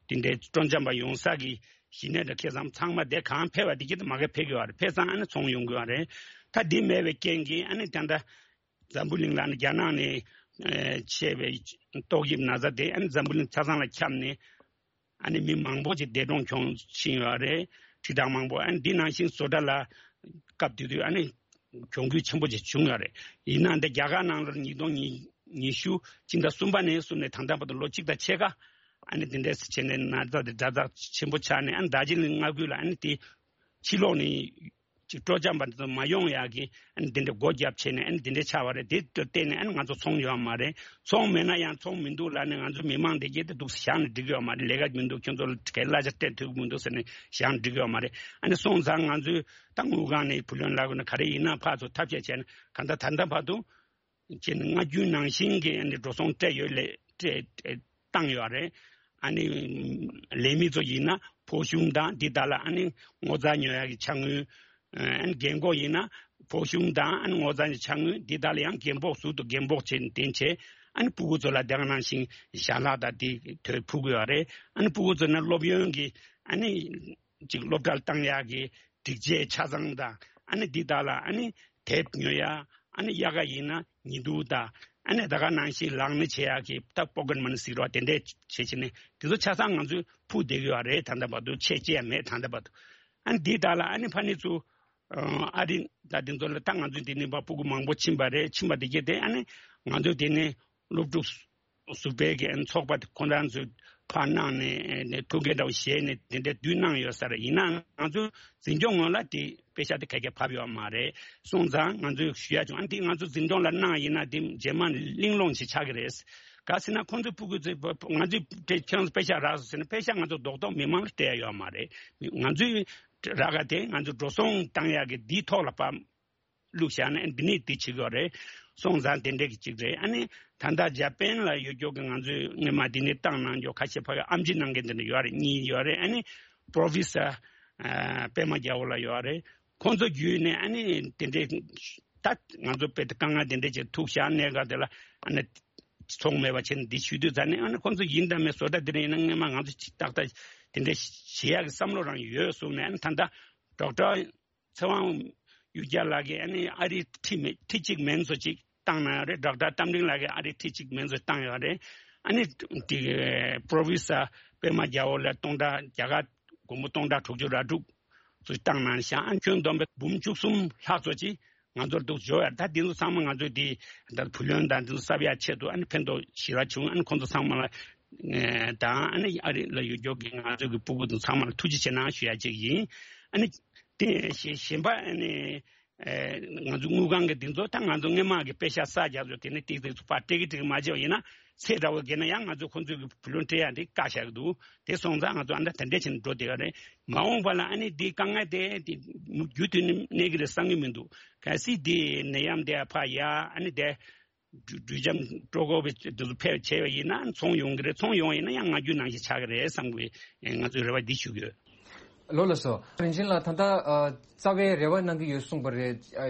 དེ་འདྲའི་སྤྲོ་འཆམ་པ་ཡོང་ས་གི་གཞི་གནས་དང་ཁེ་བཟང་ཚང་མ་དེ་གང་ཕེབས་པ་དེ་གྱིས་མ་གི་ཕེབས་ཀྱི་ཡོད་རེད། ཕེབས་ཙང་ཨ་ནི་ཚོང་ཡོང་གི་ཡོད་རེད། ད་དེ་མེད་པའི་རྐྱེན་གྱིས་ཨ་ནི་ད་ལྟ་འཛམ་བུ་གླིང་ལ་ཨ་ནི་རྒྱ་ནག་ནས་ཨེ་མཆེད་པའི་ཏོག་དབྱིབས་ན་ཚ་དེ་ཨ་ནི་འཛམ་བུ་གླིང་ཆ་ཚང་ལ་ཁྱབ་ནས། ཨ་ནི་མི་མང་པོ་ཅིག་འདས་གྲོངས་བྱུང་ཕྱིན་ཡོད་རེད། ཁྲི་ཕྲག་མང་པོ། ཨ་ནི་འདི་ནང་བཞིན་བཟོ་གྲྭ་ལ་སྐབས་དེ་དུས་ཨ་ནི་གྱོང་གུད་ཆེན་པོ་ཅིག་བྱུང་ཡོད་རེད། ཡིན་ནའང་འདི་རྒྱ་གར་ནང་ལོར་ཉིས་སྟོང་ཉི་ཤུ་སྤྱི་ཟླ་གསུམ་པ་ནས་བཟུང་ནས་ད་ལྟ་བར་དུ་ལོ་གཅིག་དང་ཕྱེད་ཀ་ཨ་ནི་འདི་འདྲས་བྱས་ནས་ན་ཚ་དེ་དྲག་ཚ་ཆེན་པོ་ཆགས་ནས། ཨ་ནི་རྡོ་རྗེ་གླིང་མངའ་ཁུལ་ལ་ཨ་ནི་དེ་ཕྱི་ལོགས་ནས་ཅིག་སྤྲོ་འཆམ་པ་འདི་ཚོ་མ་ཡོང་ཡག་གི་ཨ་ནི་འདི་འདྲའི་སྒོ་བརྒྱབ་བྱས་ནས་ཨ་ནི་འདི་འདྲའི་ཆགས་པ་རེད། དེ་ལྟར་བརྟེན་ནས་ཨ་ནི་ང་ཚོ་ཚོང་ཡོད་མ་རེད། ཚོང་མེད་ན་ཡང་ཚོང་མི་འདུག་ལབ་ནས་ང་ཚོ་མི་མང་དེ་གྱད་དེ་འདུག་བཞག་ནས་འགྲིག་གི་ཡོད་མ་རེད། ལས་ཀ་མི་འདུག་ཁྱོད་ཚོ་ལ་གལ་གླ་ཆ་སྤྲད་ཐུབ་ཀྱི་མི་འདུག་ཟེར་ནས་བཞག་ནས་འགྲིག་གི་ཡོད་མ་རེད། ཨ་ནི་སོང་ཙང་ང་ཚོས་ད་དངུལ་ཁང་ནས་བུ་ལོན་ལ་གོ་ན་ག་རེ་ཡིན་ན་ཕར་ཚུར་ཐབས་ཤེས་བྱས་ནས། གང་ལྟར་ད་ལྟ་བར་དུ་བྱས་ནས་སྔ་རྒྱུན་ནང་བཞིན་གྱི་ཨ་ནི་འགྲོ་སོང་སྤྲད་ཡོད་ལས་སྤྲད་བཏང་ཡོད་རེད། ཨ་ནི་ལས་མི་ཚོ་ཡིན་ན་ཕོགས་ཆུང་དང་འདི་དག་ལ་ཨ་ནི་ངོ་ཚ་ཉོ་ཡག་གི་ཆ་དངུལ། ཨ་ནི་རྒན་གོག་ཡིན་ན་ཕོགས་ཆུང་དང་ཨ་ནི་ངོ་ཚ་ཉོ་ཆ་དངུལ་འདི་དག་ལ་ཡང་རྒན་ཕོགས་ཟུར་དུ་རྒན་ཕོགས་བྱས་ནས་དེ་བྱས། ཨ་ནི་སྤུ་གུ་ཚོ་ལ་དེ་ག་ནང་བཞིན་ཞལ་ལག་དང་དེ་དོད་ཕུལ་གི་ཡོད་རེད། ཨ་ནི་སྤུ་གུ་ཚོ་ནི་སློབ་ཡོན་གྱི་ཨ་ནི་ཅིག་སློབ་གྲྭར་བཏང་ཡག་གི་སྒྲིག་ཆས་ཆ་ཚང་དང་། ཨ་ནི་འདི་དག་ལ་ཨ་ནི་དེབ་ཉོ་ཡ། ཨ་ནི་དབྱར་ཁ་ཡིན་ན་ཉི་གདུགས་དང་། ཨ་ནི་ད་ག་ནང་བཞིན་ལག་ན་བྱེད་ཡག་གི་ད་པོ་ཀེཊ་མ་ནི་ཟེར་བ་དེ་འདྲས་བྱེད་བྱེད་ནས་དེ་ཚོ་ཆ་ཚང་ང་ཚོས་ཕུལ་བསྡད་ཀྱི་ཡོད་རེད། ད་ལྟ་བར་དུ་ཆད་ཅི་ཡང་མེད། ད་ལྟ་བར་དུ། ཨ་ནི་འདི་དག་ལ་ཨ་ནི་ཕ་ནི་ཚོ་ཨ་རི་ད་དེ་ཚོ་ལ་ད་ང་ཚོའི་དེ་ནི་པ་སྤུ་གུ་མང་པོ་ཕྱིན་པ་རེད། ཕྱིན་པ་དེ་གྱད་དེ་ཨ་ནི་ང་ཚོའི་དེ་ནི་སློབ་ཕྲུག་ཟུར་པའི་གི་ཚོགས་པ་དེ་ཁོང་རང་ཚོས་ཕར་གནང་ནས་ཐུགས་འགན་འདྲ་བོ་བཞེས་ནས་དེ་འདྲའི་དུས་གནང་ཡོད་ས་རེད། ཡིན་ནའང་ང་ཚོ་འཛིན་སྐྱོང་ངོས་ལ་དེ་པེ་ཤག་དེ་ག་གེ་བབས་ཡོད་མ་རེད། སོང་ཙང་ང་ཚོས་ཞུ་ཡ་བྱུང་། ཨ་འདི་ང་ཚོ་འཛིན་སྐྱོང་ལ་གནང་ཡིན་ན་དེ་རྗེས་མ་གླེང་སློང་ཞིག་ཆགས་ཀྱི་རེད། ག་ཟེར་ན་ཁོང་ཚོའི་སྤུ་གུ་ཚོས་ང་ཚོས་དེ་ཁྱེད་རང་ཚོ་པེ་ཤག་རག་སོང་ཟེར་ན་པེ་ཤག་ང་ཚོ་རྡོག་རྡོག་མི་མང་ལ་སྤྲད་ཡ་ཡོད་མ་རེད། ང་ཚོའི་རག་ག་དེ་ང་ཚོ་འགྲོ་སོང་བཏང་ཡག་གི་འདིའི་ཐོག་ལ་བབས། བླུགས་བཞག་ནས་འདི་ནས་འདི་བྱེད་དགོས་རེད། སོང་ཙང་དེ་འདྲས་ཀྱི་གཅིག་རེད། ཨ་ནི་ད་ལྟ་འཇར་པན་ལ་ཡོད་རྒྱུ་གི་ང་ཚོས་སྔོན་མ་འདི་ནས་བཏང་གནང་རྒྱུ་ཁ་ཤས་ཕ་གི་ཨེམ་ཆི་གནང་མཁན་དེ་འདྲ་ཡོད་རེད། གཉིས་ཡོད་རེད། ཨ་ནི་པོ་རོ་ཕེ་སར་པད་མ་རྒྱལ་པོ་ལགས་ཡོད་རེད། ཁོང་ཚོ་བརྒྱུད་ནས་ཨ་ནི་དེ་འདྲས་ད་ང་ཚོ་དཔེ་དེ་དཀའ་ངལ་དེ་འདྲས་ཀྱི་ཐུག་བཞག་གནས་སྐབས་དེ་ལ་ཨ་ནི་ཚོང་མེད་པ་བྱས་ནས་འདི་ཞུ་དུས་ཙ་ནས། ཨ་ནི་ཁོང་ཚོ་ཡིན་དང་མིན་བཟོ་གྲྭ་དེ་འདྲ་ཡིན་ན་སྔོན་མ་ང་ཚོ་ཏག་ཏག་དེ་འདྲས་བྱེད་ཡག་གི་བསམ་བློ་རང་ཡོད་གསུངས་ནས། ཨ་ནི་ད་ལྟ་ཌོག་ཊར་ཚེ་དབང་གཡུ་རྒྱལ་ལགས་ཀྱིས་ཨ་ནི་ཨ་རིའི་ཁྲི་མེད་ཁྲི་གཅིག་མིན་ཚོ་ཅིག་བཏང་གནང་ཡོད་རེད། ཌོག་ཊར་རྟ་མགྲིན་ལགས་ཀྱིས་ཨ་རིའི་ཁྲི་གཅིག་མིན་ཚོ་བཏང་ཡོད་རེད། ཨ་ནི་དེ་པོ་རོ་ཕེ་སར་པད་མ་རྒྱལ་པོ་ལགས་སྟོང་ཕྲག་རྒྱ་གར་སྒོར་མོ་སྟོང་ཕྲག་དྲུག་ཅུ་ར་དྲུག་ཚོ་བཏང་གནང་ཤག་ཨ་ནི་ཁྱོན་བསྡོམས་པས་འབུམ་བཅུ་གསུམ་ལྷག་ཚོ་ཅིག་ང་ཚོར་འདུག་འབྱོར་ཡ། ད་འདི་ཚོ་ཚང་མ་ང་ཚོས་དེ་ད་བུ་ལོན་དང་འདི་ཚོ་གསབ་ཡ་ཆེད་དུ་ཨ་ནི་ཕན་ཐོགས་ཞེ་དྲག་བྱུང་། ཨ་ནི་ཁོང་ཚོ་ཚང་མ་ལ་དང་ཨ་ནི་ཨ་རི་ལ་ཡོད་རྒྱུ་གི་ང་ཚོ་གི་སྤུ་གུ་དང་ཚང་མ་ལ་ཐུགས་རྗེ་ཆེ་གནང་ཞུ་ཡ་ཅིག་ཡིན། ཨ་ནི་དེ་གཞན་པ་ཨ་ནི་ང་ཚོ་དངུལ་ཁང་གི་འདི་ཚོ་ད་ང་ཚོ་སྔོན་མ་གི་པེ་ཤག་བསགས་རྒྱག་ཚོ་དེ་ནི་ཏིག་ཏིག་ཚོ་ཕར་སྤྲད་ཀྱི་སྤྲད་ཀྱི་མ་བྱས་པ་ཡིན་ན་ཚེ་འདྲ་བོ་བརྒལ་ན་ཡང་ང་ཚོ་ཁོང་ཚོའི་གི་བུ་ལོན་སྤྲད་ཡ་དེ་བཀག་བཞག་གི་འདུག་དེ་སོང་ཙང་ང་ཚོ་ཨ་ནི་ད་དེ་འདྲས་བྱས་ནས་འགྲོ་བསྡད་ཡོད་རེད། མ་འོངས་པ་ལ་ཨ་ནི་འདི་དཀའ་ངལ་དེ་དེ་མུ་མཐུད་ནས་གནས་ཀྱི་རེད་བསམ་གྱི་མི་འདུག་གལ་སྲིད་འདི་ནད་ཡམས་དེ་ཕར་ཡ་ཨ་ནི་དེ་འགྲུལ་འགྲུལ་འཆམ་སྤྲོ་གོ་བའི་དུས་སུ་ཕེབས་བྱས་པ་ཡིན་ན་ཚོང་ཡོང་གི་རེད། ཚོང་ཡོང་བ་ཡིན་ན་ཡང་སྔ་རྒྱུན་ནང་བཞིན་ཆགས་ཀྱི་རེད་བསམ་གྱི། ང་ཚོས་རེ་བ་འདི་ཞུ་གི་ཡོད། ལགས་ལགས་སོ། རིན་ཆེན་ལགས་ད་ལྟ་ཨ་རྩ་བའི་རེ་བ་གནང་གི་ཡོད་གསུངས་པ་རེད། ཨ་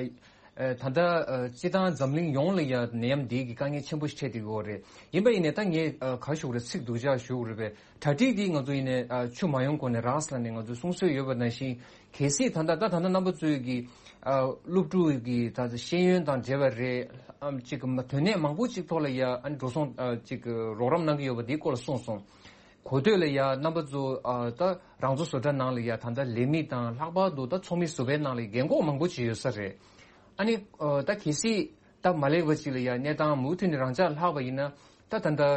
ཨ་ད་ལྟ་ཨ་སྤྱིར་བཏང་འཛམ་གླིང་ཡོངས་ལ་ཡ་ནད་ཡམས་འདི་གི་དཀའ་ངལ་ཆེན་པོ་ཞིག་འཕྲད་བསྡད་ཡོད་རེད། ཡིན་པ་ཡིན་ནའི་ད་ངས་ཨ་ག་ཞུ་དགོས་རེད། ཚིག་སྡུག་ཅག་ཞུ་དགོས་རེད་པས། གྲ་སྒྲིག་འདི་ང་ཚོ་ཡིན་ནའི་ཨ་ཆུ་མ་ཡོང་གོང་ནས་རག་ཟེར་ནས་ང་ཚོས་གསུང་སྲོལ་ཡོད་པ་ནང་བཞིན། གལ་སྲིད་ད་ལྟ་ད་ད་ལྟ་རྣམ་པ་ཚོས་ཀྱི་ཨ་སློབ་ཕྲུག་གི་ད་ཤེས་ཡོན་དང་འབྲེལ་བ་རེད། ཨམ་གཅིག་གི་དོན་གནད་མང་པོ་གཅིག་ཐོག་ལ་ཡ་ཨ་འགྲོ་སོང་ཨ་གཅིག་གི་རོགས་རམ་གནང་གི་ཡོད་པ་འདིའི་སྐོར་ལ་གསུངས་སོང་། གོ་ཐོས་ལ་ཡ་རྣམ་པ་ཚོ་ཨ་ད་རང་ཚོ་བཟོ་གྲྭ་ནང་ལ་ཡ་ད་ལྟ་ལས་མི་དང་ལྷག་པར་དུ་ད་ཚོགས་མི་ཟུར་པའི་ནང་ལ་རྒན་འཁོགས་མང་པོ་ཅིག་ཡོད་ས་རེད། ཨ་ནི་ཨ་ད་གལ་སྲིད་ད་མ་ལེགས་པ་ཅིག་ལ་ཡ་གནས་སྟངས་མུ་མཐུད་ནས་རང་འཇགས་ལྷག་པ་ཡིན་ན་ད་ད་ལྟ་ཨ་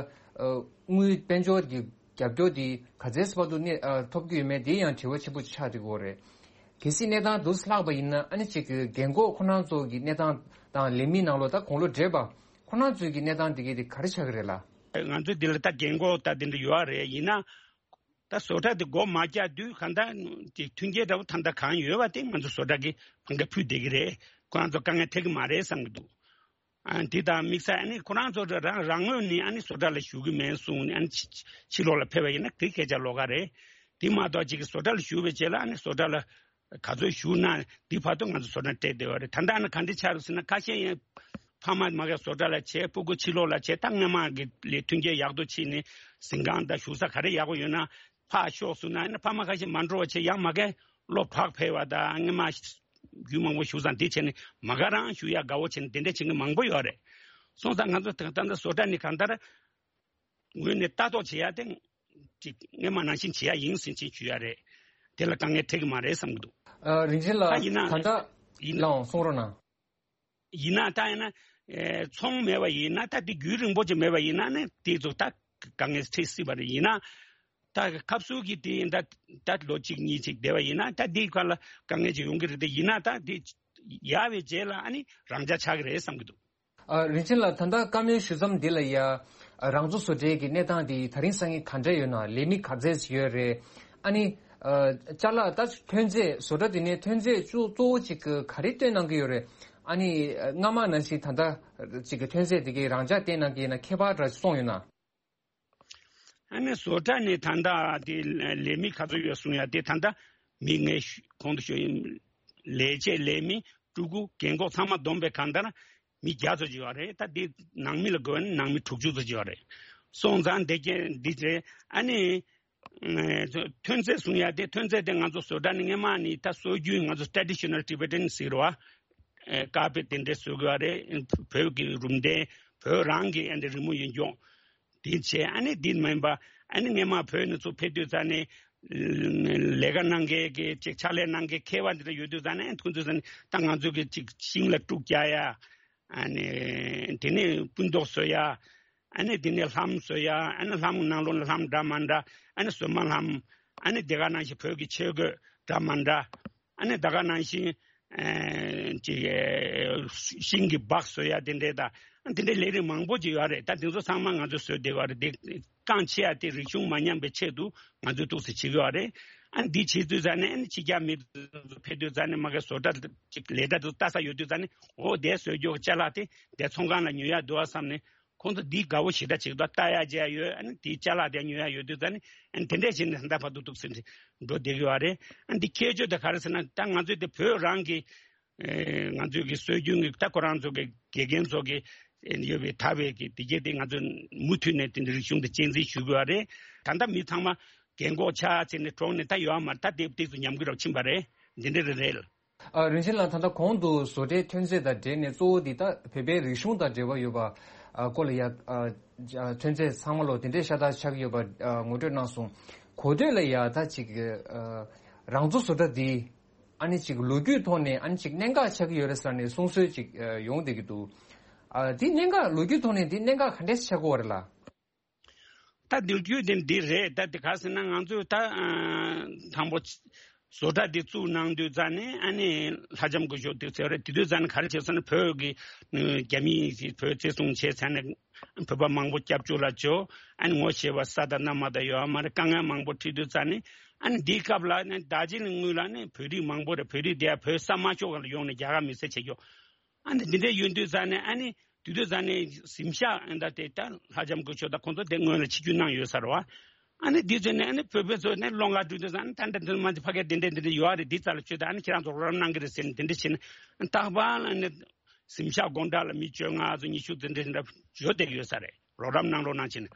དངུལ་དཔལ་འབྱོར་གྱི་རྒྱབ་སྐྱོར་འདི་ག་ཚད་བར་དུ་གནས་ཨ་ཐོབ་ཀྱི་ཡོད་མེད་འདི་ཡང་དྲི་བ་ཆེན་པོ་ཆགས་འགྲོ་གི་ཡོད་རེད། གལ་སྲིད་གནས་སྟངས་འདུག་སེ་ལྷག་པ་ཡིན་ན་ཨ་ནི་གཅིག་གི་རྒན་འཁོགས་ཁོ་རང་ཚོ་གི་གནས་སྟངས་དང་ལས་མི་ནང་ལོགས་ད་དགུང་ལོ་བགྲེས་པ་ཁོ་རང་ཚོའི་གི་གནས་སྟངས་འདི་གའི་དེ་ག་རེ་ཆགས་ཀྱི་རེད་ལགས། ང་ཚོའི་འདི་ལ་ད་རྒན་འཁོགས་ད་དེ་འདྲ་ཡོད་རེད། ཡིན་ན་ད་བཟོ་གྲྭ་དེ་སྒོ་མ་བརྒྱབ་དུས་གང་ལྟར་དེ་མཐུན་རྐྱེན་འདྲ་བོ་ད་ལྟ་གང་ཡོད་པ་དེ་ང་ཚོ་བཟོ་གྲྭ་གི་ཕན་ཁེ་ཕུལ་བསྡད་ཀྱི་རེད། ཁོ་རང་ཚོ་དཀའ་ངལ་འཕྲད་ཀྱི་མ་རེད་བསམ་གྱི་འདུག་ཨ་འདི་དང་དམིགས་བསལ་ཨ་ནི་ཁོ་རང་ཚོ་རང་རང་ངོས་ནས་ཨ་ནི་བཟོ་གྲྭ་ལ་ཞུགས་ཀྱི་མེད་གསུངས་ནས་ཨ་ནི་ཕྱི་ཕྱི་ལོགས་ལ་ཕེབས་པ་ཡིན་ན་དེ་སྐད་ཆ་ལོགས་ཀ་རེད། དེ་མ་གཏོགས་ཅིག་བཟོ་གྲྭ་ལ་ཞུགས་པའི་རྗེས་ལ་ཨ་ནི་བཟོ་གྲྭ་ལ་ ག་ཚོད་བཞུགས་ན་འདི་བར་དུ་ང་ཚོ་བཟོ་གྲྭ་སྤྲད་བསྡད་ཡོད་རེད། ད་ལྟ་ནི་ག་འདྲ་ཆགས་རེད་ཟེར་ན། ཁ་ཤས་ཡང་ཕ་མ་མ་གིར་བཟོ་གྲྭ་ལ་བྱས། སྤུ་གུ་ཕྱི་ལོགས་ལ་བྱས། ད་སྔོན་མ་གི་ལས་མཐུན་རྐྱེན་ཡག་ཏུ་ཕྱིན་ནས་གཟིམ་ཁང་དང་བཞུགས་ས་ག་རེ་ཡག་པོ་ཡོད་ན་ཕར་ཤོག་ཟེར་ན། ཨ་ནི་ཕ་མ་ཁ་ཤས་མ་འགྲོ་བ་བྱས། ཡང་མ་གིར་སློབ་གྲྭར་ཕེབས་པ་དང་། སྔོན་མ་རྒྱུན་མང་པོ་བཞུགས་ས་འདི་བྱས་ནས་མ་གིར་རང་བཞུགས་ཡག་དགའ་བོ་བྱས་ནས་དེ་འདྲ་བྱེད་མཁན་མང་པོ་ཡོད་རེད། སོང་ཙང་ང་ཚོ་ད་ལྟ་བཟོ་གྲྭ་ནས་གང་ལྟར་ངོས་ནས་ལྟ་རྟོག་བྱེད་ཡ་དེ་ཅིག་སྔོན་མ་ནང་བཞིན་བྱེད་ཡ་ཡིན་ཟེར་ཅིག་ཞུ་ཡ་རེད། དེ་ལ་དཀའ་ངལ་འཕྲད་ཀྱི་མ་རེད་བསམ་གྱི་འདུག། ཨ། རིན་ཆེན་ལགས། ད་ཡིན་ན་ད་ཡིན་ལའང་གསུང་རོགས་གནང་། ཡིན་ན་ད་ཡིན་ན། ཨེ། ཚོང་མེད་པ་ཡིན་ན། ད་དེ་རྒྱུན་རིང་པོ་ཅིག་མེད་པ་ཡིན་ན་ནི་དེ་ཚོ་ད་དཀའ་ངལ་འཕྲད་སྲིད་པ་རེད། ཡིན་ན་ད་སྐབས་སུ་གི་དེ་ད་ད་ལོ་གཅིག་གཉིས་ཅིག་བསྡད་པ་ཡིན་ན་ད་དེའི་ཁ་ལ་དཀའ་ངལ་ཅིག་ཡོང་གི་རེད། དེ་ཡིན་ན་ད་དེ་ཡག་པའི་རྗེས་ལ་ཨ་ནི་རང་འཇགས་ཆགས་ཀྱི་རེད་བསམ་གྱི་འདུག། ཨ། རིན་ཆེན་ལགས། ད་ལྟ་བཀའ་མོལ་ཞུ་མཚམས་འདི་ལ་ཡ། ཨ། རང་བཟོ་བཟོ་གྲྭའི་གི་གནས་སྟངས་འདི་ད་རིང་སང་ཉིན་ག་འདྲ་ཡོད་ན། ལས་མི་ག་ཚད་ཡོད་རེད། ཨ་ནི། ཨ། ཅ་ལག་ད་ཐོན་རྫས། བཟོ་གྲྭ་འདི་ནས་ཐོན་རྫས་གཙོ་གཙོ་བོ་ཅིག་ག་རེ་བཏོན་གནང་གི་ཡོད་རེད། ཨ་ནི་སྔ་མ་ནང་བཞིན་ད་ལྟ་ཅིག་གི་ཐོན་རྫས་འདི་གའི་རང་འཇགས་བཏོན་གནང་གི་ཡིན་ན་ཁྱད་པར་འདྲ་སོང་ཡོད་ན། ཨ་ནི་བཟོ་གྲྭ་ནས་ད་ལྟ་དེ་ལས་མི་ག་ཚོད་ཡོད་གསུང་ཡ་དེ། ད་ལྟ་མི་ངས་གོང་དུ་ཞུས་ཡིན། ལས་བྱེད་ལས་མི་ཕྲུ་གུ་རྒན་འཁོགས་ཚང་མ་བསྡོམས་པའི་གང་ལྟར་མི་བརྒྱ་ཙམ་ཅིག་ཡོད་རེད། ད་དེ་ནང་མི་ལ་བགོས་ན་ནང་མི་དྲུག་ཅུ་ཙམ་ཅིག་ཡོད་རེད། སོང་ཙང་དེ་གས་འདི་རེད། ཨ་ནི་ཨ། ཐོན་རྫས་གསུང་ཡ་དེ། ཐོན་རྫས་དེ་ང་ཚོ་བཟོ་གྲྭ་ནས་སྔོན་མ་ནས་ད་སྲོལ་རྒྱུན་ང་ཚོ་ཊ་རེ་ཌི་ཤ་ནལ་ཊི་བེ་ཊན་ཟེར་བ། ཨེ། ཀར་པེཊ་དེ་འདྲ་བཟོ་དགོས་རེད། བོད་ཀྱི་རུམ་དེ་བོད་རང་གི་ཨ་འདི་རི་མོ་ཡིན་ཀྱང་། དེ་བྱས། ཨ་ནི་དེ་མིན་པ། ཨ་ནི་སྔོན་མ་བོད་ནས་ཚུར་ཕེབས་དུས་ཙ་ནས་ལས་ཀ་གནང་མཁན་གྱི་ཅིག་ཕྱག་ལས་གནང་མཁན་མཁས་པ་འདི་འདྲ་ཡོད་དུས་ཙ་ནས། ཨ་ནི་ཁོང་ཚོས་ཙ་ནས་ད་ང་ཚོ་གི་ཅིག་ཤིང་ལ་དཀྲུག་རྒྱག་ཡ། ཨ་ནི་དེ་ནས་སྤུ་མདོག་བཟོ་ཡ། ཨ་ནི་དེ་ནས་ལྷམ་བཟོ་ཡ། ཨ་ནི་ལྷམ་ནང་ལོགས་ལ་ལྷམ་འདྲ་མི་འདྲ། ཨ་ནི་བཟོ་མ་ལྷམ། ཨ་ནི་དེ་ག་ནང་བཞིན་བོད་ཀྱི་ཆས་གོས་འདྲ་མི་འདྲ། ཨ་ནི་ད་ག་ནང་བཞིན། ཨེ། ཅིག་ཨེ། ཤིང་གི་སྦག་བཟོ་ཡ་དེ་འདྲས་དང་། དེ་འདྲའི་ལས་རིགས་མང་པོ་ཅིག་ཡོད་རེད། ད་དེ་ཚོ་ཚང་མ་ང་ཚོས་བཟོས་བསྡད་ཡོད་རེད། དེ་རྐང་ཆེ་ཡ་དེ་རིག་གཞུང་མ་ཉམས་པའི་ཆེད་དུ་ང་ཚོས་ཏོག་ཙམ་བྱེད་ཀྱི་ཡོད་རེད། ཨ་ནི་འདི་བྱེད་དུས་ཙ་ནས། ཨ་ནི་ཕྱི་རྒྱལ་མི་ཚོ་ཕེབས་དུས་ཙ་ནས་མ་གི་བཟོ་གྲྭ་ཅིག་ལས་གྲྭ་དེ་ཚོ་ལྟ་ས་ཡོད་དུས་ཙ་ནས། འོ། དེ་བཟོས་རྒྱུ་ཅ་ལག་དེ་དེ་ཚོང་ཁང་ལ་ཉོ་ཡ་འདུག་བསམ་ནས། ཁོང་ཚོ་འདི་དགའ་བོ་ཞེ་དྲག་ཅིག་འདུག། ལྟ་ཡ་མཇལ་ཡ་ཡོད། ཨ་ནི་དེའི་ཅ་ལག་དེ་ཉོ་ཡ་ཡོད་དུས་ཙ་ནི། ཨ་ནི་དེ་འདྲས་བྱས་ནས་ད་ལྟ་བར་དུ་འདུག་ཟེར་ནས་འགྲོ་བསྡད་ཀྱི་ཡོད་རེད། ཨ་ནི་འདི་ཁྱད་ཆོས་དེ་ག་རེ་ཟེར་ན། ད་ང་ཚོའི་དེ་བོད་རང་གི། ཨེ། ང་ཚོའི་གི་སྲོལ་རྒྱུན་གྱི། ད་ཁོ་རང་ཚོ་གི་དགེ་རྒན་ཚོ་གི་ཡོད་པའི་དར་བའི་གི་དེ་གས་དེ་ང་ཚོས་མུ་མཐུད་ནས་དེ་འདྲ་རིག་གཞུང་དེ་གཅེས་འཛིན་ཞུ་དགོས་པ་རེད། ད་ལྟ་མི་ཚང་མ་རྒན་འཁོགས་ཆགས་ཚར་ནས་གྲོངས་ནས་ད་ཡོད་མ་རེད། ད་དེ་ཏོག་ཙམ་ཉམས་རྒུད་རབ་ཕྱིན་པ་རེད། འདི་འདྲ་རེད། རེད། ཨ། རིན་ཆེན་ལགས། ད་ལྟ་གོང་དུ་བཟོ་གྲྭའི་ཐོན་རྫས་དང་འབྲེལ་ནས་གཙོ་བོ་འདི་ད་བོད་པའི་རིག་གཞུང་དང་འབྲེལ་བ་ཡོད་པ། ཨ། སྐོར་ལ་ཡ། ཨ། ཨ། ཐོན་རྫས་ཚང་མ་ལོ་དེ་འདྲའི་ཤ་སྟག་ཆགས་ཀྱི་ཡོད་པ། ཨ། ངོ་སྤྲོད་གནང་སོང་། གོ་ཐོས་ལ་ཡ་ད་ཅིག། ཨ། རང་བཟོ་བཟོ་གྲྭ་འདི། ཨ་ནི་ཅིག་ལོ་རྒྱུས་ཐོག་ནས་ཨ་ནི་ཅིག་གནད་འགག་ཆགས་ཀྱི་ཡོད་རེད་ཟེར་ནས་གསུང་སྲོལ་ཅིག། ཨ། ཡོང་བསྡད་ཀྱི་འདུག། ཨ། འདི་གནད་འགག་ལོ་རྒྱུས་ཐོག་ནས་འདི་གནད་འགག་ག་འདྲས་ཆགས་ཀྱི་ཡོད་རེད་ལགས། ད་འདི་རྒྱུ་དེ་འདི་རེད། ད་དེ་ག་ཟེར་ན། ང་ཚོས་ད། ཨ། དང་པོ་བཟོ་གྲྭ་འདི་བཙུགས་གནང་དུས་ཙ་ནས། ཨ་ནི་ལྷ་ལྕམ་སྐུ་ཞབས་དེ་ཟེར་བ་རེད། དེ་དུས་ཙ་ནས་ག་རེ་བྱས་ཟེར་ན། བོད་ཀྱི་རྒྱ་མིས་བོད་བཙན་བཟུང་བྱས་ཚར་ནས། བོད་པ་མང་པོ་སྐྱབས་བཅོལ་ལ་འབྱོར། ཨ་ནི་ངོ་ཤེས་པ་ས་དང་གནམ་མ་དང་ཡོད་མ་རེད། དཀའ་ངལ་མང་པོ་འཕྲད་དུས་ཙ་ནས། ཨ་ནི་འདིའི་སྐབས་ལ་ནི་རྡོ་རྗེ་གླིང་ངོས་ལ་ནི་བོད་རིགས་མང་པོ་རེད། བོད་རིགས་དེ་ཡང་བོད་ས་དམར་ཕྱོགས་ལ་ཡོང་ནས་རྒྱ་གར་མི་སེར་བྱེད་ཀྱོག། ཨ་ནི་འདི་འདྲ་ཡོད་དུས་ཙ་ནས། ཨ་ནི་དེ་དུས་ཙ་ནས་གཟིམ་ཤག་ཨ་ད་དེ་ད་ལྷ་ལྕམ་སྐུ་ཞབས་དང་ཁོང་ཚོ་དེ་སྔོན་ལ་ཆིབས་བསྒྱུར་གནང་ཡོད་ས་རེད་བ། ཨ་ནི་དེ་ཚོ་ནས་ཨ་ནི་བོད་པ་ཚོ་ནས་སློང་ག་འགྲོ་དུས་ཙ་ནས། ཨ་ནི་ད་འདྲ་འདི་མ་འདི་ཕ་གིར་འདི་འདྲ་འདི་འདྲ་ཡོད་རེད། འདི་རྩ་ལ་བཅོས་ད། ཨ་ནི་ཁྱེད་རང་ཚོ་རོགས་རམ་གནང་གི་རེད་ཟེར་ནས་དེ་འདྲ་བྱས་ནས། ཨ་ནི་རྟག་པར་ཨ་ནི་གཟིམ་ཤག་སྒོ་འགྲམ་ལ་མི་བཅོ་ལྔ་ཚོ་ཉི་ཤུ་དེ་འདྲ་འདྲ་འབྱོར་བསྡད་ཀྱི་ཡོད་ས་རེད། རོགས་རམ་གནང་རོགས་གནང་བྱས་ནས།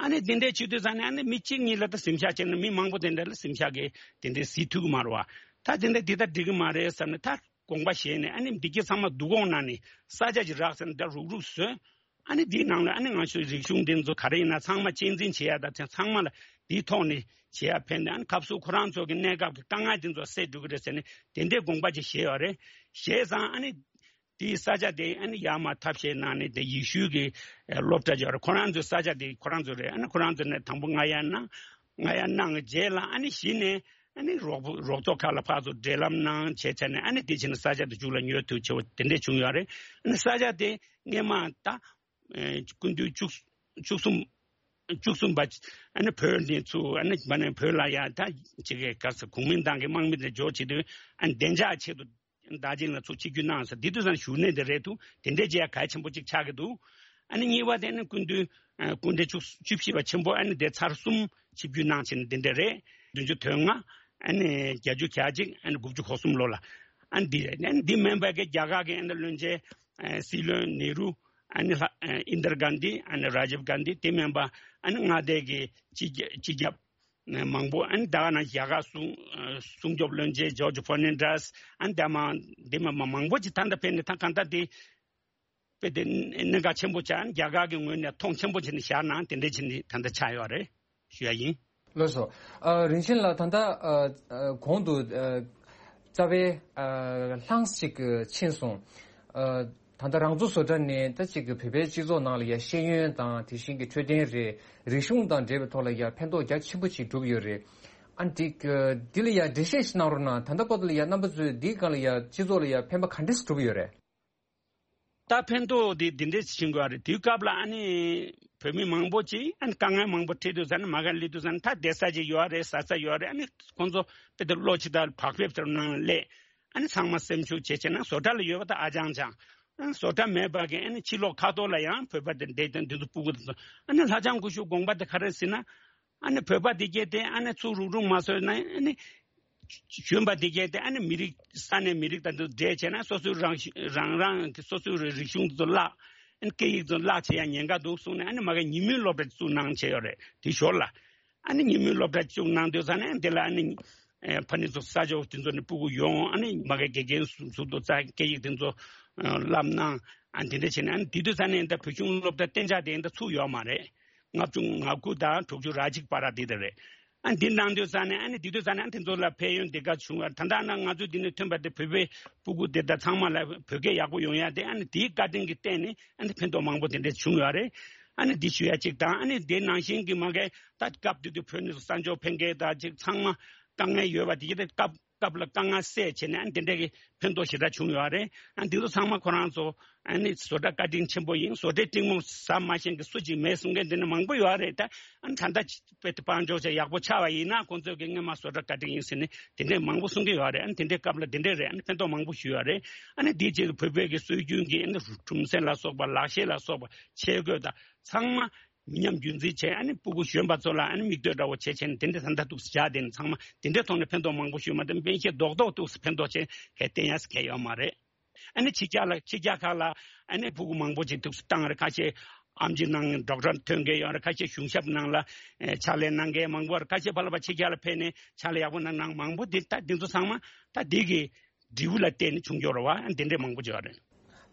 ཨ་ནི་དེ་འདྲའི་བྱེད་དུས་ཙ་ནས། ཨ་ནི་མི་གཅིག་གཉིས་ལ་ད་གཟིམ་ཤག་བྱས་ན་མི་མང་པོ་དེ་འདྲ་ལ་གཟིམ་ཤག་གི་དེ་འདྲའི་གཟིགས་ཐུབ་ཀྱི་མ་རེད་བ། ད་དེ་འདྲ་འདི་ལྟར་འགྲིག་གི་མ་རེད་བསམ་ནས། ད་དགོངས་པ་བཞེས་ནས། ཨ་ནི་འདི་གྱད་ཚང་མ་བསྡུ་སྐོང་གནང་ནས་ས་ཆ་ཅིག་རག་ཟེར་ནས། ད་རུག་རུག་བཟོས། ཨ་ནི་འདིའི་ནང་ལ་ཨ་ནི་ང་ཚོའི་རིག་གཞུང་འདི་ཚོ་ག་རེ་ཡིན་ན་ཚང་མ་གཅེས་འཛིན་བྱེད་ཡ་དང་། དེ་ཚང་མ་ལ་འདིའི་ཐོག་ནས་བྱེད་ཡ་ཕན་ནས། ཨ་ནི་སྐབས་སུ་ཁོ་རང་ཚོ་གི་གནས་སྐབས་ཀྱི་དཀའ་ངལ་འདི་ཚོ་སེལ་འགྲོ་གི་རེད་ཟེར་ནས་དེ་འདྲའི་དགོངས་པ་ཅིག་བཞེས་ཡོད་རེད། བཞེས་ཙང་། ཨ་ནི་དེའི་ས་ཆ་དེ་ཨ་ནི་ཡར་མར་ཐབས་ཤེས་གནང་ནས། དེ་ཡེ་ཤུའི་གི་སློབ་གྲྭ་ཅིག་ཡོད་རེད། ཁོ་རང་ཚོའི་ས་ཆ་དེ་ཁོ་རང་ཚོ་རེད། ཨ་ནི་ཁོ་རང་ཚོ་ནས་དང་པོ་ང་ཡ་གནང་། ང་ཡ་གནང་རྗེས་ལ། ཨ་ནི་གཞི་ནས་ཨ་ནི་རོགས་པ་རོགས་ཚོགས་ཁག་ལ་ཕར་ཚུར་འབྲེལ་ལམ་གནང་བྱས་བྱས་ནས། ཨ་ནི་དེ་བྱས་ནས་ས་ཆ་དེ་མཇུག་ལ་ཉོ་ཐུབ་བྱས་པ་དེ་འདྲས་བྱུང་ཡོད་རེད། ཨ་ནི་ས་ཆ་དེ་སྔོན་མ་ད། ཨེ། སྐུ་མདུན་བཅུ་བཅུ་གསུམ། བཅུ་གསུམ་པ། ཨ་ནི་བོད་ནས་ཚུར། ཨ་ནི་མ་ནས་བོད་ལ་ཡ་ད་ཅིག་གི་ག་ས་གུང་མིན་ཏང་གི་དམག་མི་དེ་འབྱོར་བྱེད་དུས། ཨ་ནི་བདེ་འཇགས་ཆེད་དུ་རྡོ་རྗེ་གླིང་ལ་ཚུར་ཆིབས་བསྒྱུར་གནང་ས། དེ་དུས་ཙང་བཞུགས་གནས་དེ་རེད་འདུག། དེ་འདྲའི་བྱས་གལ་ཆེན་པོ་ཅིག་ཆགས་ཀྱི་འདུག། ཨ་ནི་གཉིས་པ་དེ་ནི་སྐུ་མདུན། ཨ། སྐུ་ཕྲེང་བཅུ་བཅུ་བཞི་པ་ཆེན་པོ། ཨ་ནི་དེ་ཚར་གསུམ་ཆིབས་བསྒྱུར་གནང་བྱས་ནས་དེ་འདྲ་རེད། བདུན་ཅུ་དོན་ལྔ། ཨ་ནི་བརྒྱད་ཅུ་གྱ་གཅིག་ཨ་ནི་དགུ་བཅུ་གོ་གསུམ་ལོ་ལ། ཨ་ནི་འདི་ཨ་ནི་འདི་མིན་པ་གི་རྒྱ་གར་གི་ཨ་ནི་བློན་ཆེན་ཨ་སྲིད་བློན་ནེ་རུ། ཨ་ནི་ལྷ་ཨ་ཨིན་དར་གྷན་དྷི། ཨ་ནི་ར་ཇིབ་གྷན་དྷི། དེ་མིན་པ་ཨ་ནི་མངའ་སྡེ་གི་སྤྱི་ཁྱབ་སྤྱི་ཁྱབ་མང་པོ། ཨ་ནི་ད་ག་ནང་རྒྱ་གར་སྲུང་ཨ་སྲུང་སྐྱོབ་བློན་ཆེན་ཇོརྗ་ཕར་ནན་ཌེས། ཨ་ནི་དེ་མ་དེ་མ་མ་མང་པོ་ཅིག་ད་ལྟ་ཕེབས་ནས་ད་གང་ལྟར་དེ་དཔེ་དེ་གནད་འགག་ཆེན་པོ་ཆགས། རྒྱ་གར་གྱི་ངོས་ནས་མཐོང་ཆེན་པོ་བྱས་ནས་བཞག་ན་དེ་འདྲ་བྱས་ནས་ད་ལྟ་ཆགས་ཡོད་རེད་ཞུ་ཡ་ཡིན། ལགས་སོ། ཨ་རིན་ཆེན་ལགས། ད་ལྟ་ཨ་ཨ་གོང་དུ་ཨ་རྩ་བའི་ཨ་ལྷངས་ཅིག་ཕྱིན་སོང་། ཨ་ད་ལྟ་རང་བཙན་བཟོ་གྲྭ་ནས་ད་ཅིག་གི་བོད་པའི་སྤྱི་ཚོགས་ནང་ལ་ཡ་ཤེས་ཡོན་དང་དེ་བཞིན་གྱི་འཕྲོད་བསྟེན་རེད། རིག་གཞུང་དང་འབྲེལ་བའི་ཐོག་ལ་ཡ་ཕན་ཐོགས་རྒྱ་ཆེན་པོ་ཅིག་བསྒྲུབས་ཡོད་རེད། ཨ་འདི་འདི་ལ་ཡ་འགྲེལ་བཤད་ཞིག་གནང་རོགས་གནང་། ད་ལྟ་བར་དུ་ལ་ཡ་རྣམ་པ་ཚོས་འདིའི་སྒང་ལ་ཡ་སྤྱི་ཚོགས་ལ་ཡ་ཕན་པ་ག་འདྲས་བསྒྲུབས་ཡོད་རེད། ད་ཕན་ཐོགས་དེ་འདི་འདྲས་ཕྱིན་དགོས་རེད། དུས་སྐབས་ལ་ཨ་ནི་བོད་མི་མང་པོ་ཅིག་ཨ་ནི་དཀའ་ངལ་མང་པོ་འཕྲད་དུས་ཙ་ན་མ་ག་སླེབས་དུས་ཙ་ན་ད་བསྡད་ས་ཅིག་ཡོད་རེད། ཟ་ས་ཡོད་རེད། ཨ་ནི་ཁོང་ཚོ་དཔེ་དེབ་ཀློག་ཅིག་དང་བག་ཕེབས་ལྟར་ནང་ལ་སླེབས། ཨ་ནི་ཚང་མ་སེམས་ཤུགས་ཇེ་ཆེ་ན། བཟོ་གྲྭ་ལ་ཡོད་པ་ད་ཨ་ཅང་ཅང་། ཨ་ནི་བཟོ་གྲྭ་མེད་པ་གི་ཨ་ནི་ཕྱི་ལོགས་ཁ་ཐོག་ལ་ཡང་བོད་པ་དེ་འདྲས་དང་འདི་ཚོ་སྤུ་གུ་དེ་ཚོ་ཨ་ནི་ལྷ་ལྕམ་སྐུ་ཞབས་དགོངས་པ་དེ་ག་རེ་ཟེར་ན། ཨ་ནི་བོད་པ་དེ་གས་དེ་ཨ་ནི་ཚུར་རུག་རུག་མ་བཟོས་ན། ཨ་ནི་གཞོན་པ་དེ་གས་དེ་ཨ་ནི་མི་རིགས་ས་གནས་མི་རིགས་དང་དེ་འདྲ་བྱས་ན་སོ་སོའི་རང་རང་རང་གི་སོ་སོའི་རིག་གཞུང་དེ་ཚོ་བརླག་ཨ་ནི་སྐད་ཡིག་དེ་ཚོ་བརླག་བྱེད་ཡ་ཉེན་ཁ་འདུག་གསུངས་ནས། ཨ་ནི་མ་གི་ཉིན་མོའི་སློབ་གྲྭ་བཙུགས་གནང་བྱས་ཡོད་རེད། དེ་ཞོར་ལ་ཨ་ནི་ཉིན་མོའི་སློབ་གྲྭ་བཙུགས་གནང་དུས་ཙ་ན་དེ་ལ་ཨ་ནི་ཨེ་ཕ་ནི་ཚོ་ས་ཕྱོགས་དེ་ཚོ་ནས་སྤུ་གུ་ཡོང་། ཨ་ནི་མ་གི་དགེ་རྒན་ཟུར་དུ་རྩ་སྐད་ཡིག་དེ་ཚོ་ཨ་བསླབ་གནང་། ཨ་དེ་འདྲ་བྱས་ནས་ཨ་ནི་དེ་དུས་ཙ་ན་ད་བོད་གཞུང་སློབ་གྲྭ་གཏན་འཇགས་དེ་ད་ཚུགས་ཡོད་མ་རེད། ལྔ་བཅུ་ང་དགུ་དང་དྲུག་ཅུ་ར་གཅིག་བར་དེ་ད་རེད། ཨ་འདི་གནང་དུས་ཙ་ན་ཨ་ནི་དེ་དུས་ཙ་ན་ཨ་དེ་ཚོ་ལ་ཕན་ཡོན་དེ་ག་བྱུང་བ། ད་ལྟ་ན་ང་ཚོ་འདི་ནས་ཐོན་པ་དེ་བོད་པའི་སྤུ་གུ་དེ་དག་ཚང་མ་ལ་བོད་སྐད་ཡག་པོ་ཡོང་ཡ་དེ་ཨ་ནི་དེའི་བཀའ་དྲིན་གྱི་སྟེང་ནས་ཨ་ནི་ཕན་ཐོགས་མང་པོ་དེ་འདྲ་བྱུང་ཡོད་རེད། ཨ་ནི་འདི་ཞུ་ཡ་གཅིག་དང་། ཨ་ནི་དེ་ནང་བཞིན་གྱི་མ་གི་ད་སྐབས་དེ་དུས་བོད་ནས་གསར་འབྱོར་ཕེབས་མཁན་དང་ཅིག་ཚང་མ་དཀའ་ངལ་ཡོད་པ་དེ་གི་དེ་སྐབས་སྐབས་ལ་དཀའ་ངལ་སེལ་བྱས་ནས་ཨ་ནི་དེ་འདྲ་གི་ཕན་ཐོགས་ཞེ་དྲག་བྱུང་ཡོད་རེད། ཨ་འདི་ཚོ་ཚང་མ་ཁོ་རང་ཚོ་ཨ་ནི་བཟོ་གྲྭ་བཀའ་དྲིན་ཆེན་པོ་ཡིན། བཟོ་གྲྭའི་སྤྲིན་མོ་ཟ་མ་ཤེས་མཁན་སུ་གཅིག་མེད་གསུང་མཁན་དེ་འདྲ་མང་པོ་ཡོད་རེད། ད་ཨ་ནི་ད་ལྟ་དཔེ་དེ་དཔལ་འབྱོར་ཆ་ཡག་པོ་ཆགས་པ་ཡིན་ན་ཁོང་ཚོས་ཀྱི་སྔོན་མ་བཟོ་གྲྭ་བཀའ་དྲིན་ཡིན་ཟེར་ནས་དེ་འདྲ་མང་པོ་གསུང་གི་ཡོད་རེད། ཨ་ནི་དེ་འདྲའི་སྐབས་ལ་དེ་འདྲ་རེད། ཨ་ནི་ཕན་ཐོགས་མང་པོ་ཞུས་ཡོད་རེད། ཨ་ནི་དེའི་རྗེས་བོད་པའི་གི་སྲོལ་རྒྱུན་གྱི་ཨ་ནི་གྲུམ་ཟན་ལ་སོགས་པ་ལག་ཤེས་ལ་སོགས་པ་ཆས་གོས་དང་ཚང་མ་མི་ཉམས་རྒྱུན་འཛིན་བྱས། ཨ་ནི་སྤུ་གུ་གཞོན་པ་ཚོ་ལ་ཨ་ནི་མིག་ལྟོས་འདྲ་བོ་བྱས་བྱས་ནས་དེ་འདྲ་ད་ལྟ་འདུག་བཞག་དེ་ནི་ཚང་མ་དེ་འདྲའི་ཐོག་ནས་ཕན་ཐོགས་མང་པོ་ཞུས་མ་གཏོགས་སྨན་ཤེས་རྡོག་རྡོག་འདུག་ཕན་ཐོགས་བྱས་གལ་བསྟན་ཡ་གལ་ཡོད་མ་རེད། ཨ་ནི་ཕྱི་རྒྱལ་ལ་ཕྱི་རྒྱལ་ཁག་ལ་ཨ་ནི་སྤུ་གུ་མང་པོ་ཅིག་འདུག་བཏང་རེད། ཁ་ཤས་ཨེམ་ཆི་གནང་ཌོག་ཊར་ཐོན་མཁན་ཡོད་རེད། ཁ་ཤས་གཞུང་ཞབས་ནང་ལ་ཨེ་ཕྱག་ལས་གནང་མཁན་མང་པོ་རེད། ཁ་ཤས་ཕར་ལ་ཕར་ཕྱི་རྒྱལ་ལ་ཕེབས་ནས་ཕྱག་ལས་ཡག་པོ་གནང་གནང་མང་པོ་འདི་ད་འདི་ཚོ་ཚང་མ་ད་འདི་གི་འབྲས་བུ་ལ་བརྟེན་ནས་བྱུང་ཡོད་རེད་བ། འདི་འདྲས་མང་པོ་ཅིག་ཡོད་རེད།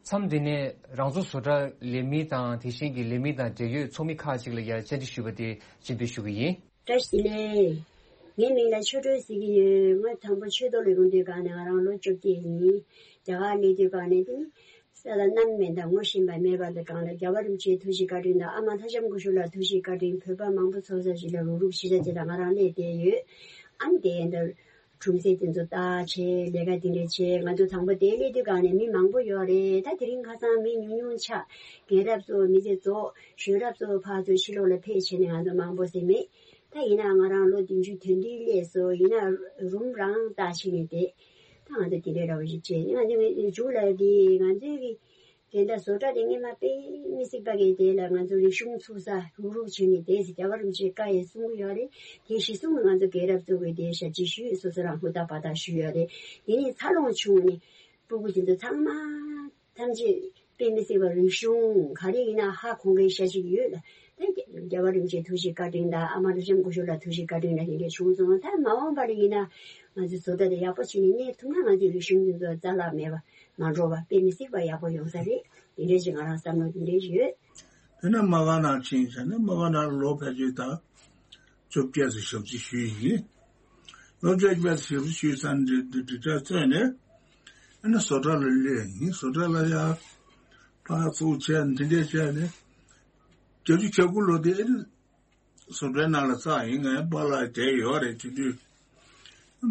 མཚམས་འདི་ནས་རང་བཟོ་བཟོ་གྲྭ་ལས་མི་དང་དེ་བཞིན་གྱི་ལས་མི་དང་འབྲེལ་ཡོད་ཚོགས་མི་ཁག་ཅིག་ལ་ཡང་བཅར་འདྲི་ཞུས་པ་དེ་སྤྱན་འབུལ་ཞུ་གི་ཡིན། བཀྲ་ཤིས་བདེ་ལེགས། ངའི་མིང་ལ་ཆོས་སྒྲོན་ཟེར་གྱི་ཡོད། ང་དང་པོ་ཆོས་ཐོག་ལ་ཡོང་དུས་སྒང་ནས་ང་རང་ལོ་བཅོ་བརྒྱད་ཡིན། རྒྱ་གར་སླེབས་དུས་སྒང་ནས་དེ་ནི་ས་ལ་གནམ་མེད་དང་ངོ་ཤེས་པ་མེད་པ་ལ་སྒང་ལ་རྒྱལ་བ་རིན་པོ་ཆེའི་ཐུགས་རྗེ་བཀའ་དྲིན་དང་ཨ་མ་ལྷ་ལྕམ་སྐུ་ཞབས་ལ་ཐུགས་རྗེ་བཀའ་དྲིན་བོད་པ་མང་པོ་ཚོགས་ས་ཞིག་ལ་རུག་རུག་ཞིག་ལ་བྱེད་དང་ང་རང་སླེབས་བསྡད་ཡོད། ཨ་ནི་དེ་འདྲ། གྲུམ་ཟན་དེ་ཚོ་བཏགས་བྱས་ལས་ཀ་དེ་འདྲ་བྱས། ང་ཚོ་དང་པོ་དེ་སླེབས་དུས་སྒང་ནས་མི་མང་པོ་ཡོད་རེད། ད་དེ་རིང་ཁ་སང་མི་ཉུང་ཉུང་ཆགས། རྒན་རབས་ཚོ་མི་ཚེ་རྫོགས། གཞོན་རབས་ཚོ་ཕར་ཚུར་ཕྱི་ལོགས་ལ་ཕེབས་བྱས་ནས་ང་ཚོ་མང་པོ་ཟིན་མེད། ད་ཡིན་ན་ང་རང་ལོ་བདུན་ཅུ་དོན་བདུན་སླེབས་སོང་། ཡིན་ན་རུམ་རང་བཏགས་བྱས་ནས་བསྡད། ད་ང་ཚོ་དེ་འདྲའི་འདྲ་བོ་ཞིག་བྱས། ང་ཚོ་མཇུག་ལ་དེ་ང་ཚོའི་གི་དེ་འདྲ་བཟོ་གྲྭ་དེ་སྔོན་མ་དཔེ་མི་སྲིད་པ་གི་དེ་ལ་ང་ཚོ་རིག་གཞུང་ཚུགས་ས་རུག་རུག་བྱས་ནས་བསྡད་ཟེར་རྒྱལ་བ་རིན་པོ་ཆེས་བཀའ་ཡང་གསུང་གི་ཡོད་རེད། དེ་གཞི་བཟུང་ནས་ང་ཚོ་རྒན་རབས་ཚོ་གིས་དེ་ཞབས་ཕྱི་ཞུས། སོ་སོ་རང་ཧུར་ཐག་འབད་ཐག་ཞུས་ཡོད་རེད། དེ་ནས་འཚར་ལོངས་བྱུང་ནས་སྤུ་གུ་དེ་ཚོ་ཚང་མ་ཐམས་ཅད་དཔེ་མི་སྲིད་པ་རིག་གཞུང་ག་རེ་ཡིན་ན་ཧ་གོ་མཁན་ཤ་ཅིག་ཡོད་ལ། ད་རྒྱལ་བ་རིན་པོ་ཆེའི་ཐུགས་རྗེ་བཀའ་དྲིན་དང་ཨ་མ་ལྷ་ལྕམ་སྐུ་ཞབས་ལ་ཐུགས་རྗེ་བཀའ་དྲིན་ལ་དེ་འདྲ་བྱུང་སོང་། ད་མ་འོངས་པ་ལ་ཡིན་ན་ང་ཚོའི་བཟོ་གྲྭ་དེ་ཡག་པོ་བྱས་ནས་གནས་ཐུབ་ན་ང་ཚོའི་རིག་གཞུང་དེ་ཚོ་རྩ་བརླག་མེད་པ། མ་འགྲོ་བ་དཔེ་མི་སྲིད་པ་ཡག་པོ་ཡོང་ས་རེད། དེ་འདྲའི་ཞིག་ང་རང་བསམ་བློ་དེ་འདྲའི་ཡོད། དེ་ནས་མ་ག་ནང་ཕྱིན་བྱས་ནས་མ་ག་ནང་ལོ་ཕལ་ཆེར་ད་བཅོ་བརྒྱད་ཙམ་ཞབས་ཕྱི་ཞུས་ཡིན། ལོ་བཅོ་བརྒྱད་ཙམ་ཞབས་ཕྱི་ཞུས་ཚར་འདི་འདི་འདི་གྲ་བཙལ་ནས་ཨ་ནི་བཟོ་གྲྭ་ལ་སླེབས་ཡིན། བཟོ་གྲྭ་ལ་ཡ་ཕར་ཚུར་བྱས་འདི་འདྲས་བྱས་ནས་བརྒྱད་ཅུ་གྱ་དགུ་ལོ་དེ་ཨ་ནི་བཟོ་གྲྭའི་ནང་ལ་བཙགས་ཡིན། ངའི་པཱ་ལགས་བསྡད་ཡོད་རེད། དེ་དུས་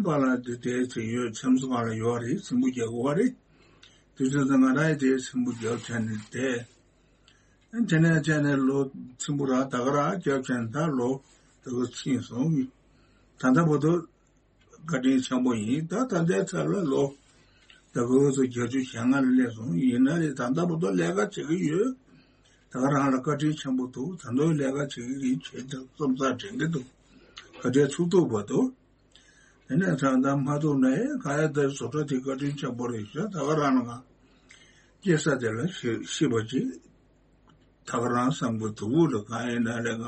པཱ་ལགས་དེ་བསྡད་ཚེ་ཡོད་ཚེམ་བཟོ་ཁང་ལ་ཡོད་རེད། ཚེམ་བུ་རྒྱག་གི་ཡོད་རེད། དེ་དུས་ང་རང་ཡང་དེ་ཚེམ་བུ་རྒྱག་བྱས་ནས་བསྡད། དེ་ནས་བྱས་ནས་ལོ་ཚེམ་བུ་རང་ད་ག་རང་རྒྱག་བྱས་ནས་ད་ལོ་ད་ག་ཕྱིན་སོང་། ད་ལྟ་བར་དུ་བཀའ་དྲིན་ཆེན་པོ་ཡིན། ད་ད་ལྟའི་ཆར་ལ་ལོ་ད་ག་ཚོ་བརྒྱད་ཅུ་ཞེ་ལྔ་ལ་སླེབས་སོང་། ཡིན་ན་རེད་ད་ལྟ་བར་དུ་ལས་ཀ་བྱེད་ཀྱི་ཡོད། ད་ག་རང་ལ་བཀའ་དྲིན་ཆེན་པོ་འདུག་ད་དུང་ལས་ཀ་བྱེད་ཀྱི་ཡིན། བྱེད་ཐུབ་བསམ་ས་དྲན་གྱི་འདུག་ག་འདྲའི་ཚུགས་ཐུབ་པ་འདུག་དེ་ནས་ད་ལྟ་མ་ཐུག་ནའི་ག་ཡ་ད་བཟོ་གྲྭ་དེ་བཀའ་དྲིན་ཆེན་པོ་རེད་ཤག་ད་ག་རང་ལ་ང་སྐྱེས་ས་དེ་ལ་ཤི་ཤི་བ་ཅིག་ད་ག་རང་བསམ་གི་འདུག་ལ། གང་ཡིན་ན་ལས་ང་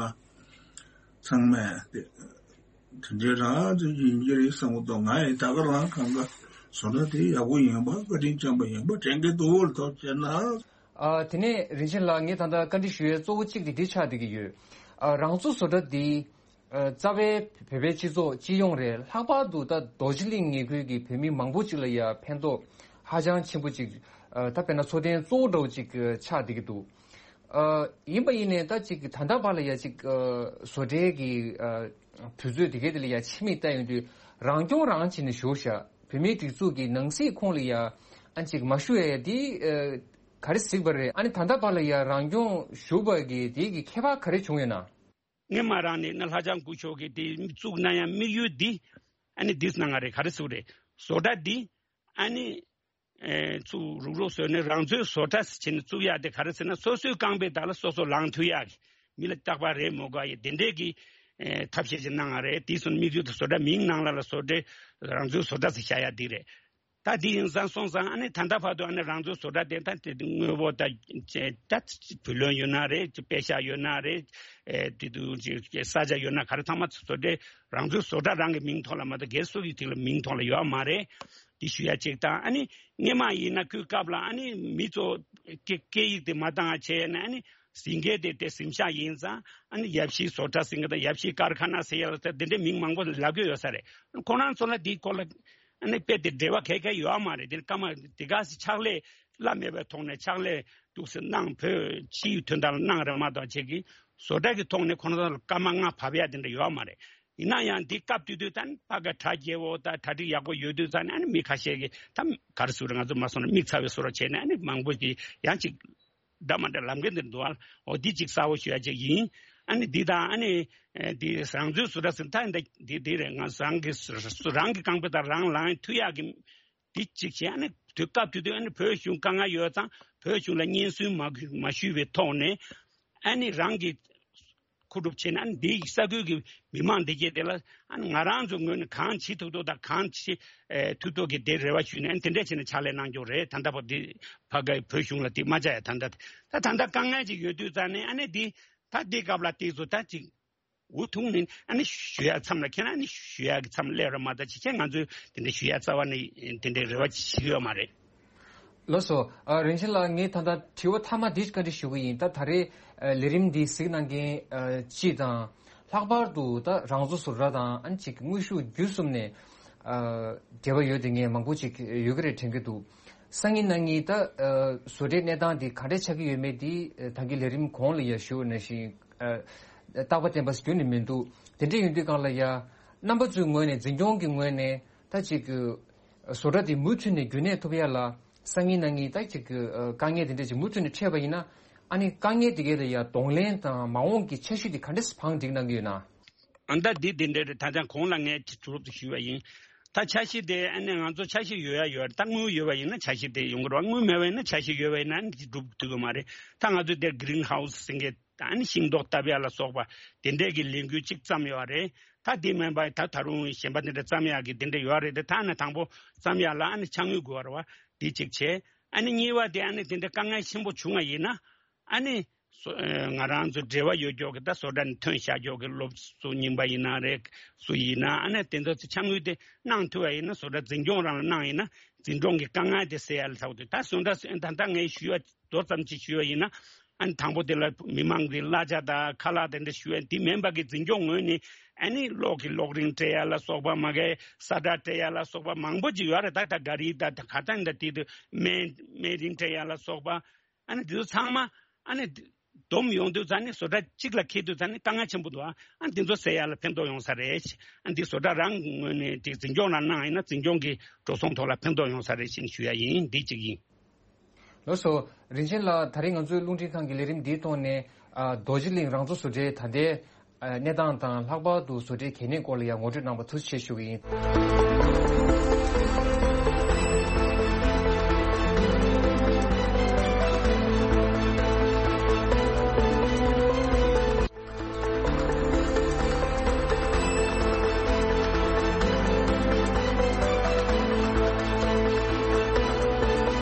ཚང་མས་དེ་དེ་འདྲའི་རང་ཚོ་ཡིན་གྱི་རེད་བསམ་གི་འདུག་ང་ཡིན་ད་ག་རང་གང་ག་བཟོ་གྲྭ་དེ་ཡག་པོ་ཡིན་པ་བཀའ་དྲིན་ཆེན་པོ་ཡིན་པ་དྲན་གི་འདུག་ལ། ཐུགས་རྗེ་གནང་། ཨ། དེ་ནས་རིན་ཆེན་ལགས། ངས་ད་ལྟ་བཀའ་འདྲི་ཞུ་ཡས་གཙོ་བོ་གཅིག་དེ་འདི་ཆགས་བསྡད་ཀྱི་ཡོད། ཨ། རང་བཙུགས་བཟོ་གྲྭ་འདི། ཨ། རྩ་བའི་བོད་པའི་སྤྱི་ཚོགས་སྤྱི་ཡོངས་རེད། ལྷག་པར་དུ་ད་རྡོ་རྗེ་གླིང་ཉེ་ཁུལ་གྱི་བོད་མི་མང་པོ་ཅིག་ལ་ཡ་ཕན་ཐོགས་ཧ་ཅང་ཆེན་པོ་ཅིག་ཨ། ད་དཔེར་ན་འཚོ་རྟེན་གཙོ་བོ་འདྲ་བོ་ཅིག་ཆགས་བསྡད་ཀྱི་འདུག་ཨ། ཡིན་པ་ཡིན་ནའི་ད་ཅིག་ད་ལྟ་བར་ལ་ཡ་ཅིག་ཨ། བཟོ་གྲྭའི་གི་ཨ། དུས་ཚོད་དེ་གའི་དེ་ལ་ཡ་ཕྱི་མིག་ལྟ་ཡོང་དུས་རང་སྐྱོང་རང་བྱས་ནས་བཞུགས་ཤག་བོད་མིའི་སྒྲིག་འཛུགས་ཀྱི་ནང་སྲིད་ཁོངས་ལ་ཡ་ཨ་ཅིག་མ་བཞུགས་ཡ་ཡ་དེ་ཨ། ག་རེ་གཟིགས་པ་རེད། ཨ་ནི་ད་ལྟ་བར་ལ་ཡ་རང་སྐྱོང་བཞུགས་པ་གི་དེ་གི་ཁྱད་པར་ག་རེ་བྱུང་ཡོད་ན། སྔོན་མ་རང་ནས་ནི་ལྷ་བྱང་སྐུ་ཞབས་ཀྱིས་དེ་བཙུགས་གནང་ཡ་དམིགས་ཡུལ་འདི་ཨ་ནི་འདི་གནང་ང་རེད། ག་རེ་ཟེར་རེད། བཟོ་གྲྭ་འདི་ཨ་ནི་ཨེ་ཚུགས་རུག་རུག་བཟོས་ནས་རང་འཚོའི་བཟོ་གྲྭ་ཟེར་བྱས་ནས་བཙུགས་ཡ་དེ་ག་རེ་ཟེར་ན་སོ་སོའི་རྐང་པའི་བདག་ལ་སོ་སོ་ལངས་ཐུབ་ཡ་གི་མི་ལ་རྟག་པར་རེད་མོ་ག་ཡི་དེ་འདྲས་ཀྱི་ཨེ་ཐབས་ཤེས་ཅིག་གནང་ང་རེད། དེ་སོང་དམིགས་ཡུལ་དུ་བཟོ་གྲྭ་མིང་ནང་ལ་ལ་བཟོ་གྲྭ་རང་འཚོའི་བཟོ་གྲྭ་ཟེར་བཞག་ཡ་འདི་རེད། ད་འདི་ཡིན་ཙང་སོང་ཙང་ཨ་ནི་ད་ལྟ་བར་དུ་ཨ་ནི་རང་ཚོའི་བཟོ་གྲྭ་དེ་ད་དེ་དངོས་པོ་ད་ད་བུ་ལོན་ཡོད་ན་རེད། དཔེ་ཤག་ཡོད་ན་རེད། ཨེ་དེ་དུ་ཅིག་ས་ཆ་ཡོད་ན་ག་རེ་ཚང་མ་བཟོ་གྲྭ་རང་ཚོའི་བཟོ་གྲྭ་རང་གི་མིང་ཐོག་ལ་མ་གཏོགས་སྒེར་སུ་ཡི་ཐིག་ལ་མིང་ཐོག་ལ་ཡོད་མ་རེད། དེ་ཞུ་ཡ་གཅིག་དང་ཨ་ནི་སྔོན་མ་ཡིན་ན་ཁོའི་སྐབས་ལ་ཨ་ནི་མི་ཚོ་སྐད་སྐད་ཡིག་དེ་མ་བཏང་བྱས་ནས་ཨ་ནི་ཟིན་སྐད་དེ་དེ་གཟིམ་ཤག་ཡིན་ཙང་ཨ་ནི་ཡབ་གཞིས་བཟོ་གྲྭ་ཟིན་སྐད་དང་ཡབ་གཞིས་ཀར་ཁ་ན་ཟེར་ཡ་ལ་དེ་འདྲའི་མིང་མང་པོ་ལབ་ཀྱི་ཡོད་ས་རེད། ཁོ་རང་ཚོ་ལ་དེའི་སྐོར་ལ། ཨ་ནི་དཔེ་དེ་འབྲེལ་བ་ག་ག་ཡོད་མ་རེད། དེ་སྐར་མ་དེ་ག་ཕྱག་ལས་བླ་མེད་པའི་ཐོག་ནས་ཕྱག་ལས་འདུག་སེ་གནང་བོད་ཕྱིའི་དོན་དག་ལ་གནང་རེད་མ་གཏོགས་ཆེད་ཀྱི་བཟོ་གྲྭ་གི་ཐོག་ནས་ཁོ་རང་ཚོ་ལ་སྐར་མ་ལྔ་བབས་ཡ་དེ་འདྲ་ཡོད་མ་རེད། ཡིན་ན་ཡང་འདི་སྐབས་དུས་དུས་ད་ནི་ཕ་ག་གྲ་རྒྱས་པོ་ད་གྲ་སྒྲིག་ཡག་པོ་ཡོད་དུས་ད་ནི་ཨ་ནི་མི་ཁ་ཤས་ཀྱིས་ད་ག་རེ་ཟེར་རེད། ང་ཚོ་མ་སོང་ན་མིག་ཚ་བའི་བཟོ་འདྲ་བྱས་ནས་ཨ་ནི་མང་པོ་ཞིག་ཡང་ཅིག་འདྲ་མ་འདྲ་ལབ་མཁན་དེ་འདུག་ཨ། འོ་འདི་གཅིག་གསལ་པོ་ཞུ་ཡ་གཅིག་ཡིན། ཨ་ནི་འདི་དང་ཨ་ནི་ཨེ་འདི་རང་ཚོའི་བཟོ་གྲྭ་ཟེར་ད་འདི་འདི་འདི་རེད། ང་རང་གི་རང་གི་རྐང་པ་དང་རང་ལངས་ཐུབ་ཡག་གི་འདི་གཅིག་བྱས། ཨ་ནི་དུས་སྐབས་དུས་དུས་ཨ་ནི་བོད་གཞུང་དཀའ་ངལ་ཡོད་ཙང་བོད་གཞུང་ལ་སྙན་སེང་མ་མ་ཞུས་པའི་ཐོག་ནས་ཨ་ནི་རང་གི་མཁོ་སྒྲུབ་བྱས་ནས་ཨ་ནི་འདི་ས་ཁུལ་གྱི་མི་མང་འདི་གས་དེ་ལ་ཨ་ནི་ང་རང་ཚོ་ངོས་ནས་གང་བྱེད་ཐུབ་ཐུབ་དང་གང་བྱེད་ཨེ་ཐུབ་ཐུབ་ཀྱི་དེ་རེ་བ་ཞུས་ནས་ཨ་ནི་དེ་འདྲས་བྱས་ནས་ཕྱག་ལས་གནང་རྒྱུ་རེད། ད་ལྟ་བར་འདི་ཕ་གའི་བོད་གཞུང་ལ་དེ་མ་བཅར་ཡ་ད་ལྟ་ད་ད་ལྟ་དཀའ་ངལ་ཅིག་ཡོད་དུས་ཙང་ནས་ཨ་ནི་འདི་ད་འདི་སྐབས་ལ་དེ་ཚོ་ད་ཅིག་འུ་ཐུག་ནས་ཨ་ནི་ཞུ་ཡ་མཚམས་ལ་ཁྱེད་རང་ནི་ཞུ་ཡ་གི་མཚམས་སླེབས་ར་མ་ད་ཅི་བྱས་ང་ཚོས་དེ་འདྲ་ཞུ་ཡ་རྩ་བ་ནས་དེ་འདྲའི་རེ་བ་ཅིག་བྱེད་ཀྱི་ཡོད་མ་རེད། ལགས་སོ། ཨ། རིན་ཆེན་ལགས། ངས་ད་ལྟ་དྲི་བ་མཐའ་མ་འདི་བཀའ་འདྲི་ཞུ་གི་ཡིན། ད་ད་རེས་ཨ་ལས་རིམ་འདི་གཟིགས་གནང་མཁན་ཨ་སྤྱི་དང་། ལྷག་པར་དུ་ད་རང་བཟོ་བཟོ་གྲྭ་དང་ཨ་ནི་ཅིག་དངོས་ཤུགས་བརྒྱུད་གསུམ་ནས་ཨ་འབྲེལ་བ་ཡོད་དེ་ངས་མང་པོ་ཅིག་ཡོད་ཀྱི་རེད་དྲན་གྱི་འདུག་སང་ཉིན་གནངས་ཉིན་ད་ཨ་བཟོ་གྲྭའི་གནས་སྟངས་འདི་ག་འདྲས་ཆགས་ཀྱི་ཡོད་མེད་འདི་ཨ་ད་གིན་ལས་རིམ་གོང་ལ་ཡང་ཞུས་པ་ནང་བཞིན་ཨ་རྟག་པ་བརྟན་པ་ཞིག་ཁྱོན་ནས་མི་འདུག་དེ་འདྲས་ཡིན་དུས་སྒང་ལ་ཡ་རྣམ་པ་ཚོའི་ངོས་ནས་འཛིན་སྐྱོང་གི་ངོས་ནས་ད་ཅིག་བཟོ་གྲྭ་དེ་མུ་མཐུད་ནས་རྒྱུན་གནས་ཐུབ་ཡ་ལ་སང་ཉིན་གནངས་ཉིན་ད་ཅིག་དཀའ་ངལ་དེ་འདྲས་ཅིག་མུ་མཐུད་ནས་འཕྲད་པ་ཡིན་ན། ཨ་ནི་དཀའ་ངལ་དེ་གའི་ལ་ཡ་གདོང་ལེན་དང་མ་འོངས་ཀྱི་འཆར་གཞི་དེ་ག་འདྲས་བང་སྒྲིག་གནང་གི་ཡོད་ན། ཨ་ད་འདི་དེ་འདྲས་རེད། ད་ཆ་གོང་ལ་ངས་ཅིག་གྲུབ་ཏུ་ཞུས་པ་ཡིན། ད་འཆར་གཞི་དེ་ཨ་ནི་ང་ཚོ་འཆར་གཞི་ཡོད་ཡ་ཡོད་རེད། ད་དངུལ་ཡོད་པ་ཡིན་ན་འཆར་གཞི་དེ་ཡོང་གི་རེད་བ། དངུལ་མེད་པ་ཡིན་ན་འཆར་གཞི་ཡོད་པ་ཡིན་ན་ཨ་ནི་ཅིག་འགྲུབ་ཐུབ་ཀྱི་མ་རེད། ད་ང་ཚོས་དེར་གི་རིན་ཧའུ་སི་ཟེར་མཁན་ད་ཨ་ནི་ཤིང་ཏོག་བཏབ་ཡ་ལ་སོགས་པ་དེ་འདྲས་ཀྱི་ལས་འགུལ་ཅིག་བརྩམས་ཡོད་རེད། ད་དེ་མིན་པ་ད་ད་རུང་གཞན་པ་དེ་འདྲ་བརྩམས་ཡག་གི་དེ་འདྲ་ཡོད་རེད་དེ། ད་ནི་དང་པོ་བརྩམས་ཡག་ལ་ཨ་ནི་ཕྱག་དངུལ་དགོས་པ་རེད་བ། དེ་གཅིག་བྱས། ཨ་ནི་གཉིས་པ་དེ་ཨ་ནི་དེ་འདྲ་དཀའ་ངལ་ཆེན་པོ་བྱུང་བ་ཡིན་ན་ཨ་ནི་སོ་ཨ་ང་རང་ཚོ་འབྲེལ་བ་ཡོད་ཀྱོག་གི་ད་བཟོ་གྲྭ་ནས་ཐོན་བཞག་ཀྱོག་གི་སློབ་གསོ་རྙིང་པ་ཡིན་ན་རེད། སུ་ཡིན་ན་ཨ་ནི་དེ་ཚོ་ཚོ་ཕྱག་དངུལ་དེ་གནང་ཐུབ་པ་ཡིན་ན། བཟོ་གྲྭ་འཛིན་སྐྱོང་རང་ལ་གནང་ཡིན་ན་འཛིན་སྐྱོང་གི་དཀའ་ངལ་དེ་སེལ་ཡ་ལ་ཐུག་དུས། ད་བཟོ་གྲྭ་ད་ལྟ་ངས་ཞུ་བ་མདོ་ཙམ་ཅིག་ཞུས་པ་ཡིན་ན། ཨ་ནི་དང་པོ་དེ་ལ་མི་མང་གི་གླ་ཆ་དང་ཁ་ལག་དེ་འདྲ་ཞུ་ཡ་དེ་མིན་པ་གི་འཛིན་སྐྱོང་ངོས་ནས་ཨ་ནི་གློག་གི་གློག་རིན་སྤྲད་ཡ་ལ་སོགས་པ། མ་གི་ས་ཁྲ་སྤྲད་ཡ་ལ་སོགས་པ་མང་པོ་ཅིག་ཡོད་རེད། ད་ད་ག་རི་ད་ད་ག་ད་འདི་དེ་དུ་སྨན་སྨན་རིན་སྤྲད་ཡ་ལ་སོགས་པ། ཨ་ནི་དེ་ཚོ་ཚང་མ་ཨ་ནི་བསྡོམས་ཡོང་དུས་ཙང་ནི་བཟོ་གྲྭ་གཅིག་ལ་འཁེལ་དུས་ཙང་ནི་དཀའ་ངལ་ཆེན་པོ་འདུག་ཨ་ནི་དེ་ཚོ་སེལ་ཡ་ལ་ཕན་ཐོགས་ཡོང་ས་རེད། ཨ་ནི་དེ་བཟོ་གྲྭ་རང་ངོས་ནས་དེ་འཛིན་སྐྱོང་ལ་གནང་ཡིན་ན་འཛིན་སྐྱོང་གི་འགྲོ་སོང་ཐོག་ལ་ཕན་ཐོགས་ཡོང་ས་རེད་ཅེས་ཞུ་ཡ་ཡིན། འདི་གཅིག་ཡིན། ལགས་སོ། རིན་ཆེན་ལགས། ད་རེས་ང་ཚོའི་རླུང་འཕྲིན་ཁང་གི་ལས་རིམ་འདིའི་ཐོག་ནས་ཨ་རྡོ་རྗེ་གླིང་རང་བཙུགས་བཟོ་གྲྭའི་ད་ལྟའི་ཨ་གནས་སྟངས་དང་། ལྷག་པར་དུ་བཟོ་གྲྭའི་གལ་གནད་སྐོར་ལ་ཡང་ངོ་སྤྲོད་གནང་བར་ཐུགས་རྗེ་ཆེ་ཞུ་གི་ཡིན།